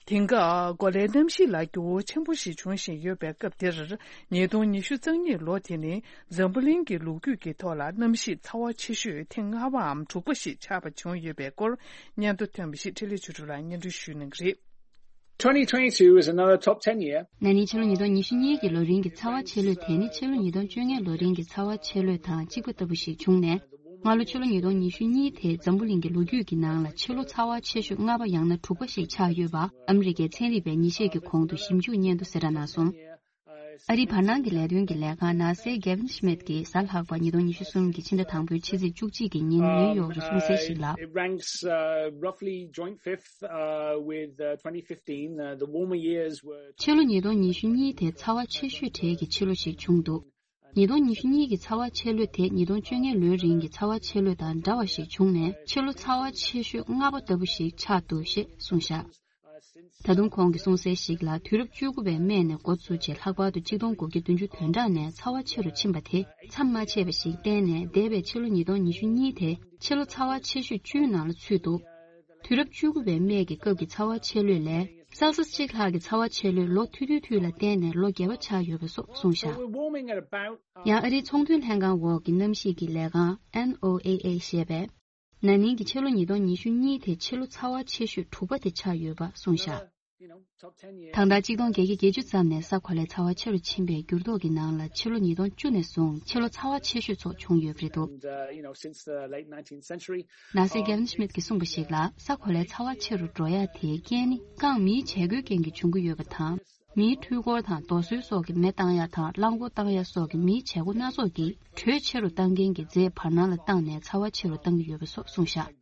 དེང་སྐབས་གོ་ལའི་གནམ་གཤིས་ལ་འགྱུར་བ་ཆེན་པོ་ཞིག་འབྱུང་བཞིན་ཡོད་པའི་སྐབས་འདིར། ཉིས་སྟོང་ཉི་ཤུ་རྩ་གཉིས་ལོ་དེ་ནི་འཛམ་བུ་གླིང་གི་ལོ་རྒྱུས་ཀྱི་ཐོག་ལ་གནམ་གཤིས་ཚ་བ་ཆེ་ཤོས་ཐེངས་ལྔ་པའམ་དྲུག་པ་ཞིག་ཆགས་པ་བྱུང་ཡོད་པའི་སྐོར། སྙན་ཐོ་ཐོན་པ་ཞིག་འཕྲིན་ལས་ཆོས་གྲུབ་ལགས་སྙན་སྒྲོན་ཞུ་གནང་གི་རེད། Twenty twenty-two is another top ten year. ན་ནིང་ཕྱི་ལོ་ཉིས་སྟོང་ཉི་ཤུ་གཉིས་ཀྱི་ལོ་རིང་གི་ཚ་བ་ཆེ་ལོས་དེ་ནི་ཕྱི་ལོ་ཉིས་སྟོང་བཅོ་ལྔ་ལོ་རིང་གི་ཚ་བ་ཆེ་ལོས་དང་གཅིག་པ་ལྟ་བུ་ཞིག་བྱུང་ནས། སྔ་ལོ་ཕྱི་ལོ་ཉིས་སྟོང་ཉི་ཤུ་གཉིས་དེ་འཛམ་བུ་གླིང་གི་ལོ་རྒྱུས་ཀྱི་ནང་ལ་ཕྱི་ལོ་ཚ་བ་ཆེ་ཤོས་ལྔ་པ་ཡང་ན་དྲུག་པ་ཞིག་ཆགས་ཡོད་པ་ཨ་མི་རི་ཀའི་ཚན་རིག་པས་ཉིན་ཤས་ཀྱི་གོང་དུ་ཞིབ་འཇུག་སྙན་ཐོ་གསལ་བསྒྲགས་གནང་སོང་། ཨ་རིའི་བར་སྣང་གི་ལས་དོན་གྱི་ལས་ཁང་ནཱ་སའི་གེ་ཝིན་ཤི་མེད་ཀྱིས་གཟའ་ལྷག་པ་ཉིས་སྟོང་ཉི་ཤུ་གསུམ་གྱི་ཕྱི་ཟླ་དང་པོའི་ཕྱི་ཚེས་བཅུ་གཅིག་གི་ཉིན་ནིའུ་ཡོག་གི་གསུང་གསལ་ཞིག་ལ། It ranks, uh, roughly joint fifth, uh, with, uh, twenty fifteen. Uh, the warmer years were ཕྱི་ལོ་ཉིས་སྟོང་ཉི་ཤུ་གཉིས་དེ་ཚ་བ་ཆེ་ཤོས་གྲས་ཀྱི་ཕྱི་ལོ་ཞིག་བྱུང་འདུག་ཉིས་སྟོང་ཉི་ཤུ་གཉིས་ཀྱི་ཚ་བ་ཆེ་ལོས་དེ་ཉིས་སྟོང་བཅོ་ལྔ་ལོའི་རིང་གི་ཚ་བ་ཆེ་ལོ་དང་འདྲ་བ་ཞིག་བྱུང་ནས། ཕྱི་ལོ་ཚ་བ་ཆེ་ཤོས་ལྔ་པ་ལྟ་བུ་ཞིག་ཆགས་འདུག་ཞེས་གསུངས་བཞག་ད་དུང་ཁོང་གིས་གསུངས་གསལ་ཞིག་ལ། དུས་རབས་བཅུ་དགུ་པའི་སྨད་ནས་འགོ་བཙུགས་རྗེས་ལྷག་པར་དུ་གཅིག་སྟོང་དགུ་བརྒྱ་བདུན་ཅུ་དོན་གྲངས་ནས་ཚ་བ་ཆེ་རུ་ཕྱིན་པ་དེ་མཚམས་མ་ཆད་པ་ཞིག་བསྟན་ནས། འདས་པའི་ཕྱི་ལོ་ཉིས་སྟོང་ཉི་ཤུ་གཉིས་དེ་ཕྱི་ལོ་ཚ་བ་ཆེ་ཤོས་བཅུའི་ནང་ལ་ཚུད་འདུག་དུས་རབས་བཅུ་དགུ་པའི་སྨད་ཀྱི་སྐབས་ཀྱི་ཚ་བ་ཆེ་ལོས་ལས་སེལ་སི་ཡས་གཅིག་ལྷག་གི་ཚ་བ་ཆེ་ལོས་ལོ་ཐུང་ཐུང་ཐུང་ལ་བརྟེན་ནས་ལོ་བརྒྱད་པ་ཆགས་ཡོད་པ་སོགས་གསུངས་བཞག We're warming at about, uh, ཡང་ཨ་རིའི་ཚོང་དོན་ལྷན་ཁང་འོག་གི་གནམ་གཤིས་ཀྱི་ལས་ཁང་ཨེན་ཨོ་ཨེ་ཨེ་ཞེས་པས། ན་ནིང་གི་ཕྱི་ལོ་ཉིས་སྟོང་ཉི་ཤུ་གཉིས་དེ་ཕྱི་ལོ་ཚ་བ་ཆེ་ཤོས་དྲུག་པ་དེ་ཆགས་ཡོད་པ་གསུངས་བཞག you know, top ten year. ད་ལྟ་གཅིག་སྟོང་བརྒྱད་བརྒྱ་བརྒྱད་ཅུ་ཙམ་ནས་ས་གོ་ལའི་ཚ་བ་ཆེ་རུ་ཕྱིན་པའི་འགྱུར་ལྡོག་གི་ནང་ལ། ཕྱི་ལོ་ཉིས་སྟོང་བཅུ་ནས་བཟུང་ཕྱི་ལོ་ཚ་བ་ཆེ་ཤོས་ཚོ་བྱུང་ཡོད་པ་རེད་འདུག And, uh, you know, since the late nineteenth century, ནར་སི་ཀེ་ཝིན་ཤི་མིད་ཀྱིས་གསུངས་པ་ཞིག་ལ། ས་གོ་ལའི་ཚ་བ་ཆེ་རུ་འགྲོ་ཡ་དེའི་རྐྱེན་ནི་རྐང་མིའི་བྱེད་སྒོའི་རྐྱེན་གྱིས་བྱུང་གི་ཡོད་པ་དང་། མིའི་འཕྲུལ་འཁོར་དང་རྡོ་སོལ་སོགས་ཀྱི་མེ་བཏང་ཡ་དང་རླངས་འཁོར་བཏང་ཡ་སོགས་ཀྱི་མིའི་བྱེད་སྒོ་སྣ་ཚོགས་ཀྱིས་དྲོད་ཆེ་རུ་བཏང་མཁན་གྱི་རྫས་བར་སྣང་ལ་བཏང་ནས་ཚ་བ་ཆེ་རུ་བཏང་གི་ཡོད་པ་སོགས་གསུངས་བཞག་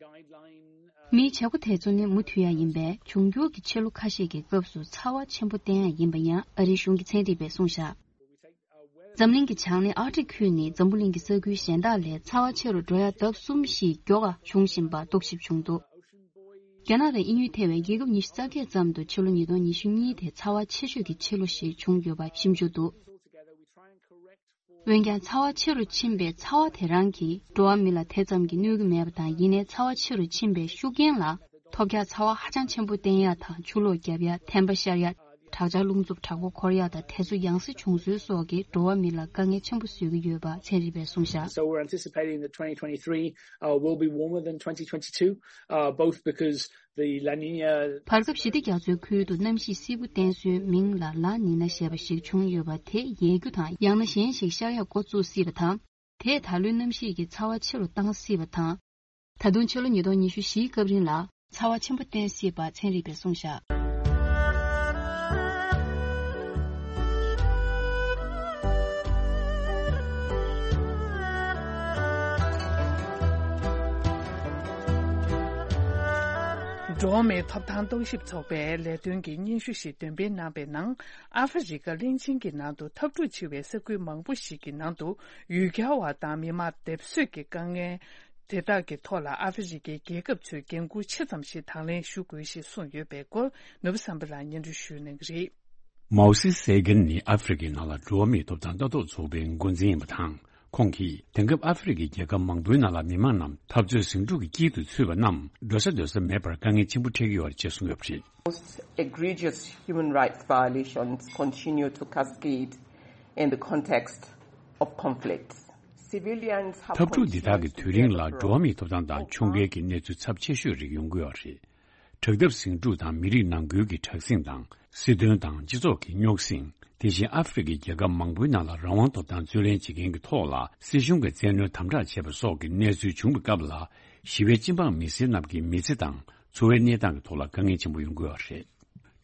མིའི་བྱེད་སྒོ་དེ་ཚོ་ནི་མུ་མཐུད་ཡ་ཡིན་པས། འབྱུང་འགྱུར་གྱི་ཆུ་ལོག་ཁ་ཤས་ཀྱི་སྐབས་སུ་ཚ་བ་ཆེན་པོ་བསྟན་ཡ་ཡིན་པ་ཡང་ཨ་རིའི་གཞུང་གི་ཚན་རིག་པས་གསུངས་བཞག་འཛམ་གླིང་གི་བྱང་སྣེ་ཨར་ཀ་ཊིག་ཁུལ་ནི་འཛམ་བུ་གླིང་གི་ས་ཁུལ་གཞན་དག་ལས་ཚ་བ་ཆེ་རུ་འགྲོ་ཡ་ལྡབ་གསུམ་བཞི་མགྱོགས་པ་བྱུང་བཞིན་པ་རྟོག་ཞིབ་བྱུང་འདུག་རྒྱ་ནག་དང་དབྱིན་ཡུལ་ཐེ་བའི་རྒྱལ་ཁབ་ཉི་ཤུ་རྩ་བརྒྱད་ཙམ་དུ་ཕྱི་ལོ་ཉིས་སྟོང་ཉི་ཤུ་གཉིས་དེ་ཚ་བ་ཆེ་ཤོས་ཀྱི་ཕྱི་ལོ་ཞིག་བྱུང་ཡོད་པ་ཞིབ་འཇུག་འདུག་འོན་ཀྱང་། ཚ་བ་ཆེ་རུ་ཕྱིན་པའི་ཚ་བ་དེ་རང་གིས་འགྲོ་བ་མི་ལ་དེ་ཙམ་གྱིས་གནོད་ཀྱི་མེད་པ་དང་། ཡིན་ནའི་ཚ་བ་ཆེ་རུ་ཕྱིན་པའི་ཤུགས་རྐྱེན་ལ་ཐོལ་རྒྱག་ཚ་བ་ཧ་ཅང་ཆེན་པོ་བསྟན་ཡ་དང་། ཆུ་ལོག་བརྒྱབ་ཡ། ཐན་པ་ཤར་ཡ། དྲག་ཆར་རླུང་འཚུབ་དྲག་པོ་འཁོར་ཡ་དང་། དེ་ཚོ་ཡང་སེ་བྱུང་ཚུལ་སོགས་ཀྱིས་འགྲོ་བ་མི་ལ་དཀའ་ངལ་ཆེན་པོ་བཟོས་ཀྱི་ཡོད་པ་ཚན་རིག་པས་གསུངས་བཞག So we're anticipating that twenty twenty-three, uh, will be warmer than twenty twenty-two, uh, both because the La Niña བར་སྐབས་ཞི་བདེ་རྒྱ་མཚོའི་ཁུལ་དུ་གནམ་གཤིས་བསིལ་པོ་བསྟན་སྲོལ་མིང་ལ་ལ་ནི་ན་ཞེས་པ་ཞིག་བྱུང་ཡོད་པ་དེ་ཡལ་རྒྱུ་དང་། ཡང་ན་གཞན་ཞིག་ཤར་ཡག་འགོ་བཙུགས་སྲིད་པ་དང་། དེས་ད་ལོའི་གནམ་གཤིས་ཀྱི་ཚ་བ་ཆེ་རུ་བཏང་སྲིད་པ་དང་། ད་དུང་ཕྱི་ལོ་ཉིས་སྟོང་ཉི་ཤུ་བཞིའི་སྐབས་རིང་ལ་ཚ་བ་ཆེན་པོ་བསྟན་སྲིད་པ་ཚན་རིག་པས་གསུངས་བཞག་འགྲོ་བ་མིའི་ཐོབ་ཐང་རྟོག་ཞིབ་ཚོགས་པའི་ལས་དོན་གྱི་སྙན་ཞུ་ཞིག་འདོན་སྤེལ་གནང་པའི་ནང་། ཨ་ཧྥེ་རི་ཁ་གླིང་ཆེན་གྱི་ནང་དུ་འཐབ་འཁྲུག་ཆེ་བའི་ས་ཁུལ་མང་པོ་ཞིག་གི་ནང་དུ་ཡུལ་གྱར་བ་དང་མི་མང་སྡེབ་གསོད་ཀྱི་དཀའ་ངལ་དེ་དག་གི་ཐོག་ལ་ཨ་ཧྥེ་རི་ཁའི་རྒྱལ་ཁབ་ཚོས་འགན་འཁུར་ཆེ་ཙམ་ཞིག་དང་ལེན་ཞུ་དགོས་ཞེས་གསུངས་ཡོད་པའི་སྐོར། ནོར་བུ་བསམ་འཕེལ་ལགས་སྙན་སྒྲོན་ཞུ་གནང་གི་རེད། མའོ་སི་སེ་གན་ནི་ཨ་ཧྥེ་རི་ཁའི་ནང་ལ་འགྲོ་བ་མིའི་ཐོབ་ཐང་ལྟ་རྟོག་ཚོགས་པའི་འགོ་འཛིན་ཡིན་པ་དང་། ཁོང་གིས་དེང་སྐབས་ཨ་ཧྥེ་རི་ཁའི་རྒྱལ་ཁབ་མང་པོའི་ནང་ལ་མི་མང་རྣམས་འཐབ་རྩོད་ཟིང་འཁྲུག་གི་དཀྱིལ་དུ་ཚུད་པ་རྣམས་འགྲོ་ས་སྡོད་ས་མེད་པར་དཀའ་ངལ་ཆེན་པོ་འཕྲད་ཀྱི་ཡོད་རེད་ཅེས་གསུངས་ཡོད་པ་རེད། Most egregious human rights violations continue to cascade in the context of conflicts. Civilians have འཐབ་འཁྲུག་འདི་དག་གི་དུས་རིང་ལ་འགྲོ་བ་མིའི་ཐོབ་ཐང་དང་ཁྱོང་རྒྱལ་གྱི་གནས་ཚུལ་ཚབས་ཆེ་ཤོས་རིགས་ཡོང་གི་ཡོད་རེད། དྲག་འཐབ་ཟིང་འཁྲུག་དང་མི་རིགས་ནང་ཁུལ་གྱི་དྲག་ཟིང་དང་། སྲིད་དོན་དང་སྤྱི་ཚོགས་ཀྱི་རྙོག་ཟིང་། དེ་བཞིན་ཨ་ཧྥེ་རི་ཁའི་རྒྱལ་ཁབ་མང་པོའི་ནང་ལ་རང་དབང་ཐོབ་ཐང་རྩོད་ལེན་བྱེད་མཁན་གྱི་ཐོག་ལ་སྲིད་གཞུང་གིས་བཙན་གནོན་དམ་དྲག་བྱས་པ་སོགས་ཀྱི་གནས་ཚུལ་བྱུང་བའི་སྐབས་ལ། ཞི་བའི་སྤྱི་འབངས་མི་སེར་རྣམས་ཀྱི་མི་ཚེ་དང་འཚོ་བའི་གནས་སྟངས་ཀྱི་ཐོག་ལ་དཀའ་ངལ་ཆེན་པོ་ཡོང་གི་ཡོད་རེད།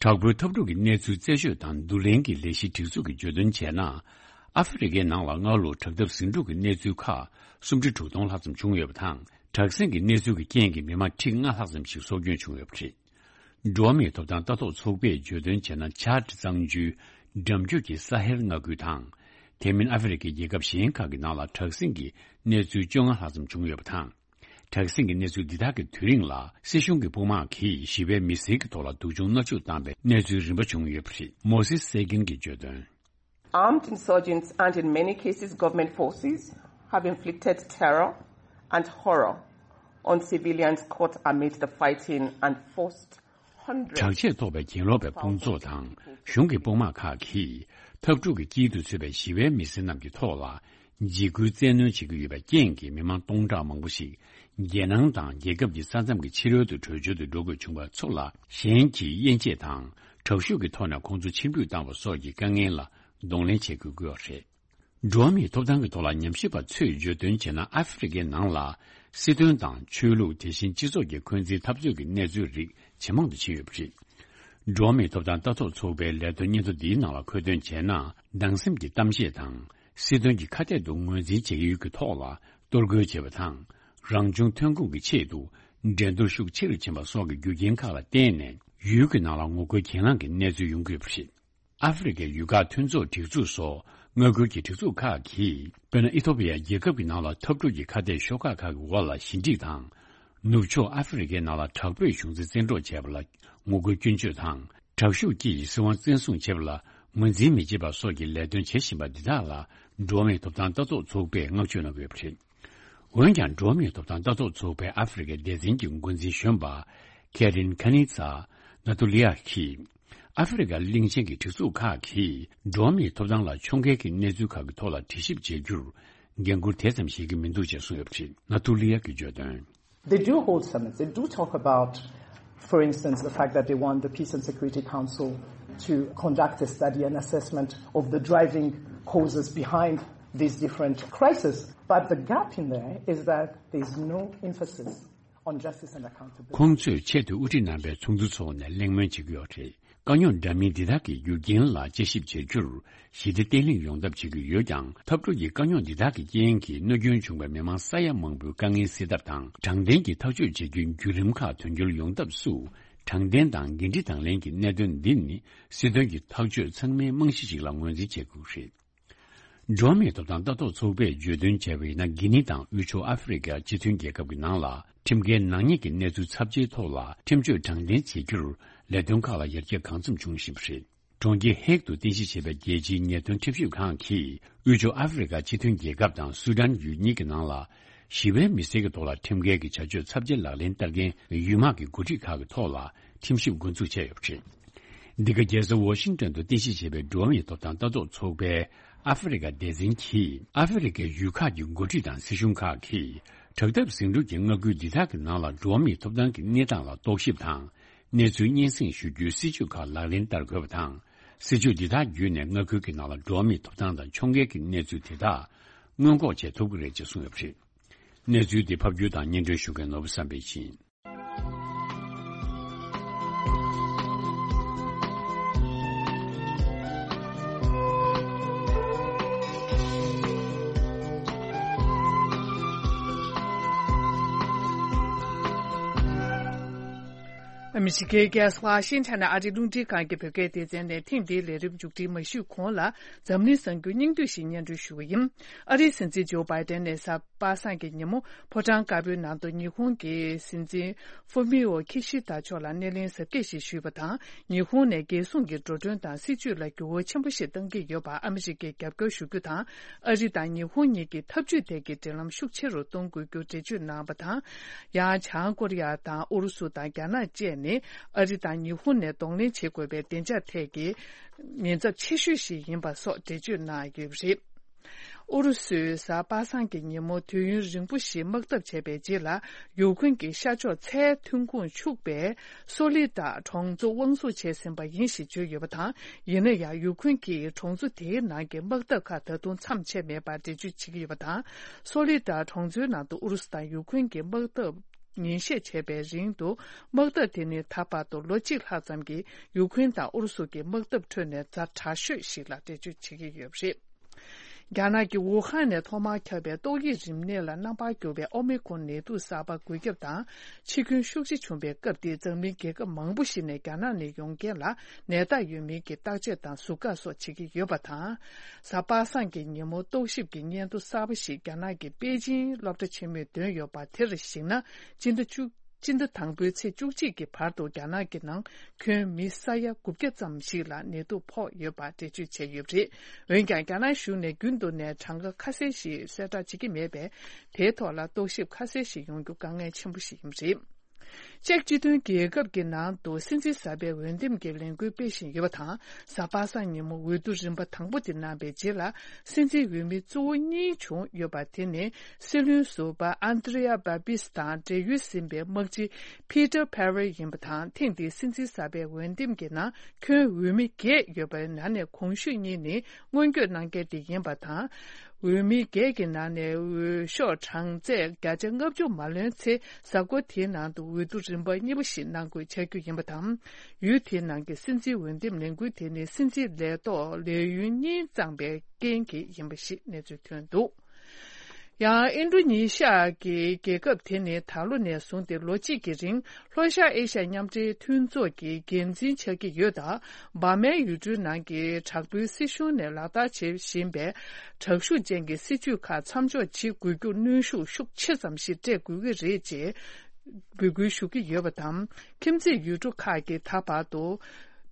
དྲག་པོའི་འཐབ་འཁྲུག་གི་གནས་ཚུལ་རྩད་གཅོད་དང་བསྡུ་ལེན་གྱི་ལས་གཞི་སྒྲིག་འཛུགས་ཀྱིས་བརྗོད་དོན་བྱས་ན། ཨ་ཧྥེ་རི་ཁའི་ནང་ལ་སྔ་ལོ་དྲག་འཐབ་ཟིང་འཁྲུག་གི་གནས་ཚུལ་ཁག་སུམ་ཁྲི་དྲུག་སྟོང་ལྷག་ཙམ་བྱུང་ཡོད་པ་དང་། དྲག་ཟིང་གི་གནས་ཚུལ་གྱི་རྐྱེན་གྱིས་མི་མང་ཁྲི་ལྔ་ལྷག་ཙམ་ཞིག་སྲོག་སྐྱོན་བྱུང་ཡོད་པ་རེད། འགྲོ་བ་མིའི་ཐོབ་ཐང་ལྟ་རྟོག་ཚོགས་པས་བརྗོད་དོན་བྱས་ན། ཆཱ་ཌི་གཙང་ཆུའི་འགྲམ་རྒྱུད་ཀྱི་ས་ཧེལ་མངའ་ཁུལ་དང་། དེ་མིན་ཨ་ཧྥེ་རི་ཁའི་རྒྱལ་ཁབ་གཞན་ཁག་གི་ནང་ལ་དྲག་ཟིང་གི་གནས་ཚུལ་བཅོ་ལྔ་ལྷག་ཙམ་བྱུང་ཡོད་པ་དང་། དྲག་ཟིང་གི་གནས་ཚུལ་འདི་དག་གི་དུས་རིང་ལ་སྲིད་གཞུང་གི་དཔུང་དམག་གིས་ཞི་བའི་མི་སེར་གྱི་ཐོག་ལ་སྡུག་སྦྱོང་མནར་གཅོད་བཏང་བའི་གནས་ཚུལ་རིམ་པ་བྱུང་ཡོད་པ་རེད། མོ་སི་སེ་གིན་གྱིས་བརྗོད་དོན། Armed insurgents and, in many cases, government forces have inflicted terror and horror on civilians caught amid the fighting and forced hundreds དྲག་ཆས་ཐོགས་པའི་གྱེན་ལོག་པའི་དཔུང་ཚོགས་དང་གཞུང་གི་དཔུང་དམག་ཁག་གིས་འཐབ་འཁྲུག་གི་དཀྱིལ་དུ་ཚུད་པའི་ཞི་བའི་མི་སེར་རྣམས་ཀྱི་ཐོག་ལ་འཇིགས་སྐུལ་བཙན་གནོན་བྱེད་ཀྱི་ཡོད་པའི་རྐྱེན་གྱིས་མི་མང་སྟོང་ཕྲག་མང་པོ་ཞིག་རྒྱལ་ནང་དང་རྒྱལ་ཁབ་ཀྱི་ས་མཚམས་ཀྱི་ཕྱི་རོལ་དུ་བྲོས་བྱོལ་དུ་འགྲོ་དགོས་བྱུང་བ་ཚོ་ལ་གཞན་གྱིས་དབྱེ་འབྱེད་དང་དྲག་ཤུགས་ཀྱི་ཐོག་ནས་ཁོང་ཚོ་ཕྱིར་འབུད་བཏང་བ་སོགས་ཀྱི་དཀའ་ངལ་ལ་གདོང་ལེན་བྱེད་དགོས་ཀྱི་ཡོད་རེད། འགྲོ་བ་མིའི་ཐོབ་ཐང་གི་ཐོག་ལ་ཉམས་ཞིབ་པ་ཚོས་བརྗོད་དོན་བྱས་ན། ཨ་ཧྥེ་རི་ཁའི་ནང་ལ་སྲིད་དོན་དང་ཆོས་ལུགས། དེ་བཞིན་སྤྱི་ཚོགས་ཀྱི་འཁོན་འཛིན་འཐབ་རྩོད་ཀྱི་གནས་ཚུལ་རིགས་ཇེ་མང་དུ་ཕྱིན་ཡོད་པ་རེད། འགྲོ་བ་མིའི་ཐོབ་ཐང་ལྟ་རྟོག་ཚོགས་པའི་ལས་དོན་སྙན་ཐོ་འདིའི་ནང་ལ་འཁོད་དོན་བྱས་ན། སྡང་སེམས་ཀྱི་གཏམ་བཤད་དང་། སྲིད་དོན་གྱི་ཁ་གཏད་དུ་ངོས་འཛིན་བྱེད་ཡུལ་གྱི་ཐོག་ལ་གཏོར་རྒོལ་བྱེད་པ་དང་། རང་བྱུང་ཐོན་ཁུངས་ཀྱི་ཆེད་དུ་འགྲན་བསྡུར་ཤུགས་ཆེ་རུ་ཕྱིན་པ་སོགས་ཀྱི་རྒྱུ་རྐྱེན་ཁག་ལ་བརྟེན་ནས། ཡུལ་གྱི་ནང་ལ་ངོ་རྒོལ་གྱེན་ལངས་ཀྱི་གནས་ཚུལ་ཡོང་གི་ཡོད་པ་རེད། ཨ་ཧྥེ་རི་ཁའི་ཡུལ་ཁག་མཐུན་ཚོགས་སྒྲིག་འཛུགས་སོགས་མངའ་ཁུལ་གྱི་སྒྲིག་འཛུགས་ཁག་གིས། དཔེར་ན། ཨི་ཐོ་པི་ཡ་རྒྱལ་ཁབ་ཀྱི་ནང་ལ་འཐབ་འཁྲུག་གི་ཁ་གཏད་ཤོག་ཁག་ཁག་གི་འོག་ལ་ཞི་འགྲིག་དང་། ནུབ་ཕྱོགས་ཨ་ཧྥེ་རི་ཁའི་ནང་ལ་དྲག་པོས་གཞུང་འཛིན་བཙན་འཕྲོག་བྱས་པ་ལ་ངོ་རྒོལ་སྐྱོན་བརྗོད་དང་ དྲག་ཤུགས་ཀྱིས་སྲིད་དབང་བཙན་བཟུང་བྱེད་པ་ལ་ངོས་འཛིན་མི་བྱེད་པ་སོགས་ཀྱི་ལས་དོན་བྱེད་བཞིན་པ་འདི་དག་ལ་འགྲོ་བ་མིའི་ཐོབ་ཐང་ལྟ་རྟོག་ཚོགས་པས་བསྔགས་བརྗོད་གནང་གི་ཡོད་པ་རེད། འོན་ཀྱང་འགྲོ་བ་མིའི་ཐོབ་ཐང་ལྟ་རྟོག་ཚོགས་པའི་ཨ་ཧྥེ་རི་ཁའི་སྡེ་ཚན་གྱི་འགོ་འཛིན་གཞོན་པ་ཁེ་རིན་ཁ་ནི་ཚ་ན་ཏུ་ལི་ཡ་གིས། ཨ་ཧྥེ་རི་ཁ་གླིང་ཆེན་གྱི་སྒྲིག་འཛུགས་ཁག་གིས་འགྲོ་བ་མིའི་ཐོབ་ཐང་ལ་ཕྱོགས་འགལ་གྱི་གནས་ཚུལ་ཁག་གི་ཐོག་ལ་དྲི་ཞིབ་བྱེད་རྒྱུར་འགན་འཁུར་དེ་ཙམ་བཞེས་ཀྱི་མི་འདུག་ཅེས་གསུངས་ཡོད་པ་རེད། ན་ཏུ་ལི་ཡ་གིས་བརྗོད་དོན། They do hold summits. They do talk about, for instance, the fact that they want the Peace and Security Council to conduct a study and assessment of the driving causes behind these different crises. But the gap in there is that there's no emphasis on justice and accountability. ཁོང་ཚོས་ཆེད་དུ་དབུ་ཁྲིད་རྣམ་པའི་ཚོགས་འདུ་འཚོགས་ནས་གླེང་མོལ་བྱེད་ཀྱི་ཡོད་རེད། དཀའ་རྙོག་འདྲ་མིན་འདི་དག་གི་རྒྱུ་རྐྱེན་ལ་དཔྱད་ཞིབ་བྱེད་རྒྱུར་ཞི་བདེ་བརྟན་ལྷིང་ཡོང་ཐབས་བྱེད་ཀྱི་ཡོད་ཀྱང་། འཐབ་འཁྲུག་གི་དཀའ་རྙོག་འདི་དག་གི་རྐྱེན་གྱིས་གནོད་སྐྱོན་བྱུང་བའི་མི་མང་ས་ཡ་མང་པོའི་དཀའ་ངལ་སེལ་ཐབས་དང་། དྲང་བདེན་གྱི་ཐག་གཅོད་བྱེད་རྒྱུའི་བརྒྱུད་རིམ་ཁག་དོན་འཁྱོལ་ཡོང་ཐབས་སུ། དྲང་བདེན་དང་འགན་འཁྲི་དང་ལེན་གྱི་གནད་དོན་འདི་ནི་སྲིད་དོན་གྱི་ཐག་གཅོད་ཚང་མའི་རྨང་གཞི་ཞིག་ལ་ངོས་འཛིན་བྱེད་དགོས་རེད། འགྲོ་བ་མིའི་ཐོབ་ཐང་ལྟ་རྟོག་ཚོགས་པས་བརྗོད་དོན་བྱས་པ་ཡིན་ན། གྷི་ནི་དང་དབུས་ཕྱོགས་ཨ་ཧྥེ་རི་ཁའི་སྤྱི་མཐུན་རྒྱལ་ཁབ་ཀྱི་ནང་ལ་ཁྲིམས་འགལ་ནག་ཉེས་ཀྱི་གནས་ཚུལ་ཚབས་ཆེའི་ཐོག་ལ་ཁྲིམས་གཅོད་དྲང་བདེན་བྱེད་རྒྱུར་ལས་དོན་ཁག་ལ་ཡར་རྒྱས་གང་འཚམ་བྱུང་བཞིན་པ་རེད། གྲོང་ཁྱེར་ཧེག་ཏུ་རྟེན་གཞི་བྱས་པའི་རྒྱལ་སྤྱིའི་ཉེས་དོན་ཁྲིམས་ཞིབ་ཁང་གིས་དབུས་ཕྱོགས་ཨ་ཧྥེ་རི་ཁ་སྤྱི་མཐུན་རྒྱལ་ཁབ་དང་སུ་ཌན་ཡུལ་གཉིས་ཀྱི་ནང་ལ་ཞི་བའི་མི་སེར་གྱི་ཐོག་ལ་ཁྲིམས་འགལ་གྱི་བྱ་སྤྱོད་ཚབས་ཆེ་ལག་ལེན་བསྟར་མཁན་ཡུལ་དམག་གི་འགོ་ཁྲིད་ཁག་གི་ཐོག་ལ་ཁྲིམས་ཞིབ་འགོ་འཛུགས་བྱས་ཡོད་པ་རེད། འདི་ག་རྒྱལ་ས་ཝ་ཤིང་ཏོན་དུ་རྟེན་གཞི་བྱས་པའི་འགྲོ་བ་མིའི་ཐོབ་ཐང་ལྟ་རྟོག་ཚོགས་པའི་ཨ་ཧྥེ་རི་ཁ་སྡེ་ཚན་གྱིས། ཨ་ཧྥེ་རི་ཁའི་ཡུལ་ཁག་གི་འགོ་ཁྲིད་དང་སྲིད་གཞུང་ཁག་གིས་དྲག་འཐབ་ཟིང་འཁྲུག་གི་མངའ་ཁུལ་འདི་དག་གི་ནང་ལ་འགྲོ་བ་མིའི་ཐོབ་ཐང་གི་གནས་སྟངས་ལ་རྟོག་ཞིབ་དང་། གནས་ཚུལ་སྙན་སེང་ཞུ་རྒྱུའི་སྲིད་ཇུས་ཁག་ལག་ལེན་བསྟར་དགོས་པ་དང་། སྲིད་ཇུས་འདི་དག་བརྒྱུད་ནས་མངའ་ཁུལ་གྱི་ནང་ལ་འགྲོ་བ་མིའི་ཐོབ་ཐང་དང་ཕྱོགས་འགལ་གྱི་གནས་ཚུལ་དེ་དག་སྔོན་འགོག་བྱེད་ཐུབ་ཀྱི་རེད་ཅེས་གསུངས་ཡོད་པ་རེད། གནས་ཚུལ་འདི་ཕབ་སྒྱུར་དང་སྙན་སྒྲོན་ཞུ་མཁན་ནོར་བུ་བསམ་འཕེལ་ཡིན། ཨ་མི་རི་ཀའི་རྒྱལ་ས་ཝ་ཤིང་ཊོན་ནས་ཨ་རིའི་རླུང་འཕྲིན་ཁང་གི་བོད་སྐད་སྡེ་ཚན་ནས་ཐེངས་འདིའི་ལས་རིམ་མཇུག་སྒྲིལ་མ་ཞུས་གོང་ལ། འཛམ་གླིང་གསར་འགྱུར་སྙིང་བསྡུས་ཤིག་སྙན་སྒྲོན་ཞུ་བ་ཡིན། ཨ་རིའི་སྲིད་འཛིན་ཇོ་བྷའི་ཏན་ནས་གཟའ་པ་སངས་ཀྱི་ཉིན་མོ་ཕོ་བྲང་དཀར་པོའི་ནང་དུ་ཉི་ཧོང་གི་སྲིད་འཛིན་ཧྥུ་མི་འོ་ཁི་ཤི་ད་མཆོག་ལ་སྣེ་ལེན་གཟབ་རྒྱས་ཤིག་ཞུས་པ་དང་། ཉི་ཧོང་ནས་རྒྱལ་སྲུང་གི་འགྲོ་གྲོན་དང་སྲིད་ཇུས་ལ་འགྱུར་བ་ཆེན་པོ་ཞིག་གཏང་གི་ཡོད་པར་ཨ་མི་རི་ཀས་རྒྱབ་སྐྱོར་ཞུ་རྒྱུ་དང་། ཨ་རི་དང་ཉི་ཧོང་གཉིས་ཀྱིས་འཐབ་ཇུས་ཐད་ཀྱི་འབྲེལ་ལམ་ཤུགས་ཆེ་རུ་གཏོང་དགོས་རྒྱུ་འགྲེལ་བརྗོད་གནང་བ་དང་། ཡང་བྱང་ཀོ་རི་ཡ་དང་ཨུ་རུ་སུ་དང་རྒྱ་ནག་བཅས་ནི་ཨ་རི་དང་ཉི་ཧོང་ནས་གདོང་ལེན་བྱེད་དགོས་པའི་བདེ་འཇགས་ཐད་ཀྱི་ཉེན་ཚབས་ཆེ་ཤོས་ཤིག་ཡིན་པ་སོགས་འགྲེལ་བརྗོད་གནང་ཡོད་པ་རེད། ཨུ་རུ་སུས་གཟའ་པ་སངས་ཀྱི་ཉིན་མོ་དུས་ཡུན་རིང་པོ་ཞིག་དམག་འཐབ་བྱས་པའི་རྗེས་ལ། ཡུཀ་རེན་གྱི་ཤར་ཕྱོགས་མཚའི་ཐོན་ཁུངས་ཕྱུག་པའི་སོ་ལི་ཏཱ་གྲོང་ཚོ་དབང་བཟུང་བྱས་ཟིན་པ་ཡིན་ཞེས་བརྗོད་ཡོད་པ་དང་། ཡིན་ན་ཡང་ཡུཀ་རེན་གྱིས་གྲོང་ཚོ་དེའི་ནང་གི་དམག་འཐབ་ཁག་ད་དུང་མཚམས་ཆད་མེད་པར་འགྲེལ་བརྗོད་བྱེད་ཀྱི་ཡོད་པ་དང་། སོ་ལི་ཏཱ་གྲོང་ཚོའི་ནང་དུ་ཨུ་རུ་སུ་དང་ཡུཀ་རེན་གྱི་དམག་འཐབ་ཉིན་ཤས་བྱས་པའི་རིང་དུ། དམག་འཐབ་དེ་ནི་ད་བར་དུ་ལོ་གཅིག་ལྷག་ཙམ་གྱི་ཡུཀ་རེན་དང་ཨུ་རུ་སུ་གྱི་དམག་འཐབ་ཁྲོད་ནས་ཛ་དྲག་ཤོས་ཤིག་ལ་འགྲེལ་བརྗོད་བྱེད་ཀྱི་ཡོད་པ་རེད། རྒྱ་ནག་གི་ཝུ་ཧན་ནས་ཐོག་མར་ཁྱབ་པའི་ཏོག་དབྱིབས་རིམས་ནད་ལ་རྣམ་པར་གྱུར་པའི་ཨོ་མི་ཀོན་ནད་དུག་གསར་པ་འགོས་ཁྱབ་དང་འཆི་སྐྱོན་ཤུགས་ཆེ་བྱུང་བའི་སྐབས་དེར། འཛམ་གླིང་རྒྱལ་ཁབ་མང་པོ་ཞིག་ནས་རྒྱ་ནག་ནས་ཡོང་མཁན་ལ་ནད་རྟགས་ཡོད་མིན་གྱི་བརྟག་དཔྱད་དང་ཟུར་བཀག་སོགས་བྱེད་ཀྱི་ཡོད་པ་དང་། གཟའ་པ་སངས་ཀྱི་ཉིན་མོ་རྟོག་ཞིབ་ཀྱི་སྙན་ཐོ་གསར་པ་ཞིག་རྒྱ་ནག་གི་པེ་ཅིང་སློབ་གྲྭ་ཆེན་མོས་བཏོན་ཡོད་པ་དེར་གཞིགས་ན། སྤྱི་ཟླ་བཅུ། སྤྱི་ཟླ་དང་པོའི་ཚེས་བཅུ་གཅིག་གི་བར་དུ་རྒྱ་ནག་གི་ནང་ཁྱོན་མི་ས་ཡ་དགུ་བརྒྱ་ཙམ་ཞིག་ལ་ནད་དུག་ཕོག་ཡོད་པ་འགྲེལ་བརྗོད་བྱས་ཡོད་པ་རེད། འོན་ཀྱང་རྒྱ་ནག་གཞུང་ནས་རྒྱུན་དུ་ནས་གྲངས་ཀ་ཁ་གསལ་ཞིག་གསལ་བསྒྲགས་བྱེད་ཀྱི་མེད་པས། དེའི་ཐོག་ལ་རྟོག་ཞིབ་ཁ་གསལ་ཞིག་ཡོང་རྒྱུ་དཀའ་ངལ་ཆེན་པོ་ཞིག་ཡིན་པ་རེད། ཅེཀ་སྤྱི་མཐུན་རྒྱལ་ཁབ་ཀྱི་ནང་དུ་སྲིད་འཛིན་གསར་པའི་འོས་འདེམས་ཀྱི་ལས་འགུལ་སྤེལ་བཞིན་ཡོད་པ་དང་། གཟའ་པ་སངས་ཉིན་མོ་འོས་བསྡུ་རིམ་པ་དང་པོ་དེ་གནང་བའི་རྗེས་ལ། སྲིད་འཛིན་འོས་མི་གཙོ་བོ་གཉིས་བྱུང་ཡོད་པ་དེ་ནི། སྲིད་བློན་ཟུར་པ་ཨན་ཏྲེ་ཡ་བྷ་བྷིས་དང་འབྲེལ་ཡོད་ཟིན་པའི་དམག་སྤྱི་ཕི་ཏར་ཕེ་རལ་ཡིན་པ་དང་། ཐེངས་འདིའི་སྲིད་འཛིན་གསར་པའི་འོས་འདེམས་ཀྱི་ནང་ཁྱོན་འོས་མི་བརྒྱད་ཡོད་པའི་ནང་ནས་གོང་ཞུས་གཉིས་ནི་སྔོན་སྐྱོད་གནང་མཁན་དེ་ཡིན་པ་དང་། འོས་མི་བརྒྱད་ཀྱི་ནང་ནས་འོས་ཤོག་གྲངས་ཚད་བརྒྱ་ཆ་ལྔ་བཅུ་མ་ལོན་ཚེ། གཟའ་འཁོར་དེའི་ནང་དུ་འོས་བསྡུ་རིམ་པ་གཉིས་པ་ཞིག་གནང་དགོས་ཆགས་རྒྱུ་ཡིན་པ་དང་། ཡུལ་དེའི་ནང་གི་སྲིད་འཛིན་འོས་འདེམས་ལས་འགུལ་དེ་ནི་སྲིད་འཛིན་ལས་ཐོག་ལས་ཡུན་གཉིས་བརྩམས་པའི་རྐྱེན་གྱིས་ཡིན་པ་ཞིག་གནས་ཚུལ་ཐོན་འདུག། ཡང་ཨིན་ཌོ་ནེ་ཤི་ཡ་གི་རྒྱལ་ཁབ་དེ་ནི་ད་ལོ་ནས་བཟུང་སྟེ་ལོ་གཅིག་གི་རིང་ལྷོ་ཤར་ཨེ་ཤ་ཡ་མཉམ་འབྲེལ་མཐུན་ཚོགས་ཀྱི་འགན་འཛིན་ཆགས་ཀྱི་ཡོད་སྟབས། འབར་མའི་ཡུལ་གྲུའི་ནང་གི་དྲག་པོའི་སྲིད་གཞུང་ནས་ལག་བསྟར་བྱེད་བཞིན་པའི་དྲག་ཤུགས་ཅན་གྱི་སྲིད་ཇུས་ཁག་མཚམས་འཇོག་བྱེད་དགོས་རྒྱུར་གནོན་ཤུགས་ཤུགས་ཆེ་ཙམ་ཞིག་སྤྲད་དགོས་ཀྱི་རེད་ཅེས་འབོད་སྐུལ་ཞུ་གི་ཡོད་པ་དང་། ཁྱིམ་མཚེས་ཡུལ་གྲུ་ཁག་གིས་ད་བར་དུ་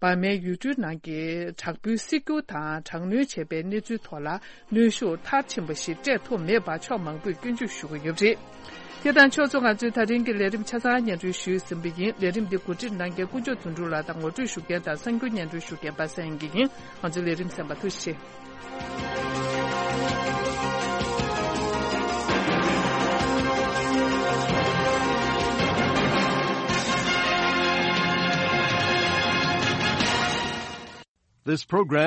འབར་མའི་ཡུལ་གྲུའི་ནང་གི་དྲག་པོའི་སྲིད་སྒྱུར་དང་དྲག་གནོན་བྱས་པའི་གནས་ཚུལ་ཐོག་ལ་གནོན་ཤུགས་མཐར་ཕྱིན་པ་ཞིག་སྤྲད་ཐུབ་མེད་པར་ཕྱོགས་མང་པོས་སྐྱོན་བརྗོད་ཞུ་གི་ཡོད་པ་རེད། དེ་དང་ཕྱོགས་མཚུངས། ང་ཚོའི་ད་རིང་གི་ལས་རིམ་ཆ་ཚང་སྙན་སྒྲོན་ཞུས་ཟིན་པ་ཡིན། ལས་རིམ་འདི་གོ་སྒྲིག་གནང་མཁན་དཀོན་མཆོག་དོན་གྲུབ་ལགས་དང་ངོ་སྤྲོད་ཞུ་མཁན་དང་གསར་འགྱུར་སྙན་སྒྲོན་ཞུ་མཁན་པ་སངས་དབྱངས་སྐྱིད་ཡིན། ང་ཚོའི་ལས་རིམ་གསན་པར་ཐུགས་རྗེ་ཆེ། This program